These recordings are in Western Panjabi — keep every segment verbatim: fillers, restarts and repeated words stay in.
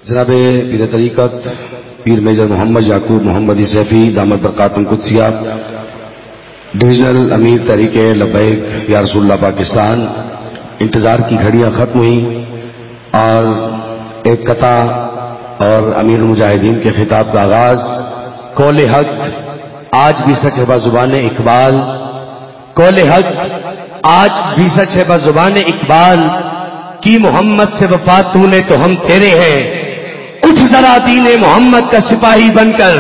جناب پیر طریقت، پیر میجر محمد یعقوب محمد سیفی دامت برکاتم قدسیہ، ڈویژنل امیر تحریک لبیک یا رسول اللہ پاکستان، انتظار کی گھڑیاں ختم ہوئیں اور ایک قطعہ اور امیر المجاہدین کے خطاب کا آغاز۔ قول حق آج بھی سچ ہے بزبان اقبال، قول حق آج بھی سچ ہے بزبان اقبال، کی محمد سے وفا تو نے تو ہم تیرے ہیں۔ اٹھ ذرا دین محمد کا سپاہی بن کر،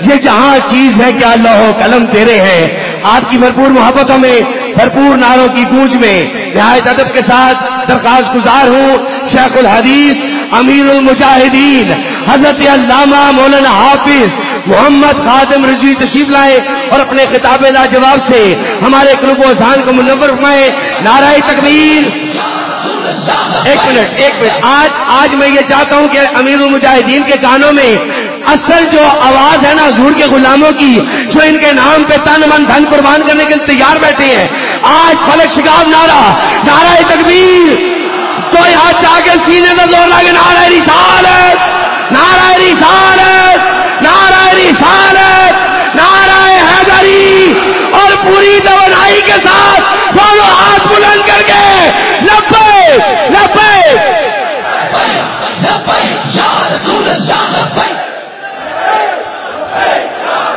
یہ جہاں چیز ہے کیا لوح و قلم تیرے ہیں۔ آپ کی بھرپور محبتوں میں، بھرپور نعروں کی گونج میں نہایت ادب کے ساتھ درخواست گزار ہوں، شیخ الحدیث امیر المجاہدین حضرت علامہ مولانا حافظ محمد خادم رضوی تشریف لائے اور اپنے خطاب لاجواب سے ہمارے قلوب و اذہان کو منور فرمائے۔ نعرہ تکبیر۔ ایک منٹ، ایک منٹ۔ آج، آج میں یہ چاہتا ہوں کہ امیر المجاہدین کے کانوں میں اصل جو آواز ہے نا حضور کے غلاموں کی، جو ان کے نام پہ تن من دھن قربان کرنے کے لیے تیار بیٹھے ہیں، آج فلک شگاف نعرہ، نعرہ تکبیر، کوئی ہاتھ چاہ کے سینے کا زور لا کے نعرہ رسالت، نعرہ رسالت، نعرہ رسالت، نعرہ حیدری، اور پوری توانائی کے ساتھ دونوں ہاتھ بلند کر کے لبیک، لبیک۔ لبیک یا رسول اللہ، لبیک۔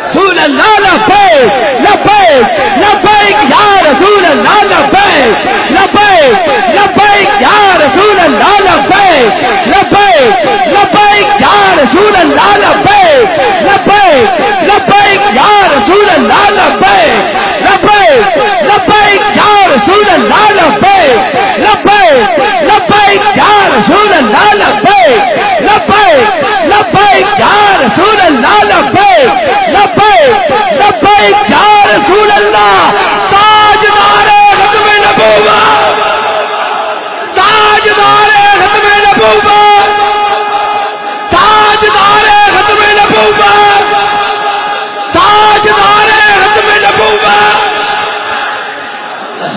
رسول اللہ لبیک، لبیک، لبیک یا رسول اللہ لبیک، لبیک، لبیک یا رسول اللہ لبیک، لبیک، لبیک یا رسول اللہ لبیک، لبیک، لبیک یا رسول اللہ لبیک، لبیک، لبیک یا رسول اللہ لبیک، لبیک، لبیک یا رسول اللہ لبیک، لبیک، لبیک یا رسول اللہ لبیک، لبیک، لبیک یا رسول اللہ۔ تاجدار ختم نبوت، تاجدار ختم نبوت، تاجدار ختم نبوت، تاجدار ختم نبوت۔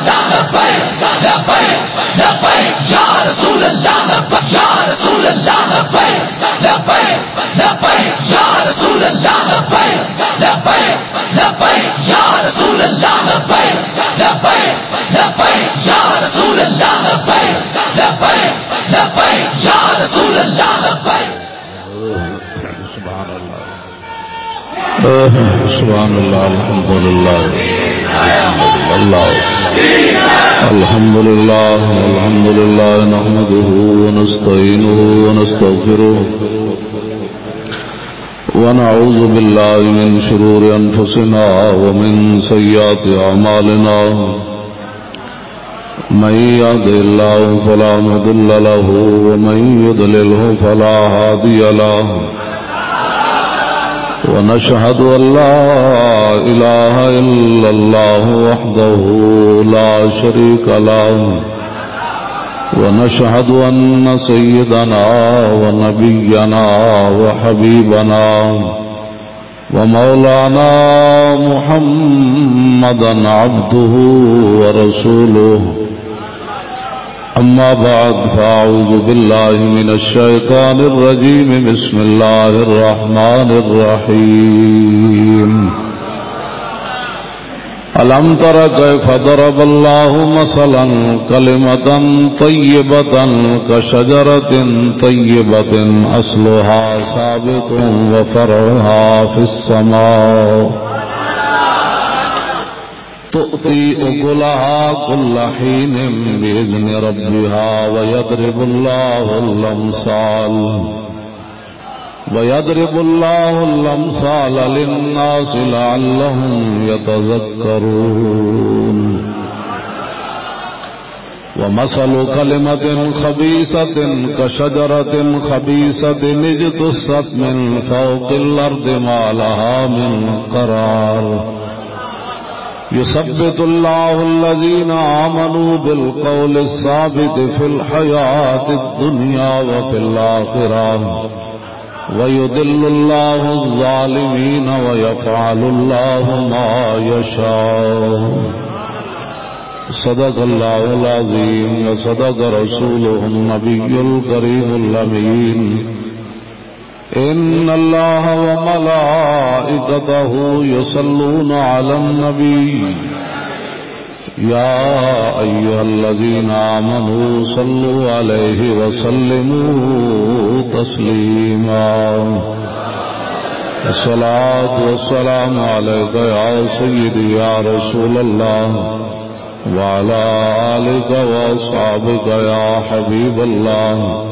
لبیک، لبیک، لبیک یا رسول اللہ، لبیک یا رسول اللہ، لبیک، لبیک، لبیک یا رسول اللہ، لبیک، لبیک، لبیک یا رسول اللہ، لبیک، لبیک، لبیک یا رسول اللہ، لبیک، لبیک، لبیک یا رسول اللہ، لبیک۔ سبحان اللہ۔ سبحان اللہ، الحمدللہ۔ اللہ۔ الحمدللہ، الحمدللہ، نحمده ونستعينه ونستغفره، ونعوذ بالله من شرور أنفسنا ومن سيئات أعمالنا۔ من يهد الله فلا مضل له، ومن يضلله فلا هادي له. ونشهد أن لا إله إلا الله وحده لا شريك له، ونشهد أن سيدنا ونبينا وحبيبنا ومولانا محمدا عبده ورسوله. أما بعد، فأعوذ بالله من الشيطان الرجيم. بسم الله الرحمن الرحيم. ألم تر كيف ضرب الله مثلا كلمة طيبة كشجرة طيبة أصلها ثابت وفرعها في السماء تؤتي أكلها كل حين بإذن ربها ويضرب الله الأمثال ويضرب الله الأمثال للناس لعلهم يتذكرون. ومثل كلمة خبيثة كشجرة خبيثة اجتثت من فوق الأرض ما لها من قرار. يثبت الله الذين آمنوا بالقول الثابت في الحياة الدنيا وفي الآخرة، ويضل الله الظالمين ويفعل الله ما يشاء. صدق الله العظيم وصدق رسوله النبي الكريم الأمين. إن الله وملائكته يصلون على النبي، يا أيها الذين آمنوا صلوا عليه وسلموا تسليما. الصلاة والسلام عليك يا سيدي يا رسول الله، وعلى آلك وأصحابك يا حبيب الله.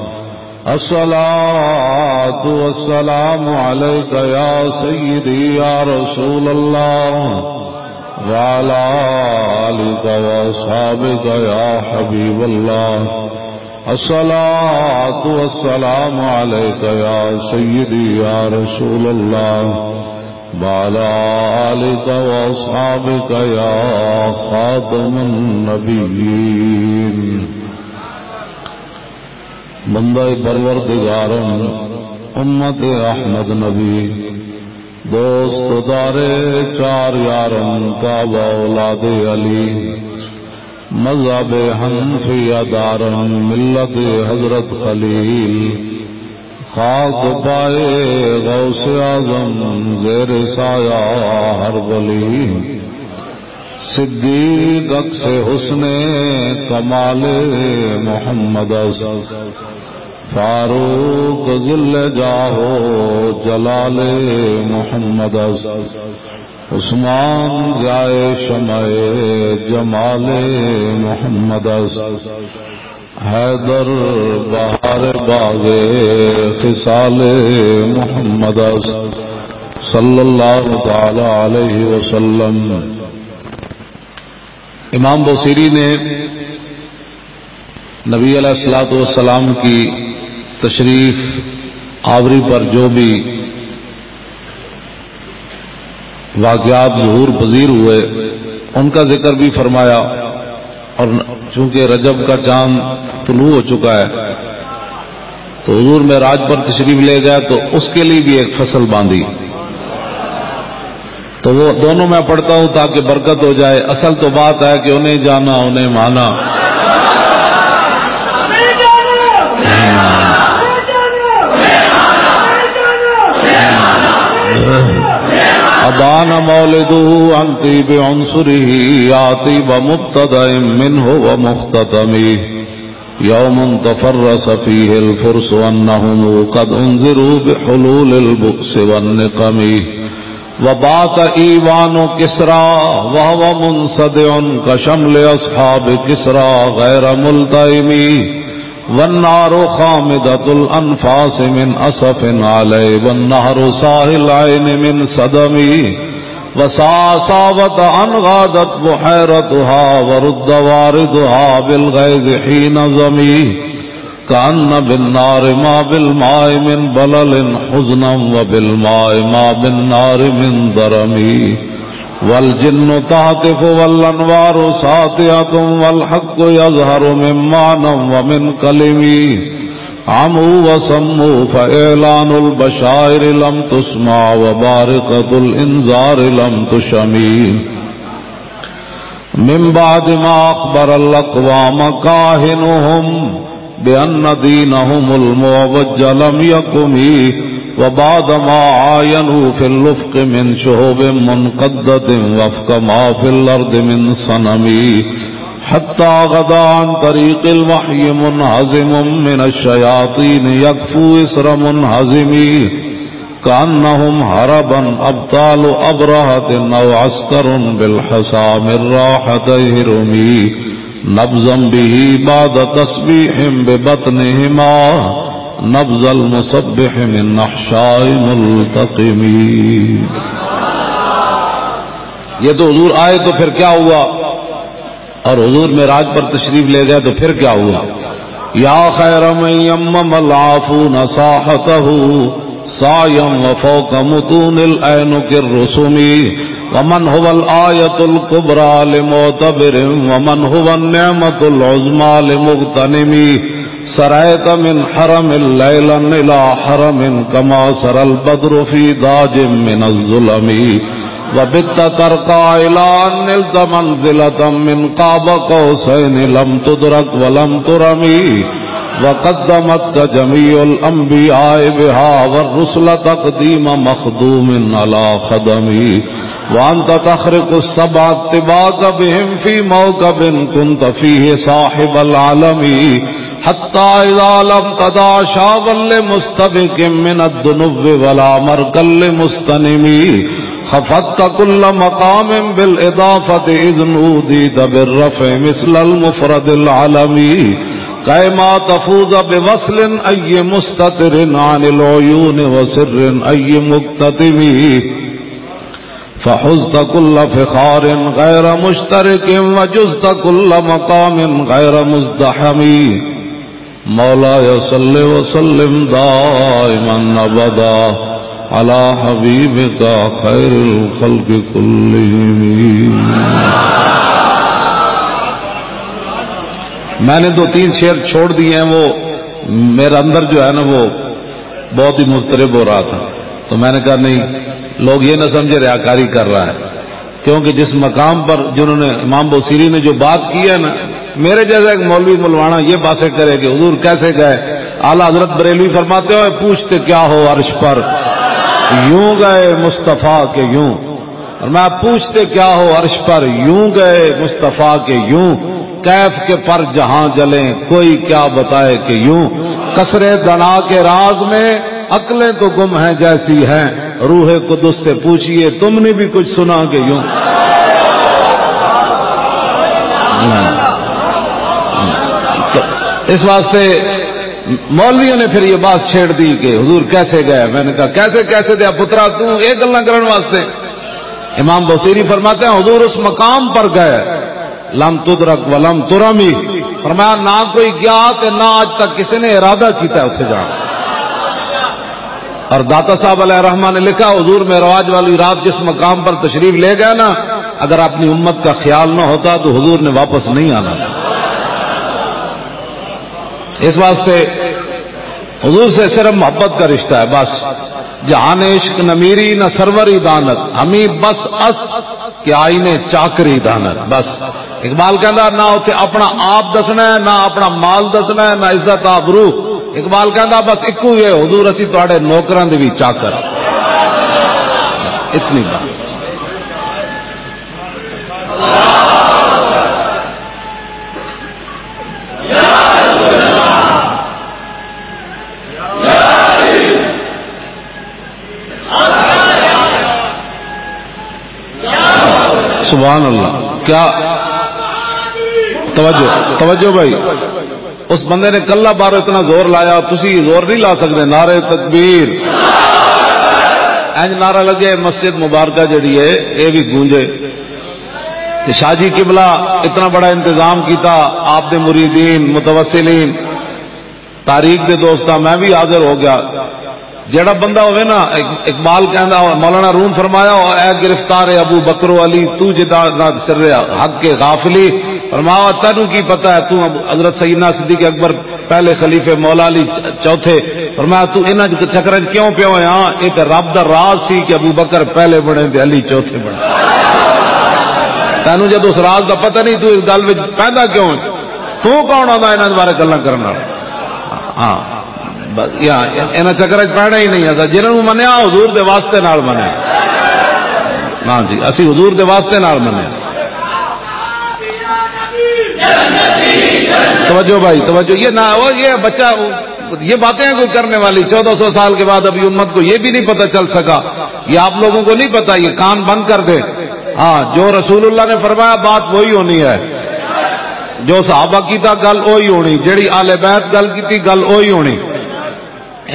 الصلاة والسلام عليك يا سيدي يا رسول الله، وعلى آلك وأصحابك يا حبيب الله. الصلاة والسلام عليك يا سيدي يا رسول الله، وعلى آلك وأصحابك يا خاتم النبيين. بندہ پروردگارم، امت احمد نبی، دوست و دار چار یارم، تابع اولاد علی، مذہب حنفیہ دارم، ملت حضرت خلیل، خاک پائے غوث اعظم، زیر سایہ ہر ولی۔ صدیق عکس حسن کمال محمد است، فاروق ذل جاہ و جلال محمد است، عثمان ضیاء شمع جمال محمد است، حیدر بہار باغ خصال محمد است، صلی اللہ تعالی علیہ وسلم۔ امام بوسیری نے نبی علیہ الصلوۃ والسلام کی تشریف آوری پر جو بھی واقعات ظہور پذیر ہوئے، ان کا ذکر بھی فرمایا۔ اور چونکہ رجب کا چاند طلوع ہو چکا ہے، تو حضور معراج پر تشریف لے گئے، تو اس کے لیے بھی ایک فصل باندھی۔ تو وہ دونوں میں پڑھتا ہوں تاکہ برکت ہو جائے۔ اصل تو بات ہے کہ انہیں جانا، انہیں مانا۔ أبان مولده عن طيب عنصره، يا طيب مبتدأ منه ومختتم. يوم تفرس فيه الفرس أنهم قد أنذروا بحلول البؤس والنقم. وبات إيوان كسرى وهو منصدع كشمل أصحاب كسرى غير ملتئم. والنار خامدة الأنفاس من أسف عليه، والنهر ساهي العين من سدم. وسا-، ساوت أن غادت بحيرتها، ورد واردها بالغيظ حين ظمي. كأن بالنار ما بالماء من بلل حزنا، وبالماء ما بالنار من درم. والجن تهتف والأنوار ساطعة، والحق يظهر من معنى ومن كلم. عموا وصموا فإعلان البشائر لم تسمع، وبارقة الإنذار لم تشم. من بعد ما أخبر الأقوام كاهنهم بأن دينهم المعوج لم يقم، وبعد ما عاينوا في الأفق من شهب منقدة وفق ما في الأرض من صنم. حتى غدا عن طريق الوحي منهزم من الشياطين يكفو إسر منهزم. كأنهم هربا أبطال أبرهة أو عسكر بالحصى من راحتي هرم. نبذا به بعد تسبيح ببطنهما نبذ المسبح من نحشاء ملتقم. یہ تو حضور آئے تو پھر کیا ہوا؟ اور حضور معراج پر تشریف لے گئے تو پھر کیا ہوا؟ يا خير من يمم العافون ساحته سعيا وفوق متون الأعنق الرسم. ومن هو الآية الكبرى لمعتبر، ومن هو النعمة العظمى لمغتنم. سريت من حرم ليلا إلى حرم كما سرى البدر في داج من الظلم. وبت ترقى إلى أن نلت منزلة من قاب قوسين لم تدرك ولم ترم، وقدمتك جميع الأنبياء بها والرسل تقديم مخدوم على خدم، وأنت تخرق السبع الطباق بهم في موكب كنت فيه صاحب العلم، حتى إذا لم تدع شابا لمستبق من الدنو ولا مركا لمستنم، خفضت كل مقام بالإضافة إذ نوديت بالرفع مثل المفرد العلم، كيما تفوز بوصل أي مستتر عن العيون وسر أي مكتتم، فحزت كل فخار غير مشترك وجزت كل مقام غير مزدحم۔ مولاي صل وسلم دائما أبدا على حبيبك خير الخلق كلهم۔ میں نے دو تین شعر چھوڑ دیے ہیں، وہ میرا اندر جو ہے نا، وہ بہت ہی مضطرب ہو رہا تھا، تو میں نے کہا، نہیں، لوگ یہ نہ سمجھے ریاکاری کر رہا ہے، کیونکہ جس مقام پر جنہوں نے، امام بوسیری نے جو بات کی ہے نا، میرے جیسا ایک مولوی ملوانا یہ باتیں کرے کہ حضور کیسے گئے؟ اعلیٰ حضرت بریلوی فرماتے ہوئے، پوچھتے کیا ہو عرش پر، یوں گئے مصطفیٰ کے یوں۔ اور میں، پوچھتے کیا ہو عرش پر، یوں گئے مصطفیٰ کے یوں، کیف کے پر جہاں جلیں، کوئی کیا بتائے کہ یوں۔ قصر دنا کے راز میں عقلیں تو گم ہیں جیسی ہیں، روح قدس سے پوچھیے، تم نے بھی کچھ سنا کہ یوں۔ تو اس واسطے مولویوں نے پھر یہ بات چھیڑ دی کہ حضور کیسے گئے۔ میں نے کہا، کیسے، کیسے دیا پترا، تو یہ گلاں کرن واسطے؟ امام بوسیری فرماتے ہیں، حضور اس مقام پر گئے، لم تدرک ولم ترمی، فرمایا، نہ کوئی گیا تے نہ آج تک کسی نے ارادہ کیتا ہے اتھے جانا۔ اور داتا صاحب علیہ الرحمہ نے لکھا، حضور معراج والی رات جس مقام پر تشریف لے گئے نا، اگر اپنی امت کا خیال نہ ہوتا تو حضور نے واپس نہیں آنا۔ اس واسطے حضور سے صرف محبت کا رشتہ ہے بس۔ جہان عشق نمیری نہ سروری دانت، ہمیں بس است کہ آئینے چاکری دانت۔ بس اقبال کہندا، نہ اتھے اپنا آپ دسنا ہے، نہ اپنا مال دسنا ہے، نہ عزت آبرو۔ اقبال کہندا، بس اکو ہی ہے، حضور اسی تہاڈے نوکراں دے بھی چاکر۔ اتنی بات۔ سبحان اللہ۔ کیا توجہ، توجہ بھائی، اس بندے نے کلہ بارو اتنا زور لایا، تسی زور نہیں لا سکتے۔ نعرہ تکبیر، انج نعرہ لگے، مسجد مبارکہ جڑی ہے، اے بھی گونجے۔ تے شاہ جی قبلہ اتنا بڑا انتظام کیتا، آپ دے مریدین، متوسلین، تاریخ دے دوستاں، میں بھی حاضر ہو گیا۔ جڑا بندہ ہوئے نا، اق-، اقبال کہندا ہو، مولانا روم فرمایا ہو، اے گرفتار ابو بکر و علی، تو جدا نہ سر حق کے غافلی، فرمایا، تینوں کی پتہ ہے، تو اب حضرت سیدنا صدیق اکبر پہلے خلیفے، مولا علی چ-، چوتھے، فرمایا، تو انہاں چکراں چ کیوں پیو ہے؟ ہاں، یہ تے رب دا راز سی کہ ابو بکر پہلے بنے تے علی چوتھے بنے۔ تینوں جد اس راز دا پتہ نہیں، تو اس گل وچ پیدا کیوں ہے؟ تو کون آندا انہاں دے بارے گلاں کرن والا؟ ہاں، بس، یا، انہاں چکراں چ پینا ہی نہیں آندا۔ جنہاں نوں منیا، حضور دے واسطے نال منیا۔ ہاں جی، اسی حضور دے واسطے نال منیا۔ توجہ بھائی، توجہ۔ یہ نہ، وہ یہ بچہ، یہ باتیں کوئی کرنے والی، چودہ سو سال کے بعد ابھی امت کو یہ بھی نہیں پتہ چل سکا۔ یہ آپ لوگوں کو نہیں پتا، یہ کان بند کر دے۔ ہاں، جو رسول اللہ نے فرمایا، بات وہی ہونی ہے۔ جو صحابہ کیتا، گل وہی ہونی۔ جڑی آل بیت گل کیتی، گل وہی ہونی۔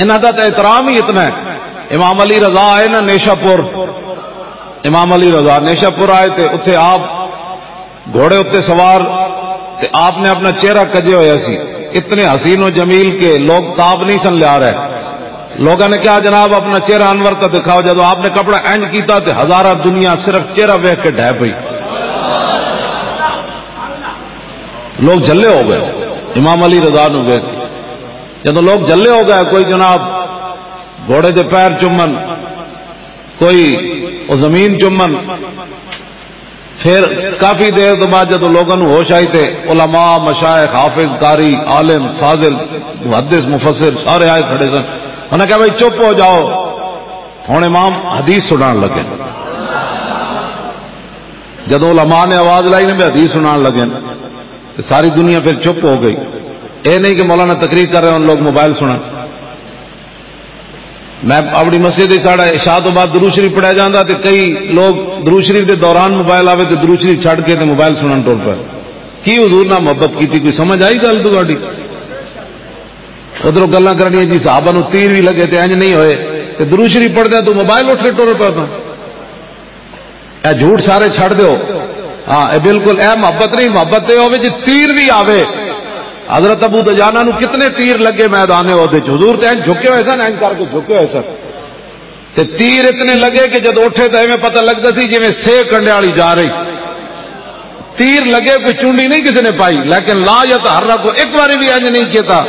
انہاں دا تے احترام ہی اتنا ہے۔ امام علی رضا آئے نا نیشہ پور، امام علی رضا نیشہ پور آئے تے اتھے آپ گھوڑے اتے سوار، تے آپ نے اپنا چہرہ کجے ہویا سی، اتنے حسین و جمیل کہ لوگ تاب نہیں سن لیا رہے۔ لوگوں نے کہا، جناب، اپنا چہرہ انور کا دکھاؤ۔ جب آپ نے کپڑا اینج کیتا تے ہزارہ دنیا صرف چہرہ ویکھ کے ڈھہ پئی۔ لوگ جھلے ہو گئے امام علی رضا نو ویکھ کے۔ جدوں لوگ جھلے ہو گئے، کوئی جناب گھوڑے دے پیر چومن، کوئی، وہ زمین چمن۔ پھر کافی دیر تو بعد جدوں لوگاں نوں ہوش آئی تے علماء، مشائخ، حافظ، قاری، عالم، فاضل، محدث، مفسر سارے آئے کھڑے سن۔ انہاں کہا، "بھائی چپ ہو جاؤ، ہن امام حدیث سنان لگے۔" جدوں علماء نے آواز لائی نا بھی حدیث سنان لگے، تو ساری دنیا پھر چپ ہو گئی۔ اے نہیں کہ مولانا تقریر کر رہے ہیں، ان لوگ موبائل سنن۔ میں اپنی مسجد وچ ساڑا عشاء تو بعد درود شریف پڑھیا جاندا تے کئی لوگ درود شریف دے دوران موبائل آوے تے درود شریف چھڈ کے تے موبائل سنن ٹر پے۔ کی حضور نال محبت کیتی؟ کوئی سمجھ آئی گل تہاڈی؟ ادھروں گلاں کرنیاں جی، صحابہ نوں تیر بھی لگے تے انج نہیں ہوئے، تے درود شریف پڑھدے تو موبائل اٹھ کے ٹر پے۔ اے جھوٹ سارے چھڈ دیو۔ ہاں، اے بالکل، اے محبت نہیں، محبت تے ہوے جی تیر بھی آوے۔ حضرت ابو دجانہ نو کتنے تیر لگے میدان احد وچ، حضور تے انج جھکے ہوئے سن، انج کر کے جھکے ہوئے سن۔ تے تیر اتنے لگے کہ جد اٹھے تے ایویں پتہ لگدا سی جویں سیک کنڈے والی جا رہی۔ تیر لگے، کوئی چونڈی نہیں کسی نے پائی، لیکن لا یتحرک، ایک باری بھی انج نہیں کیتا۔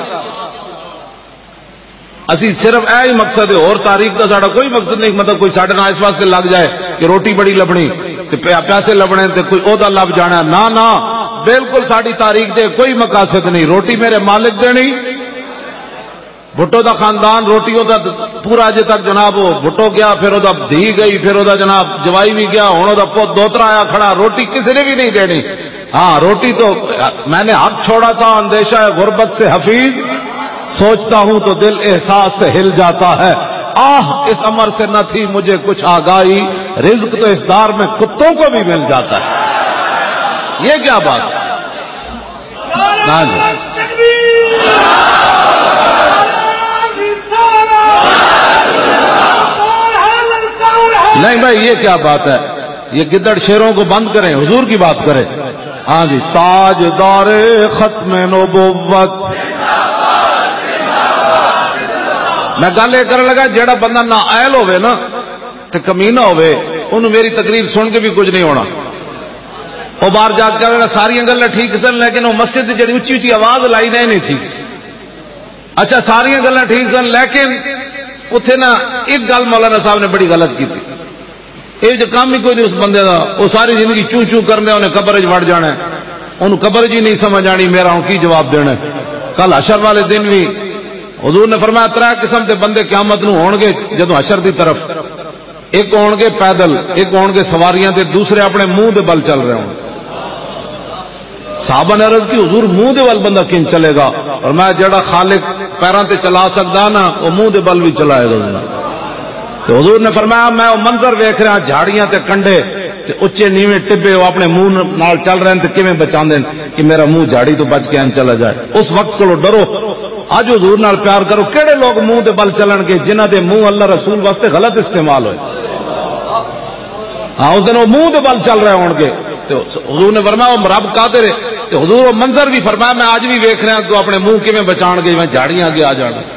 اسی صرف اے ہی مقصد ہے، اور تعریف دا ساڈا کوئی مقصد نہیں، مطلب کوئی ساڈے نال اس واسطے لگ جائے کہ روٹی بڑی لبنی تے پیا-، پیسے لبنے تے کوئی عہدہ لب جانا۔ نہ، نہ، بالکل ساڈی تعریف دے کوئی مقاصد نہیں۔ روٹی میرے مالک دینی، بھٹو دا خاندان روٹیوں دا پورا اجے تک جناب، وہ بھٹو گیا، پھر او دا دھی گئی، پھر او دا جناب جوائی بھی گیا، ہن او دا پوت دوترا آیا کھڑا، روٹی کسی نے بھی نہیں دینی۔ ہاں، روٹی تو میں نے حق چھوڑا تھا، اندیشہ ہے غربت سے حفیظ، سوچتا ہوں تو دل احساس سے ہل جاتا ہے۔ آہ، اس امر سے نہ تھی مجھے کچھ آگاہی، رزق تو اس دار میں کتوں کو بھی مل جاتا ہے۔ یہ کیا بات ہے؟ ہاں جی۔ نہیں بھائی، یہ کیا بات ہے؟ یہ گدڑ شیروں کو بند کریں، حضور کی بات کریں۔ ہاں جی، تاجدار ختم نبوت۔ میں گل یہ کرن لگا، جیڑا بندہ نااہل ہوے نا تے کمینہ ہوے، انہوں میری تقریر سن کے بھی کچھ نہیں ہونا۔ وہ باہر جا کے کہنا، ساری گلاں ٹھیک سن، لیکن وہ مسجد دی جڑی اچھی اچھی آواز لائی نا، یہ نہیں ٹھیک سی۔ اچھا، ساری گلاں ٹھیک سن، لیکن اتھے نا ایک گل مولانا صاحب نے بڑی غلط کی تھی۔ یہ جو کام ہی کوئی نہیں اس بندے دا، وہ ساری زندگی چوں چوں کرنے، انہیں قبر وچ وڑ جانا ہے، انہوں قبر وچ ہی نہیں سمجھ آنی میرا ہوں کی جواب دینا ہے۔ کل حشر والے دن بھی حضور نے فرمایا، ترے قسم دے بندے قیامت نو ہون گے جدوں حشر دی طرف، ایک ہون گے پیدل، ایک ہون گے سواریاں تے، دوسرے اپنے منہ دے بل چل رہے ہون۔ صحابہ نے عرض کی، حضور، منہ دے بل بندہ کن چلے گا؟ اور میں جڑا خالق پیراں تے چلا سکدا نا، وہ منہ دے بل بھی چلائے گا۔ تو حضور نے فرمایا، میں وہ منظر ویکھ رہا، جھاڑیاں تے کنڈے تے اچے نیویں ٹبے، وہ اپنے منہ نال چل رہے ہیں تے کیویں بچاندے ہیں کہ میرا منہ جھاڑی تو بچ کے ان چلا جائے۔ اس وقت کو ڈرو۔ اج حضور نال پیار کرو۔ کہڑے لوگ منہ دے بل چلن گے؟ جنہاں دے منہ اللہ رسول واسطے غلط استعمال ہوئے۔ ہاں، اس دن وہ منہ دے بل چل رہے ہون گے۔ تے حضور نے فرمایا، "وہ رب قادر ہے۔" تے حضور وہ منظر بھی فرمایا، "میں اج بھی ویکھ رہا تو اپنے منہ کیویں بچان گے، میں جھاڑیاں اگے آ جان گے۔"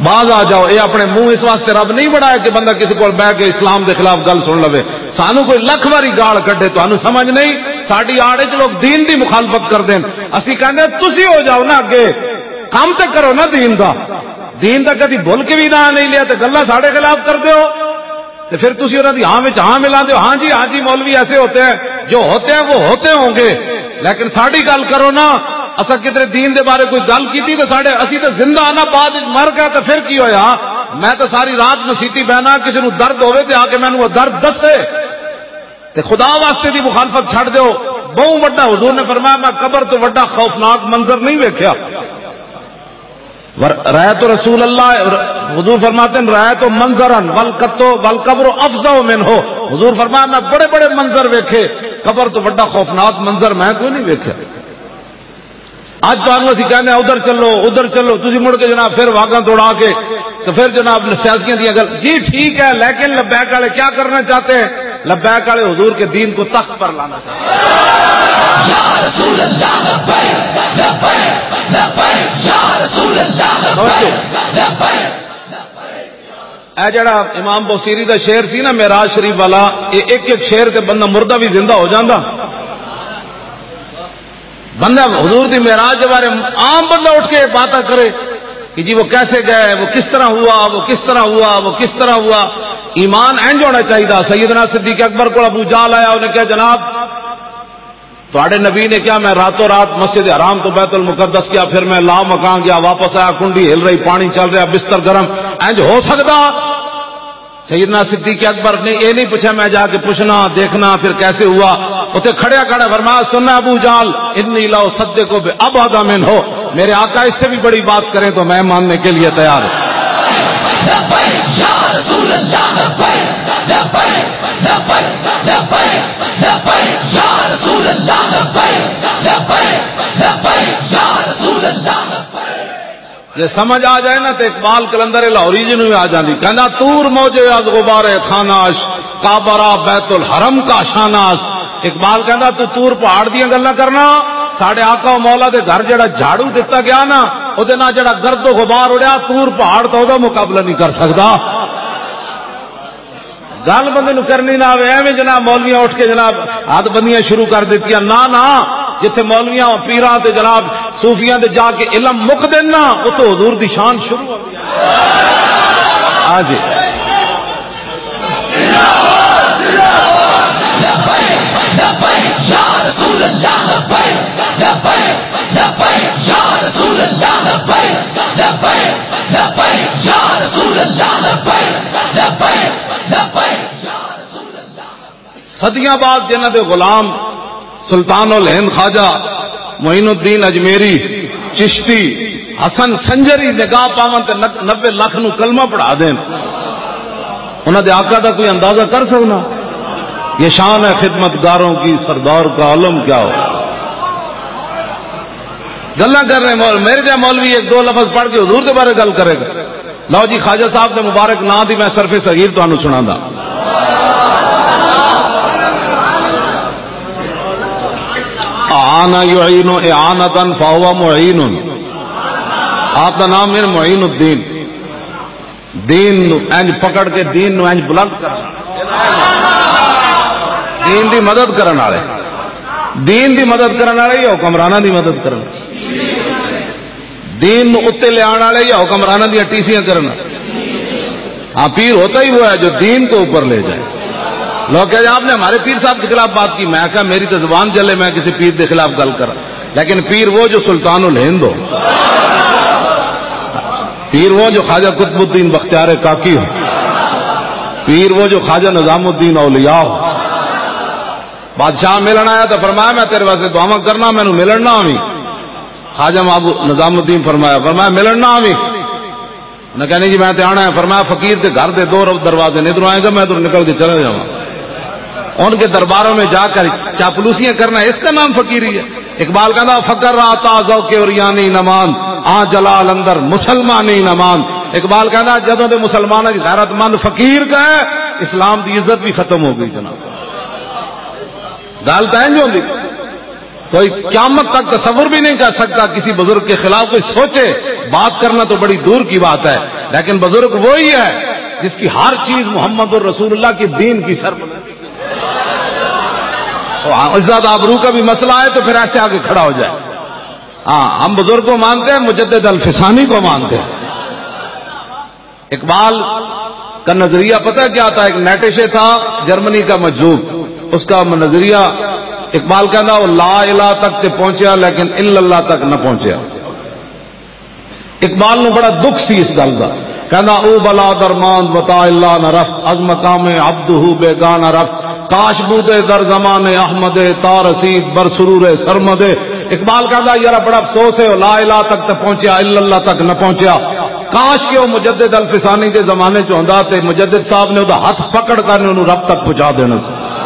باز آ جاؤ، یہ اپنے منہ اس واسطے رب نہیں بنایا کہ بندہ کسی کو بہ کے اسلام دے خلاف گل سن لوے۔ سانو کوئی لکھ واری گال کڈے، تانوں سمجھ نہیں۔ ساڈی آڑ وچ لوگ دین دی مخالفت کردے ہیں، اسی کہندے ہیں، "تسی ہو جاؤ نا اگے، کم تے کرو نا دین دا۔" دین دا کدی بھول کے بھی نہ نہیں لیا تے گلاں ساڈے خلاف کردے ہو۔ تے پھر تسی انہاں دی ہاں وچ ہاں ملاندے ہو، "ہاں جی، ہاں جی، مولوی ایسے ہوتے ہیں، جو ہوتے ہیں وہ ہوتے ہوں گے، لیکن ساڈی گل کرو نا۔" اساں کدھر دین دے بارے کوئی گل کیتی تے ساڈے، اسی تے زندہ آنا، بعد وچ مر گیا تے پھر کی ہویا؟ میں تے ساری رات مسیتی بہنا، کسی نو درد ہوے تے آ کے مینوں وہ درد دسے۔ تے خدا واسطے دی مخالفت چھڈ دیو۔ بہوں وڈا، حضور نے فرمایا، میں قبر تو وڈا خوفناک منظر نہیں ویکھیا۔ ور-، رأیت رسول اللہ، حضور فرماتے ہیں، "رأیت منظرا والقتو-، والقبر افظع منہ۔" حضور فرمایا، "میں بڑے بڑے منظر ویکھے، قبر تو بڑا خوفناک منظر میں کوئی نہیں ویکھیا۔" اج تانوں اسی کہنے ہیں، "ادھر چلو، ادھر چلو۔" تسی مڑ کے جناب پھر واگاں توڑا کے تو پھر جناب سیاسیاں دیاں گل، جی ٹھیک ہے، لیکن لبیک والے کیا کرنا چاہتے ہیں؟ لبیک والے حضور کے دین کو تخت پر لانا چاہتے ہیں۔ اے جڑا امام بوسیری دا شعر سی نا معراج شریف والا، اے ایک ایک شعر تے بندہ مردہ بھی زندہ ہو جاندا۔ بندہ حضور دی معراج دے بارے عام بندہ اٹھ کے باتاں کرے، کہ جی وہ کیسے گئے، وہ کس طرح ہوا، وہ کس طرح ہوا، وہ کس طرح ہوا۔ ایمان انج ہونا چاہیے۔ سیدنا صدیق اکبر کو ابو جہل آیا، انہیں کہا، "جناب، تہاڈے نبی نے کہا، میں راتوں رات مسجد حرام تو بیت المقدس گیا، پھر میں لا مکان گیا، واپس آیا، کنڈی ہل رہی، پانی چل رہا، بستر گرم، انج ہو سکدا؟" سیدنا صدیق اکبر نے یہ نہیں پوچھا، میں جا کے پوچھنا، دیکھنا پھر کیسے ہوا۔ اتنے کھڑیا کھڑا فرمایا، "سننا ابو جہل، انی لا اصدق بابعد منہ، میرے آقا اس سے بھی بڑی بات کریں تو میں ماننے کے لیے تیار ہوں۔" لبیک یا رسول اللہ، لبیک، لبیک، لبیک، لبیک، لبیک یا رسول اللہ، لبیک، لبیک، لبیک یا رسول اللہ، لبیک۔ جے سمجھ آ جائے نا، تے اقبال قلندر لاہوری جی نوں وی آ جاندی۔ کہندا، "طور موجے از غبار خاناش، کعبہ را بیت الحرم کا شاناس۔" اقبال کہندا، "تو طور پہاڑ دیاں گلاں کرنا، ساڈے آقا و مولا دے گھر جڑا جھاڑو دتا گیا نا، اودے نال جڑا گرد و غبار اڑیا، طور پہاڑ تو اودے مقابلہ نہیں کر سکدا۔" گل بندے نوں کرنی نہ آوے، ایویں جناب مولویاں اٹھ کے جناب ہاتھ بندیاں شروع کر دتیاں۔ نہ، نہ، جتھے مولویاں، پیراں تے جناب صوفیاں دے جا کے علم مک دین نا، اتھوں حضور دی شان شروع ہوندی ہے۔ ہاں جی۔ لبیک، لبیک یا رسول اللہ، لبیک، لبیک، لبیک یا رسول اللہ، لبیک، لبیک، لبیک یا رسول اللہ، لبیک، لبیک، لبیک یا رسول اللہ۔ صدیاں بعد جنہاں دے غلام سلطان الہند خواجہ معین الدین اجمیری، چشتی، حسن سنجری نگاہ پاون تے نب-، نبے لکھ نو کلمہ پڑھا دین، انہاں دے آقا دا کوئی اندازہ کر سکنا؟ یہ شان ہے خدمت گاروں کی، سردار کا عالم کیا ہو۔ گلاں کر رہے مول-، میرے جا مولوی ایک دو لفظ پڑھ کے حضور دے بارے گل کرے گا۔ لو جی، خواجہ صاحب دے مبارک نام دی میں صرف صغیر تانوں سناندا۔ اعان یعین اعانتاً فہو معین۔ آپ دا نام ہے معین الدین۔ دین نو انج پکڑ کے دین نو انج بلند کرنا، دین دی مدد کرن والے، دین دی مدد کرن والے یا حکمراناں دی مدد کرن؟ دین نو اُتے لیان والے یا حکمراناں دیاں ٹیسیاں کرن؟ ہاں، پیر ہوتا ہی وہ ہے جو دین کو اوپر لے جائے۔ لوگ کہتے ہیں، "آپ نے ہمارے پیر صاحب کے خلاف بات کی۔" میں کہا، "میری تو زبان چلے، میں کسی پیر کے خلاف گل کراں، لیکن پیر وہ جو سلطان الہند ہو، پیر وہ جو خواجہ قطب الدین بختیار کاکی ہو، پیر وہ جو خواجہ نظام الدین اولیاء ہو۔" بادشاہ ملن آیا تو فرمایا، "میں تیرے واسطے دعاواں کرنا، مینوں ملن نہ آویں۔" خواجہ محبوب نظام الدین فرمایا، فرمایا، "ملن نہ آویں۔" انہاں کہنے، "جی میں تے آنا ہے۔" فرمایا، "فقیر دے گھر دے دو رو-، دروازے نے، ادھروں آئے گا، میں ادھروں نکل کے چلا جاواں۔" ان کے درباروں میں جا کر چاپلوسیاں کرنا، اس کا نام فقیری ہے؟ اقبال کہندا، "فقر آتا ذوق اوریانی نمان، آ جلال اندر مسلمانی نمان۔" اقبال کہندا، جدوں دے مسلماناں دی غیرت مند فقیر کا ہے، اسلام دی عزت بھی ختم ہو گئی جناب۔ گل تو انج ہوندی، کوئی قیامت تک تصور بھی نہیں کر سکتا کسی بزرگ کے خلاف کوئی سوچے۔ بات کرنا تو بڑی دور کی بات ہے، لیکن بزرگ وہی ہے جس کی ہر چیز محمد الرسول اللہ کی دین کی سر۔ تو ہاں، عزت آبرو کا بھی مسئلہ ہے تو پھر ایسے آگے کھڑا ہو جائے۔ ہاں، ہم بزرگ کو مانتے ہیں، مجدد الفسانی کو مانتے ہیں۔ اقبال کا نظریہ پتہ کیا تھا؟ ایک نیٹشے تھا، جرمنی کا مجذوب، اس کا نظریہ، اقبال کہندا، "وہ لا الہ تک تے پہنچیا، لیکن الا اللہ تک نہ پہنچیا۔" اقبال نو بڑا دکھ سی اس گل دا۔ کہندا، "او بلا درمان وطا اللہ نہ رفت، از مقام عبدہ بے گاہ نہ رفت، کاش بودے در زمان احمد تا رسید بر سرور سرمد۔" اقبال کہندا، "یارا، بڑا افسوس ہے، او لا الہ تک تے پہنچیا، الا اللہ تک نہ پہنچیا۔ کاش کہ او مجدد الفسانی دے زمانے چ ہوندا تے مجدد صاحب نے او دا ہاتھ پکڑ کر نے اونوں رب تک پہنچا دینا سی۔"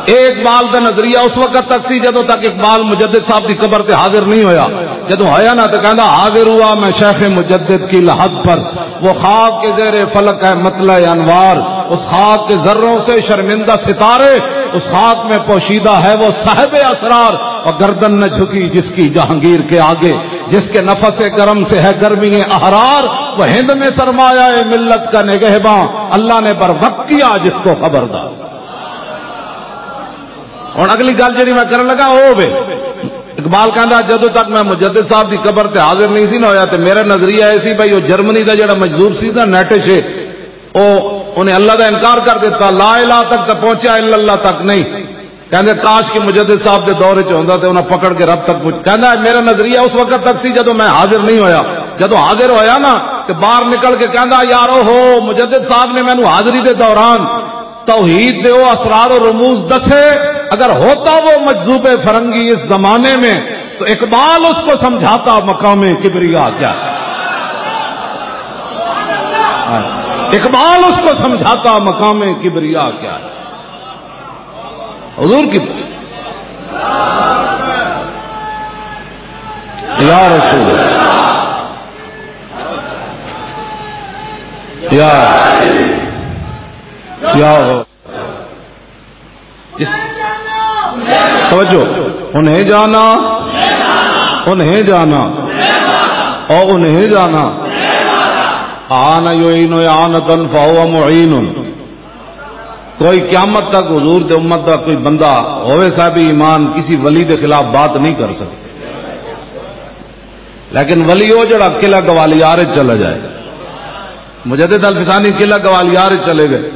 اے اقبال دا نظریہ اس وقت تک سی جدوں تک اقبال مجدد صاحب دی قبر تے حاضر نہیں ہویا۔ جدوں ہویا نا تے کہندا، "حاضر ہوا میں شیخ مجدد کی لحد پر، وہ خاک کے زیر فلک ہے مطلع انوار، اس خاک کے ذروں سے شرمندہ ستارے، اس خاک میں پوشیدہ ہے وہ صاحب اسرار، اور گردن نہ جھکی جس کی جہانگیر کے آگے، جس کے نفس کرم سے ہے گرمی احرار، وہ ہند میں سرمایہ ملت کا نگہباں، اللہ نے بر وقت کیا جس کو خبردار۔" ہن اگلی گل جڑی میں کرن لگا، او وے، اقبال کہندا، "جدوں تک میں مجدد صاحب دی قبر تے حاضر نہیں سی نہ ہویا، تے میرا نظریہ اے سی بھائی، او جرمنی دا جڑا مجذوب سی نا، نیٹش، او، انہیں اللہ دا انکار کر دیتا، لا الہ تک تے پہنچیا، الا اللہ تک نہیں۔" کہندے، "کاش کہ مجدد صاحب دے دور وچ ہوندا تے انہاں پکڑ کے رب تک پہنچ۔" کہندا، "میرا نظریہ اس وقت تک سی جدوں میں حاضر نہیں ہویا، جدوں حاضر ہویا نا، تے باہر نکل کے کہندا، یار، او ہو، مجدد صاحب نے مینوں حاضری دے دوران توحید دے او اسرار و رموز دسے، اگر ہوتا وہ مجذوب فرنگی اس زمانے میں، تو اقبال اس کو سمجھاتا مقام کبریا کیا ہے۔" اقبال اس کو سمجھاتا مقام کبریا کیا ہے۔ حضور کی، یا رسول اللہ۔ یا، یا ہو۔ اس، توجہ، انہیں جانا، انہیں جانا، او انہیں جانا۔ آن یعین اعانتاً فہو معین۔ کوئی قیامت تک حضور دے امت دا کوئی بندہ ہوئے صاحب ایمان کسی ولی دے خلاف بات نہیں کر سکتا۔ لیکن ولی ہو جڑا قلعہ گوالیار وچ چلا جائے۔ مجدد الفسانی قلعہ گوالیار وچ چلے گئے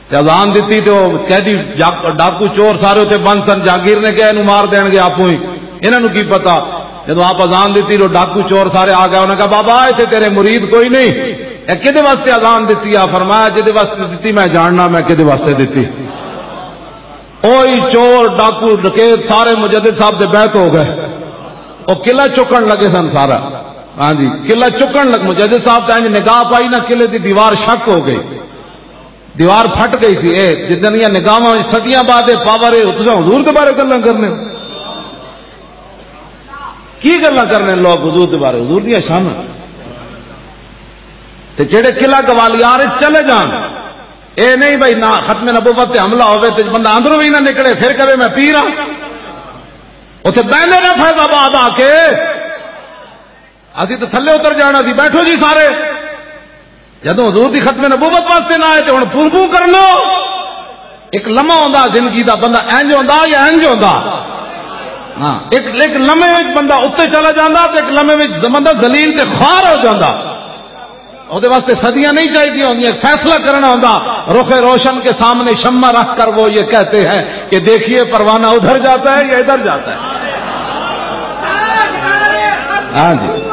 تے اذان دتی تے وہ قیدی جا-، ڈاکو چور سارے اتنے بند سن۔ جہانگیر نے کہا، "اینوں مار دین گے آپوں ہی، انہاں نوں کی پتا۔" جدوں آپ اذان دتی، جو ڈاکو چور سارے آ گئے، انہاں کہا، "بابا، ایتھے تیرے مرید کوئی نہیں، اے کدے واسطے اذان دتی آ؟" فرمایا، "جدے واسطے دتی میں جاننا میں کدے واسطے دتی۔" اوہی چور، ڈاکو، ڈکیت سارے مجدد صاحب دے بیعت ہو گئے۔ وہ قلعہ چکن لگے سن سارا۔ ہاں جی، قلعہ چکن لگ، مجدد صاحب تے انج نگاہ پائی نا، قلعے دی دیوار شک ہو گئی، دیوار پھٹ گئی سی۔ اے جدن یہ نگاہاں وچ صدیاں بعد یہ پاور ہے، تساں حضور دے بارے گلاں کرنے ہو؟ کی گلاں کرنے لوگ حضور دے بارے؟ حضور دیاں شاناں۔ تے جڑے قلعہ گوالیار وچ چلے جان، اے نہیں بھائی، نہ ختم نبوت تے حملہ ہوے تے بندہ اندروں بھی نہ نکلے، پھر کہے، "میں پیر ہاں۔" اتھے بہندے نے فیض آباد آ کے، "اسی تو تھلے اتر جانا سی، بیٹھو جی سارے۔" جدوں حضور دی ختم نبوت واسطے نہ آئے تے ہن پھوں پھوں کر لو۔ ایک لمحہ ہوندا زندگی دا، بندہ انج ہوندا یا انج ہوندا۔ ہاں، ایک، ایک لمحے وچ بندہ اتنے چلا جاندا تے ایک لمحے وچ بندہ ذلیل تے خوار ہو جاندا۔ اودے واسطے صدیاں نہیں چاہیے ہوندیاں، ایک فیصلہ کرنا ہوندا۔ رخ روشن کے سامنے شمع رکھ کر وہ یہ کہتے ہیں کہ دیکھیے پروانہ ادھر جاتا ہے یا ادھر جاتا ہے۔ ہاں جی۔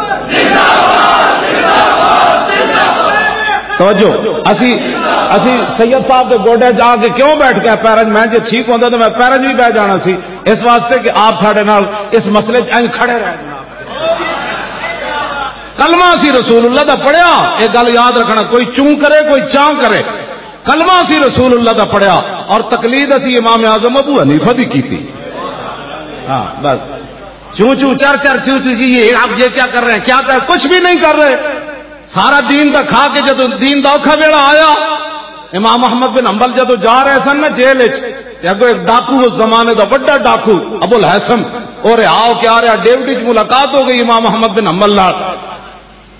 توجہ، اسی، اسی سید صاحب دے گوڈے جا کے کیوں بیٹھ کے پیرن، میں جے ٹھیک ہوندا تو میں پیرن بھی بہ جانا سی، اس واسطے کہ آپ ساڈے نال اس مسئلے 'چ انج کھڑے رہ جانا۔ کلمہ سی رسول اللہ دا پڑھیا، یہ گل یاد رکھنا، کوئی چوں کرے، کوئی چاں کرے۔ کلمہ سی رسول اللہ دا پڑھیا اور تقلید اسی امام اعظم ابو حنیفہ دی کیتی۔ ہاں، بس۔ چوں چوں، چر چر، چوں چوں، جی یہ آپ یہ کیا کر رہے ہیں، کیا کر، کچھ بھی نہیں کر رہے۔ سارا دین دا کھا کے جدوں دین دا اوکھا ویلا آیا، امام احمد بن حنبل جدوں جا رہے سن نا جیل وچ، تے اگوں ایک ڈاکو، اس زمانے دا وڈا ڈاکو ابو الہیثم، او رہا ہو کے آ رہا، ڈیوڈی وچ ملاقات ہو گئی امام احمد بن حنبل نال۔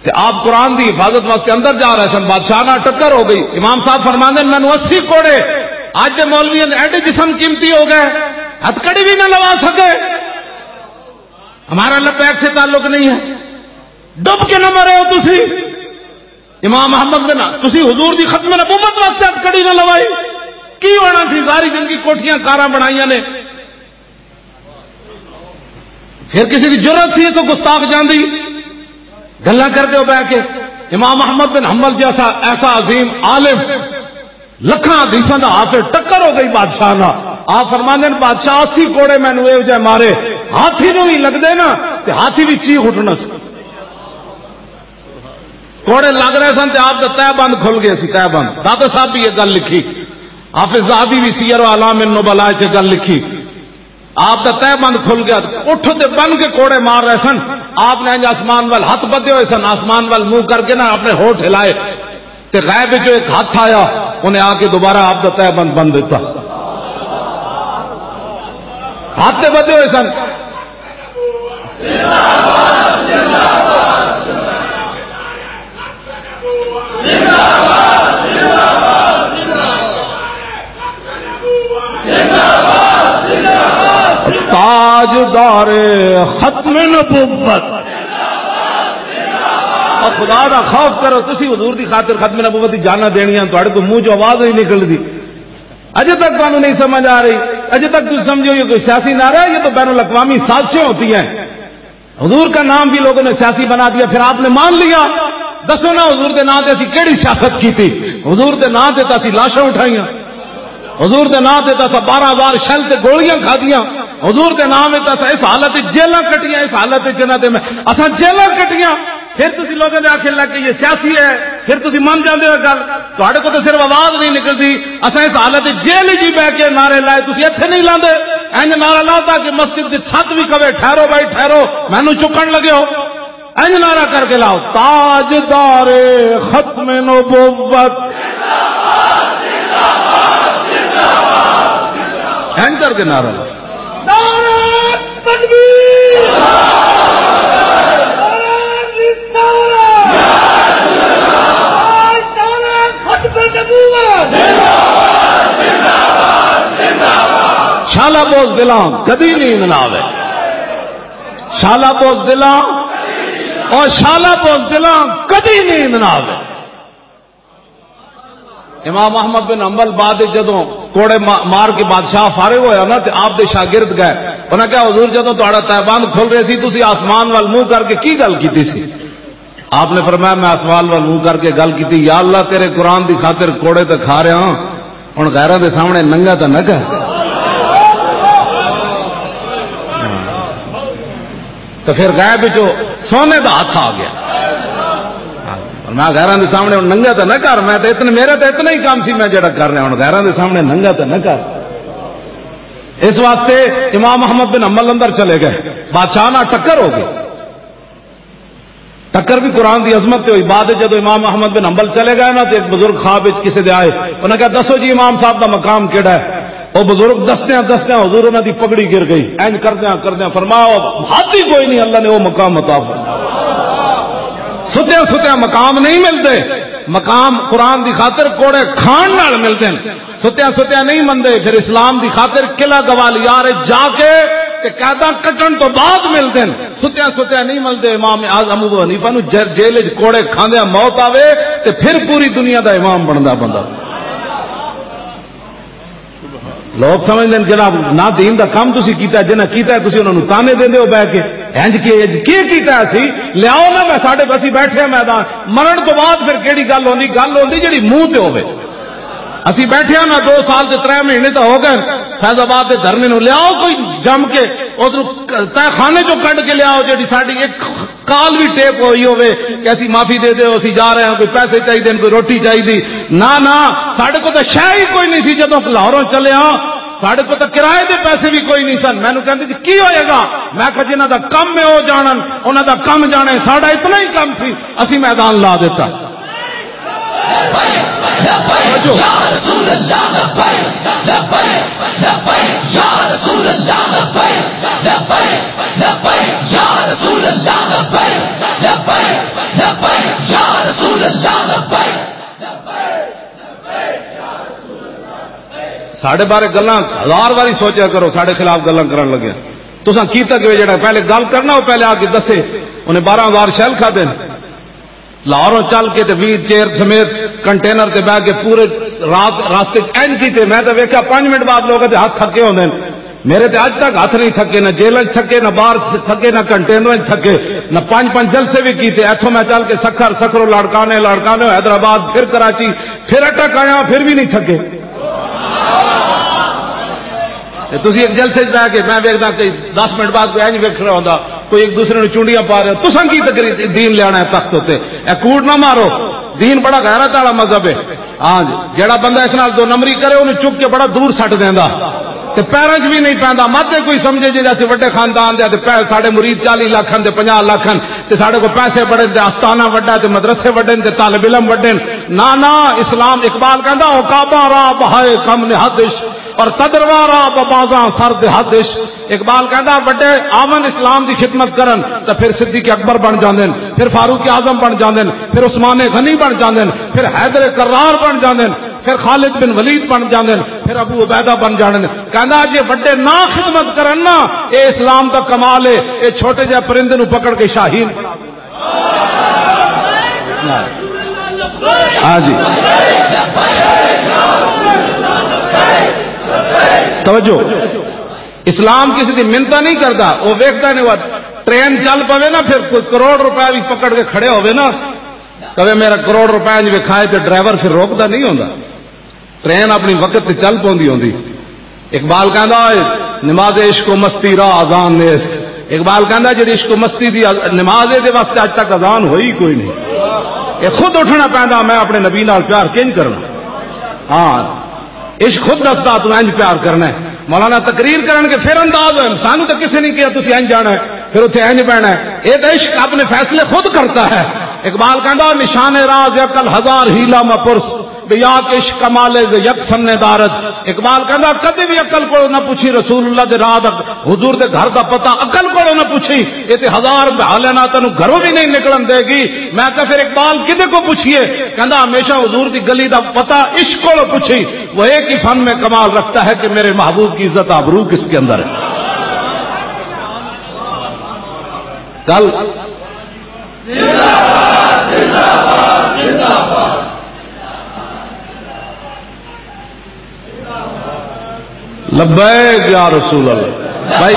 تے آپ قرآن دی حفاظت واسطے اندر جا رہے سن، بادشاہ نال ٹکر ہو گئی۔ امام صاحب فرماندے نے، "مینوں اسی کوڑے اج دے مولویاں دے ایڈے جسم قیمتی ہو گئے، ہتھکڑی بھی نہ لوا سکے، ہمارا لبیک سے تعلق نہیں ہے۔" ڈب کے نہ مرے ہو تسی۔ امام احمد بن، تسی حضور دی ختم نبوت واسطے ہتھکڑی نہ لوائی، کی ہونا سی؟ ساری زندگی کوٹھیاں کاراں بنائیاں نے، پھر کسی دی جرت سی تو گستاخ جاندی؟ گلاں کردے ہو بہ کے۔ امام احمد بن حنبل جیسا ایسا عظیم عالم، لکھاں حدیثاں دا حافظ، ٹکر ہو گئی بادشاہ نال۔ آپ فرماندے نے، بادشاہ اسی کوڑے مینوں ایہو جے مارے، ہاتھی نوں ہی لگدے نا تے ہاتھی بھی چیخ اٹھنا سی۔ کوڑے لگ رہے سن تے آپ دا تہہ بند کھل گئے سی، تہہ بند۔ داتا صاحب بھی یہ گل لکھی، حافظ ذہبی بھی سیر و اعلام النبلاء چ گل لکھی۔ آپ دا تہہ بند کھل گیا، اٹھ تے بن کے کوڑے مار رہے سن۔ آپ نے انج آسمان وال ہاتھ بدھے ہوئے سن، آسمان وال منہ کر کے نا اپنے ہوٹھ ہلائے، تے غیب وچوں ایک ہاتھ آیا، انہیں آ کے دوبارہ آپ دا تہہ بند بند دیتا۔ ہاتھ تے بدھے ہوئے سن۔ تاجدار ارے، ختم نبوت۔ اور خدا دا خوف کرو، تسی حضور دی خاطر ختم نبوت دی جاناں دینیاں، تہاڈے کوئی منہ چوں آواز نہیں نکلدی۔ اجے تک تانوں نہیں سمجھ آ رہی، اجے تک تم سمجھو یہ کوئی سیاسی نعرہ ہے، یہ تو بین الاقوامی سازشیں ہوتی ہیں۔ حضور کا نام بھی لوگوں نے سیاسی بنا دیا، پھر آپ نے مان لیا۔ دسو نا، حضور دے نام تے اسی کیڑی سیاست کیتی؟ حضور دے نام تے تاں اسی لاشاں اٹھائیاں، حضور دے نام تے تاں اساں بارہ ہزار شل تے گولیاں کھادیاں، حضور دے نام تے تاں اساں اس حالت وچ جیلاں کٹیاں، اس حالت وچ جنہاں تے میں اساں جیلاں کٹیاں۔ پھر تسی لوگوں دے آخر لگ کہ یہ سیاسی ہے، پھر تسی من جاندے ہو گل۔ تہاڈے کول تے صرف آواز نہیں نکلدی۔ اساں اس حالت وچ جیل وچ ہی بہ کے نعرے لائے، تسی ایتھے نہیں لاندے۔ انج نعرہ لاتا کہ مسجد دی چھت بھی کہے، "ٹھہرو بھائی، ٹھہرو، مینوں چکن لگے ہو۔" انج نعرہ کر کے لاؤ، "تاجدار ختم نبوت۔" انج کر کے نعرہ لاؤ۔ نعرہ تکبیر! نعرہ رسالت! نعرہ ختم نبوت! شالا بوز دلاں کدی نیند نہ آوے۔ شالا بوز دلاں، اور شالا بوز دلاں کدی نیند نہ آوے۔ امام احمد بن حنبل بعد وچ جدوں کوڑے ما-، مار کے بادشاہ فارغ ہویا نا، تے آپ دے شاگرد گئے۔ انہاں کہا، "حضور، جدوں تہاڈا تہبند کھل رہے سی، تسی آسمان وال منہ کر کے کی گل کیتی سی؟" آپ نے فرمایا، "میں آسمان وال منہ کر کے گل کیتی، یا اللہ، تیرے قرآن دی خاطر کوڑے تے کھا رہا ہاں، ہن غیراں دے سامنے ننگا تے نہ کر۔" تو پھر غیب وچوں سونے دا ہاتھ آ گیا۔ اور میں غیراں دے سامنے ہن ننگا تے نہ کر، میں تے اتنے، میرا تے اتنا ہی کام سی، میں جڑا کر رہا ہوں، غیراں دے سامنے ننگا تے نہ کر۔ اس واسطے امام احمد بن حنبل اندر چلے گئے، بادشاہ نال ٹکر ہو گئی۔ ٹکر بھی قرآن دی عظمت تے ہوئی۔ بعد وچ جدوں امام احمد بن حنبل چلے گئے نا، تے ایک بزرگ خواب وچ کسے دے آئے، انہاں کہا، "دسو جی، امام صاحب دا مقام کیڑا ہے؟" او بزرگ دسدیاں دسدیاں حضور انہاں دی پگڑی گر گئی۔ اینج کردیاں کردیاں فرمایا، "حد ہی کوئی نہیں، اللہ نے وہ مقام عطا فرمایا۔" ستیاں ستیاں مقام نہیں ملدے، مقام قرآن دی خاطر کوڑے کھان نال ملدے نے۔ ستیاں ستیاں نہیں مندے، پھر اسلام دی خاطر قلعہ گوالیار وچ جا کے تے قیداں کٹن تو بعد ملدے نے۔ ستیاں ستیاں نہیں ملدے۔ امام اعظم ابو حنیفہ نو جے-، جیل وچ کوڑے کھاندیاں موت آوے تے پھر پوری دنیا دا امام بندا بندہ۔ لوگ سمجھدے نے جناب، نہ دین دا کم تسی کیتا، جنہاں کیتا ہے تسی انہاں نوں تانے دیندے ہو بہ کے، "انج کی، انج کی کیتا ہے اسی؟ لیاؤ نا، میں ساڈے، اسی بیٹھے ہیں میدان۔" مرن تو بعد پھر کیڑی گل ہوندی؟ گل ہوندی جڑی منہ تے ہوے۔ اسی بیٹھے ہیں نا، دو سال تے ترے مہینے تو ہو گئے فیض آباد دے دھرنے نوں، لیاؤ کوئی جم کے ادھر تہہ خانے چوں کڈ کے لیاؤ، جڑی ساڈی ایک کال بھی ٹیپ ہوئی ہوے کہ اسی معافی دے دیو، اسی جا رہے ہیں، کوئی پیسے چاہیے، کوئی روٹی چاہیے۔ نہ، نہ، ساڈے کول تاں شے ہی کوئی نہیں سی۔ جدوں لاہوروں چلے ہاں، ساڈے کول تاں کرائے دے پیسے بھی کوئی نہیں سن۔ مینوں کہندے، "جی، کی ہوئے گا؟" میں کہا، "جنہاں دا کم ہے، او جانن، انہاں دا کم جانے، ساڈا اتنا ہی کم سی، اسی میدان لا دیتا۔" ساڈے بارے گلاں ہزار واری سوچیا کرو، ساڈے خلاف گلاں کرن لگے۔ تساں کیتا کہ جڑا پہلے گل کرنا، وہ پہلے آ کے دسے۔ انہیں بارہ ہزار شیل کھادے نے۔ لاہوروں چل کے تے ویل چیئر سمیت کنٹینر تے بہ کے پورے رات راستے چ اینج کیتے۔ میں تے ویکھیا پنج منٹ بعد لوگاں دے ہاتھ تھکے ہوندے نے۔ میرے تے اج تک ہاتھ نہیں تھکے، نہ جیلاں چ تھکے، نہ باہر تھکے، نہ کنٹینراں چ تھکے، نہ پنج پنج جلسے بھی کیتے۔ ایتھوں میں چل کے سکھر، سکھروں لاڑکانے، لاڑکانوں حیدرآباد، پھر کراچی، پھر اٹک آیا، پھر بھی نہیں تھکے۔ تے تسی ایک جلسے چ بیٹھ کے میں ویکھدا کہ دس منٹ بعد کوئی اینج ویکھ رہا ہوندا، کوئی ایک دوسرے نوں چونڈیاں پا رہے ہو۔ تساں کی تقریر دین لیانا ہے تخت اُتے؟ اے کوڑ نہ مارو۔ دین بڑا غیرت والا مذہب ہے۔ ہاں جی، جیڑا بندہ اس نال دو نمبری کرے، انہوں چک کے بڑا دور سٹ دیندا۔ تے پیراں چ بھی نہیں پیندا۔ مت تے کوئی سمجھے جے اسی وڈے خاندان دے تے پے-، ساڈے مرید چالیس لاکھ ہن تے پنجاہ لاکھ ہن تے ساڈے کو پیسے بڑے تے آستانہ وڈا تے مدرسے وڈے تے طالب علم وڈے۔ نہ، نہ، اسلام اقبال کہندا، "عقاباں راہ بہائے کم نہادش اور تدرواں راہ ببازاں سر دہادش۔" اقبال کہندا، وڈے آون اسلام دی خدمت کرن تے پھر صدیق اکبر بن جاندے نے، پھر فاروق اعظم بن جاندے نے، پھر عثمان غنی بن جاندے نے، پھر حیدر کرار بن جاندے نے۔ پھر خالد بن ولید بن جاندے نے، پھر ابو عبیدہ بن جاندے نے۔ کہندا، جے وڈے نہ خدمت کرن نا، اے اسلام دا کمال ہے، اے چھوٹے جہے پرندے نوں پکڑ کے شاہین بنا دیندا ہے۔ ہاں جی۔ توجہ۔ اسلام کسی دی منتا نہیں کردا، وہ ویکھدا نہیں، وہ ٹرین چل پوے نا، پھر کوئی کروڑ روپے بھی پکڑ کے کھڑے ہوئے نا، کہے، "میرا کروڑ روپے انج وکھائے"، تے ڈرائیور پھر روکدا نہیں ہوندا۔ ٹرین اپنی وقت تے چل پوندی ہوندی۔ اقبال کہندا ہے، "نماز عشق و مستی را اذان نیست۔" اقبال کہندا، "جڑی عشق و مستی دی نماز ہے، دے واسطے اج تک اذان ہوئی کوئی نہیں۔" یہ خود اٹھنا پیندا، میں اپنے نبی نال پیار کنج کرنا۔ ہاں، عشق خود دسدا تو انج پیار کرنا ہے۔ مولانا تقریر کرن کے پھر انداز ہوئے، سانو تو کسی نے کہا تسی انج جانا ہے، پھر اتھے انج بہنا ہے۔ یہ تو عشق اپنے فیصلے خود کرتا ہے۔ اقبال کہندا، "نشان راز عقل ہزار حیلہ مپرس، بے یا کہ عشق کمال ز یک فن دارد۔" اقبال کہندا، کدی بھی عقل کو نہ پوچھی رسول اللہ دے راہ دا، حضور دے گھر دا پتہ عقل کو نہ پوچھی، یہ تے ہزار بہالے نہ تینوں گھروں بھی نہیں نکلن دے گی۔ میں کہا، "پھر اقبال کدے کو پوچھیے؟" کہندا، "ہمیشہ حضور دی گلی دا پتہ عشق کو پوچھی، وہ ایک ہی فن میں کمال رکھتا ہے کہ میرے محبوب کی عزت آبرو کس کے اندر ہے۔" گل لبیک یا رسول اللہ۔ بھائی،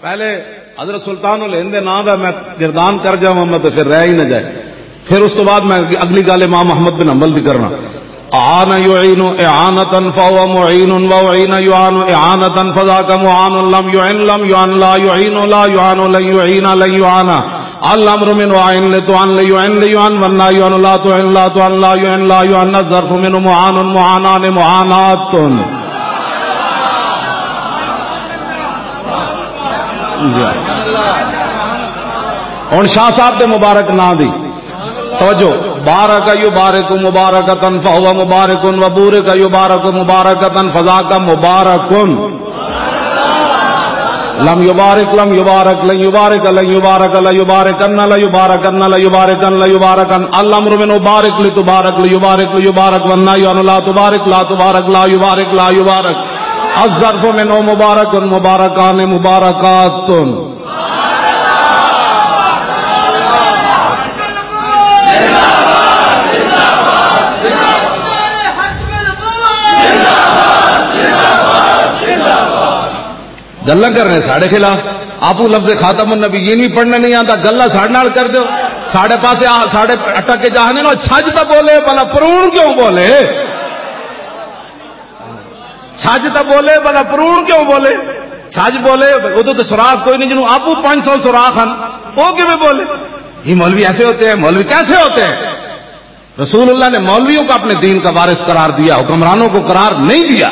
پہلے حضرت سلطان الہند دے نام دا میں گردان کر جاواں، میں تو پھر رہ ہی نہ جائے۔ پھر اس تو بعد میں اگلی گل امام احمد بن حنبل دی کرنا۔ اعان یعین اعانتا فهو معین، و اعین یعان اعانتا فذاک معان، لم یعن لم یعن لا یعین لا یعان لن یعین لن یعان۔ الامر من اعن لتعن لیعن لیعن، والنهی عن لا تعن لا تعن لا یعن لا یعن، الظرف من معان معانان معانات۔ ہن شاہ صاحب دے مبارک نام دی توجہ۔ بارک یبارک مبارکتن فہو مبارکن، و بورک یبارک مبارکتن فذاک مبارکن۔ لم یبارک لم یبارک لن یبارک لن یبارک لا یبارکن لا یبارکن لا یبارکن لا یبارکن۔ الامر من بارک لتبارک لیبارک لیبارک، والنهی عن لا تبارک لا تبارک لا یبارک لا یبارک۔ الظرف من مبارک مبارکان مبارکات۔ گلاں کرنے ساڈے خلاف۔ آپ کو لفظ خاتم النبیین بھی پڑھنا نہیں آتا، گلاں ساڈے نال کر دیو۔ ساڈے پاسے آ، ساڈے اٹک کے جاہنے نو، چھج تو بولے بلا پرون کیوں بولے؟ چھج تو بولے بلا پرون کیوں بولے؟ چھج بولے، ادو تو سوراخ کوئی نہیں، جنوں آپ پانچ سو سوراخ ہن، وہ کیویں بولے؟ یہ مولوی ایسے ہوتے ہیں، مولوی کیسے ہوتے ہیں؟ رسول اللہ نے مولویوں کو اپنے دین کا وارث قرار دیا، حکمرانوں کو قرار نہیں دیا۔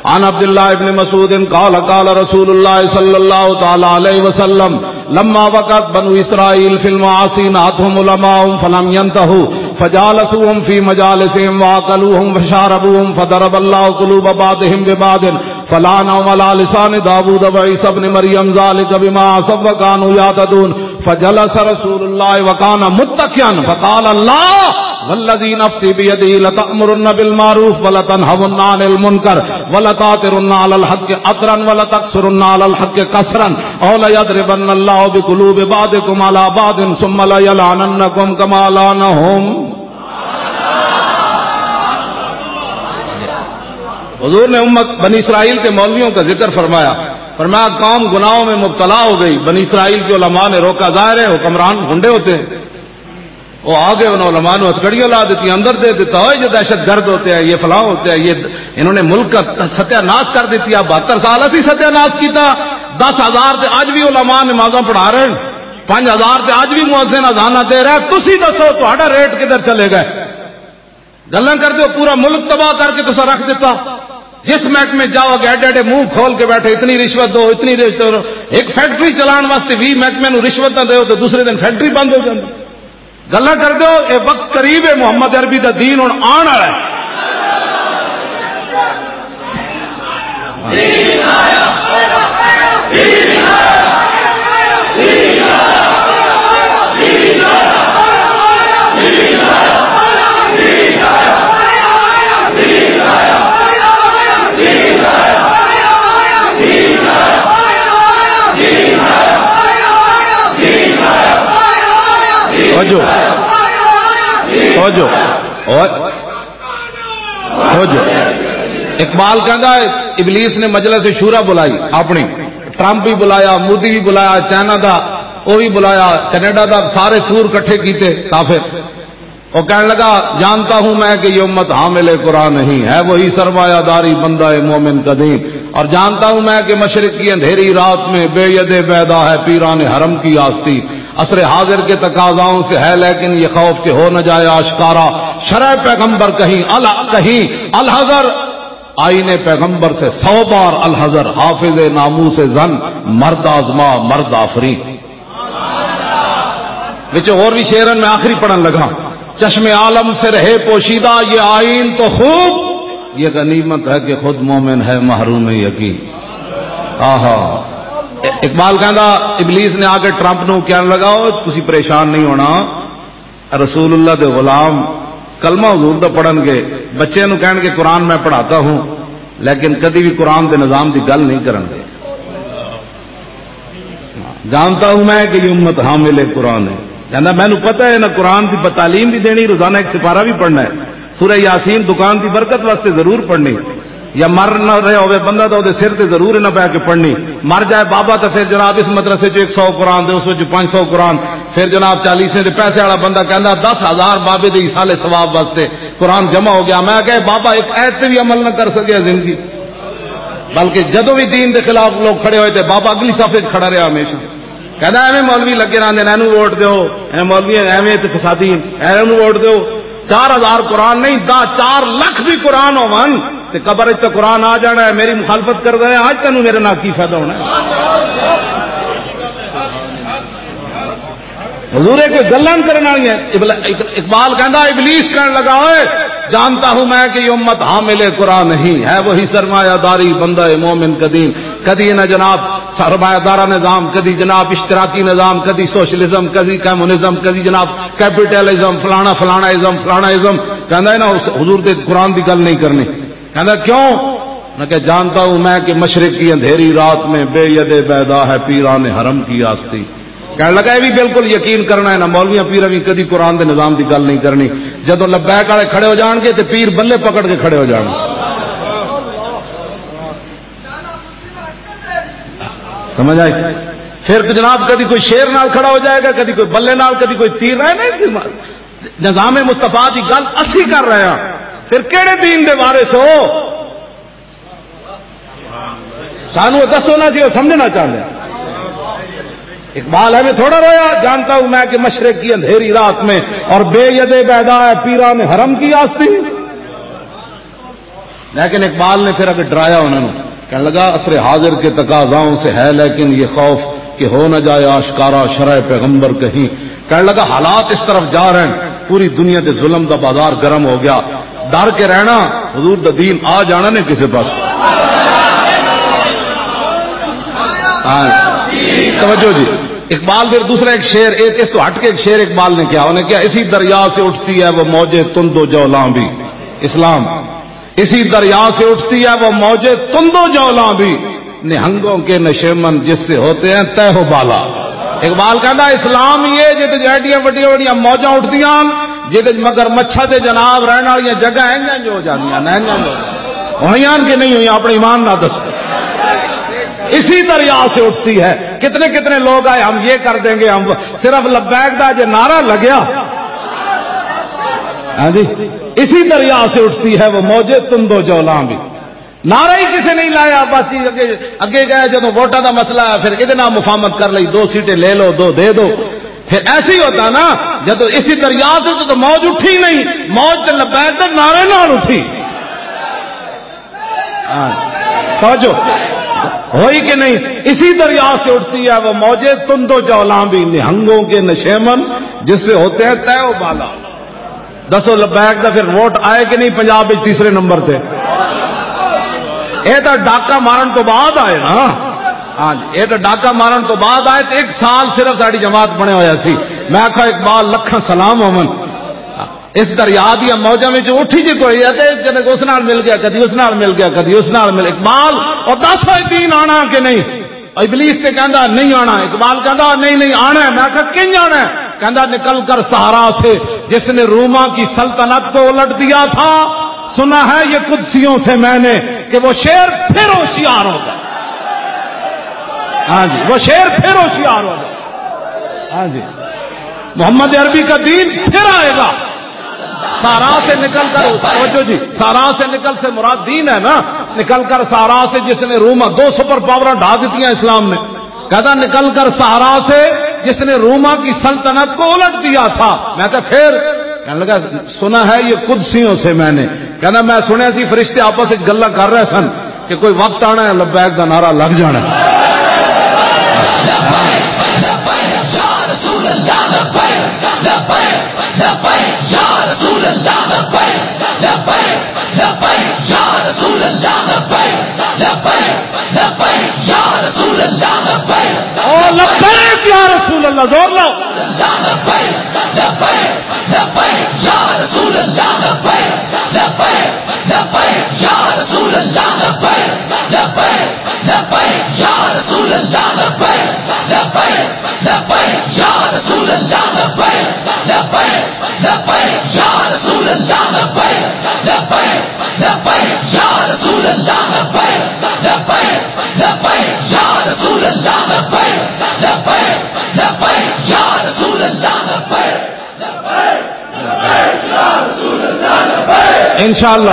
عن عبد الله بن مسعود قال قال رسول الله صلى الله تعالى عليه وسلم لما وقعت بنو اسرائيل في المعاصي نهتهم علماؤهم فلم ينتهوا فجالسوهم في مجالسهم وأكلوهم وشاربوهم فضرب الله قلوب بعضهم ببعض فلعنهم على لسان داود وعيسى ابن مريم ذلك بما عصوا وكانوا يعتدون۔ فجلس رسول الله وكان متكئا فقال الله والذي نفسي بيده لتأمرن بالمعروف ولتنهون عن المنكر ولتأثرن على الحق أثرا ولتقصرن على الحق قصرا أو ليضربن الله بقلوب بعضكم على بعض ثم ليلعننكم كما لعنهم۔ حضور نے امت بنی اسرائیل کے مولویوں کا ذکر فرمایا، فرمایا، قوم گناہوں میں مبتلا ہو گئی، بنی اسرائیل کے علماء نے روکا۔ ظاہر ہے حکمران گنڈے ہوتے ہیں، وہ آ گئے، انہوں علماء نے ہتھکڑیاں لا دیتی، اندر دے دیتا، "اوئے یہ دہشت گرد ہوتے ہیں، یہ فلاں ہوتے ہیں، یہ انہوں نے ملک کا ستیہ ناش کر دیتی، اب بہتر سال اسی ستیہ ناش کیتا۔" دس ہزار تے اج بھی علماء نمازاں پڑھا رہے ہیں، پانچ ہزار تے اج بھی مؤذن اذاناں دے رہا ہے۔ تسی دسو تہاڈا ریٹ کدھر چلے گئے؟ گلاں کردے ہو، پورا ملک تباہ کر کے تسا رکھ دیتا۔ جس محکمے جاؤ گے، ایڈے ایڈے منہ کھول کے بیٹھے، اتنی رشوت دو، اتنی رشوت دو۔ ایک فیکٹری چلان واسطے وی محکمے نو رشوت نہ دو تو دوسرے دن فیکٹری بند ہو جاندی۔ گلاں کردے ہو، اے وقت قریب ہے، محمد عربی دا دین ہن آن والا ہے۔ توجہ۔ توجہ۔ توجہ۔ اقبال کہندا ہے، ابلیس نے مجلس شورا بلائی اپنی، ٹرمپ بھی بلایا، مودی بھی بلایا، چائنا دا وہ بھی بلایا، کینیڈا دا، سارے سور کٹھے کیتے کافر۔ وہ کہنے لگا، جانتا ہوں میں کہ یہ امت حامل قرآن نہیں ہے، وہی سرمایہ داری بندہ مومن قدیم، اور جانتا ہوں میں کہ مشرق کی اندھیری رات میں بے ید بیدا ہے پیران حرم کی آستی۔ عصر حاضر کے تقاضاؤں سے ہے لیکن یہ خوف کہ ہو نہ جائے آشکارا، شرع پیغمبر کہیں ال-، کہیں الحذر، آئین پیغمبر سے سو بار الحذر، حافظ ناموس زن، مرد آزما مرد آفرین۔ وچ اور بھی شعرن میں آخری پڑھن لگا۔ چشم عالم سے رہے پوشیدہ یہ آئین تو خوب، یہ غنیمت ہے کہ خود مومن ہے محروم یقین۔ آہا۔ اقبال کہندا، ابلیس نے آ کے ٹرمپ نو کہن لگا، "او، تسی پریشان نہیں ہونا، رسول اللہ دے غلام کلمہ حضور دا پڑھن گے، بچے نو کہن گے قرآن میں پڑھاتا ہوں، لیکن کدی بھی قرآن دے نظام دی گل نہیں کرن گے۔" جانتا ہوں میں کہ یہ امت حامل قرآن ہے۔ کہندا، مینوں پتہ ہے، نہ قرآن دی تعلیم بھی دینی، روزانہ ایک سپارہ بھی پڑھنا ہے۔ سورہ یاسین دکان دی برکت واسطے ضرور پڑھنی، یا مر نہ رہے ہوئے بندہ تو دے سر تے ضرور نہ پے کے پڑھنی۔ مر جائے بابا تو پھر جناب اس مدرسے چ ایک سو قرآن دے، اس وچ پانچ سو قرآن، پھر جناب چالیسیں دے پیسے والا بندہ کہندا، "دس ہزار بابے دے ایصال ثواب واسطے قرآن جمع ہو گیا۔" میں کہے، "بابا ایک آیت تے بھی عمل نہ کر سکیا زندگی۔" بلکہ جدوں بھی دین دے خلاف لوگ کھڑے ہوئے تے بابا اگلی صف وچ کھڑا رہیا ہمیشہ۔ کہندا، "ایویں مولوی لگے رہندے نے، اینوں ووٹ دیو، اے مولوی ایویں تے فسادی، اینوں ووٹ دیو۔" چار ہزار قرآن نہیں، دہ، چار لکھ بھی قرآن ہون تے قبر وچ تے قرآن آ جانا ہے۔ میری مخالفت کر گئے، آج تینوں میرے نال کی فائدہ ہونا ہے؟ حضور، یہ کوئی گلاں کرن والی ہے؟ ابل-، اقبال کہندا، ابلیس کہن لگا، "اوئے، جانتا ہوں میں کہ یہ امت حامل قرآن نہیں ہے، وہی سرمایہ داری بندہ مومن قدیم۔" کدی انہاں جناب سرمایہ دارہ نظام، کدی جناب اشتراکی نظام، کدی سوشلزم، کدی کمیونزم، کدی جناب کیپیٹلزم، فلانا فلانا ازم، فلانا ازم۔ کہندا ہے نا، اس حضور دے قرآن دی گل نہیں کرنی۔ کہندا، "کیوں؟" میں کہا، "جانتا ہوں میں کہ مشرق کی اندھیری رات میں بے ید بیدا ہے پیران حرم کی آستی۔" کہنے لگا، "یہ بھی بالکل یقین کرنا ہے، نہ مولویاں پیراں بھی کدی قرآن دے نظام دی گل نہیں کرنی۔" جدوں لبیک والے کھڑے ہو جان گے تے پیر بلے پکڑ کے کھڑے ہو جان گے۔ سمجھ آئی؟ پھر تو جناب کدی کوئی شیر نال کھڑا ہو جائے گا، کدی کوئی بلے نال، کدی کوئی تیر نال۔ نہیں، نظام مصطفیٰ دی گل اسی کر رہے ہیں، پھر کہڑے دین دے وارث ہو؟ سانو دسو نا جی، وہ سمجھنا چاہتے ہیں۔ اقبال ہے میں تھوڑا رویا، جانتا ہوں میں کہ مشرق کی اندھیری رات میں اور بے ید بیدا ہے پیران حرم کی آستی۔ لیکن اقبال نے پھر اگر ڈرایا انہوں نے، کہنے لگا، "عصر حاضر کے تقاضاؤں سے ہے لیکن یہ خوف کہ ہو نہ جائے آشکارا شرع پیغمبر کہیں۔" کہنے لگا، "حالات اس طرف جا رہے ہیں، پوری دنیا دے ظلم دا بازار گرم ہو گیا، ڈر کے رہنا، حضور دا دین آ جانا نے کسے پاس۔" ہاں، توجہ جی۔ اقبال پھر دوسرا ایک شعر، ایک اس تو ہٹ کے ایک شعر اقبال نے کیا، انہیں کیا، "اسی دریا سے اٹھتی ہے وہ موجے تند و جولاں بھی۔" اسلام، "اسی دریا سے اٹھتی ہے وہ موجے تند و جولاں بھی، نہنگوں کے نشیمن جس سے ہوتے ہیں تہ و بالا۔" اقبال کہندا، اسلام یہ جے تے ایڈیاں وڈیاں وڈیاں موجاں اٹھدیاں، جے تے مگر مچھا تے جناب رہن والیاں جگہ انجاں جو ہو جاندیاں، نہ انجاں جو ہویاں کہ نہیں ہویاں، اپنے ایمان نہ دسو۔ اسی دریا سے اٹھتی ہے۔ کتنے کتنے لوگ آئے، ہم یہ کر دیں گے، ہم صرف لبیک دا جے نعرہ لگیا، ہاں جی، اسی دریا سے اٹھتی ہے وہ موجے تند و جولاں بھی۔ نعرہ ہی کسے نہیں لایا، بس یہ اگے، اگے گئے، جدوں ووٹاں دا مسئلہ آیا، پھر ادے نال مفاہمت کر لئی، دو سیٹیں لے لو، دو دے دو۔ پھر ایسے ہی ہوتا نا، جدوں اسی دریا سے تو موج اٹھی نہیں، موج تے لبیک دے نعرے نال اٹھی۔ ہاں، توجہ ہوئی کہ نہیں؟ اسی دریا سے اٹھتی ہے وہ موجے تند و جولاں بھی، نہنگوں کے نشیمن جس سے ہوتے ہیں تہ و بالا۔ دسو لبیک دا پھر ووٹ آئے کہ نہیں پنجاب وچ تیسرے نمبر تے؟ اے تاں ڈاکہ مارن تو بعد آئے نا۔ ہاں جی، اے تاں ڈاکہ مارن تو بعد آئے تے ایک سال صرف ساڈی جماعت بنے ہویا سی۔ میں آکھا اقبال لکھاں سلام ہوون۔ اس دریا دیاں موجاں وچ اٹھی جے کوئی ہے تے جنے اس نال مل گیا، کدی اس نال مل گیا، کدی اس نال مل۔ اقبال، اور دس اے دین آنا کہ نہیں؟ ابلیس تے کہندا نہیں آنا، اقبال کہندا نہیں، نہیں آنا ہے۔ میں آکھا کن آنا ہے؟ کہندا، نکل کر صحرا سے جس نے روما کی سلطنت کو الٹ دیا تھا، سنا ہے یہ قدسیوں سے میں نے کہ وہ شیر پھر ہوشیار ہو گئے۔ ہاں جی، وہ شیر پھر ہوشیار ہو گئے۔ ہاں جی، محمد عربی کا دین پھر آئے گا۔ صحرا سے نکل کر، توجہ جی، صحرا سے نکل سے مراد دین ہے نا۔ نکل کر صحرا سے جس نے روما، دو سپر پاور ڈھا دیتی ہیں اسلام نے۔ کہتا، نکل کر صحرا سے جس نے روما کی سلطنت کو الٹ دیا تھا۔ میں کہا، پھر؟ کہنے لگا، سنا ہے یہ قدسیوں سے میں نے۔ کہنا، میں سنیا سی فرشتے آپس وچ گلاں کر رہے سن کہ کوئی وقت آنا ہے، لبیک دا نعرہ لگ جانا ہے۔ او لبیک یا رسول اللہ، زور لاؤ۔ انشاءاللہ۔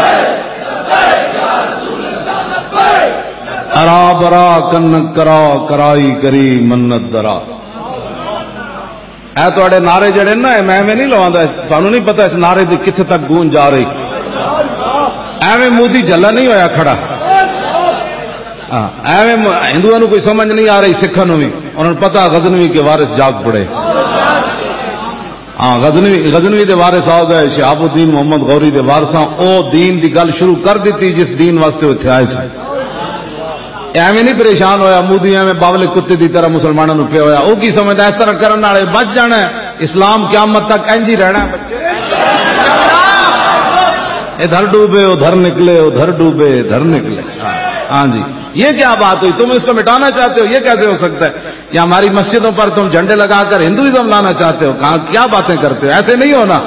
ارا برا کنک کرا، کرائی کری منت درا۔ اے تہاڈے نعرے جڑے نا، اے میں ایویں نہیں لواندا، تانوں نہیں پتہ اس نعرے دی کتھے تک گونج جا رہی۔ ایویں مودی جھلا نہیں ہویا کھڑا۔ ہاں، ایویں م-، ہندوؤں نوں کوئی سمجھ نہیں آ رہی، سکھاں نوں بھی۔ انہاں نوں پتہ غزنوی کے وارث جاگ پڑے۔ ہاں، غزنوی، غزنوی دے وارث آ گئے، شہاب الدین محمد غوری دے وارثاں او دین دی گل شروع کر دتی جس دین واسطے او اتھے آئے سن۔ ایویں نہیں پریشان ہویا، مودی ایویں باولے کتے دی طرح مسلماناں نوں پیا ہویا۔ او کی سمجھدا، اس طرح کرن والے بچ جانا ہے، اسلام قیامت تک انج ہی رہنا ہے۔ ادھر ڈوبے ادھر نکلے، ادھر ڈوبے ادھر نکلے۔ ہاں جی، یہ کیا بات ہوئی؟ تم اس کو مٹانا چاہتے ہو، یہ کیسے ہو سکتا ہے؟ یا ہماری مسجدوں پر تم جھنڈے لگا کر ہندوازم لانا چاہتے ہو؟ کہاں، کیا باتیں کرتے ہو؟ ایسے نہیں ہونا۔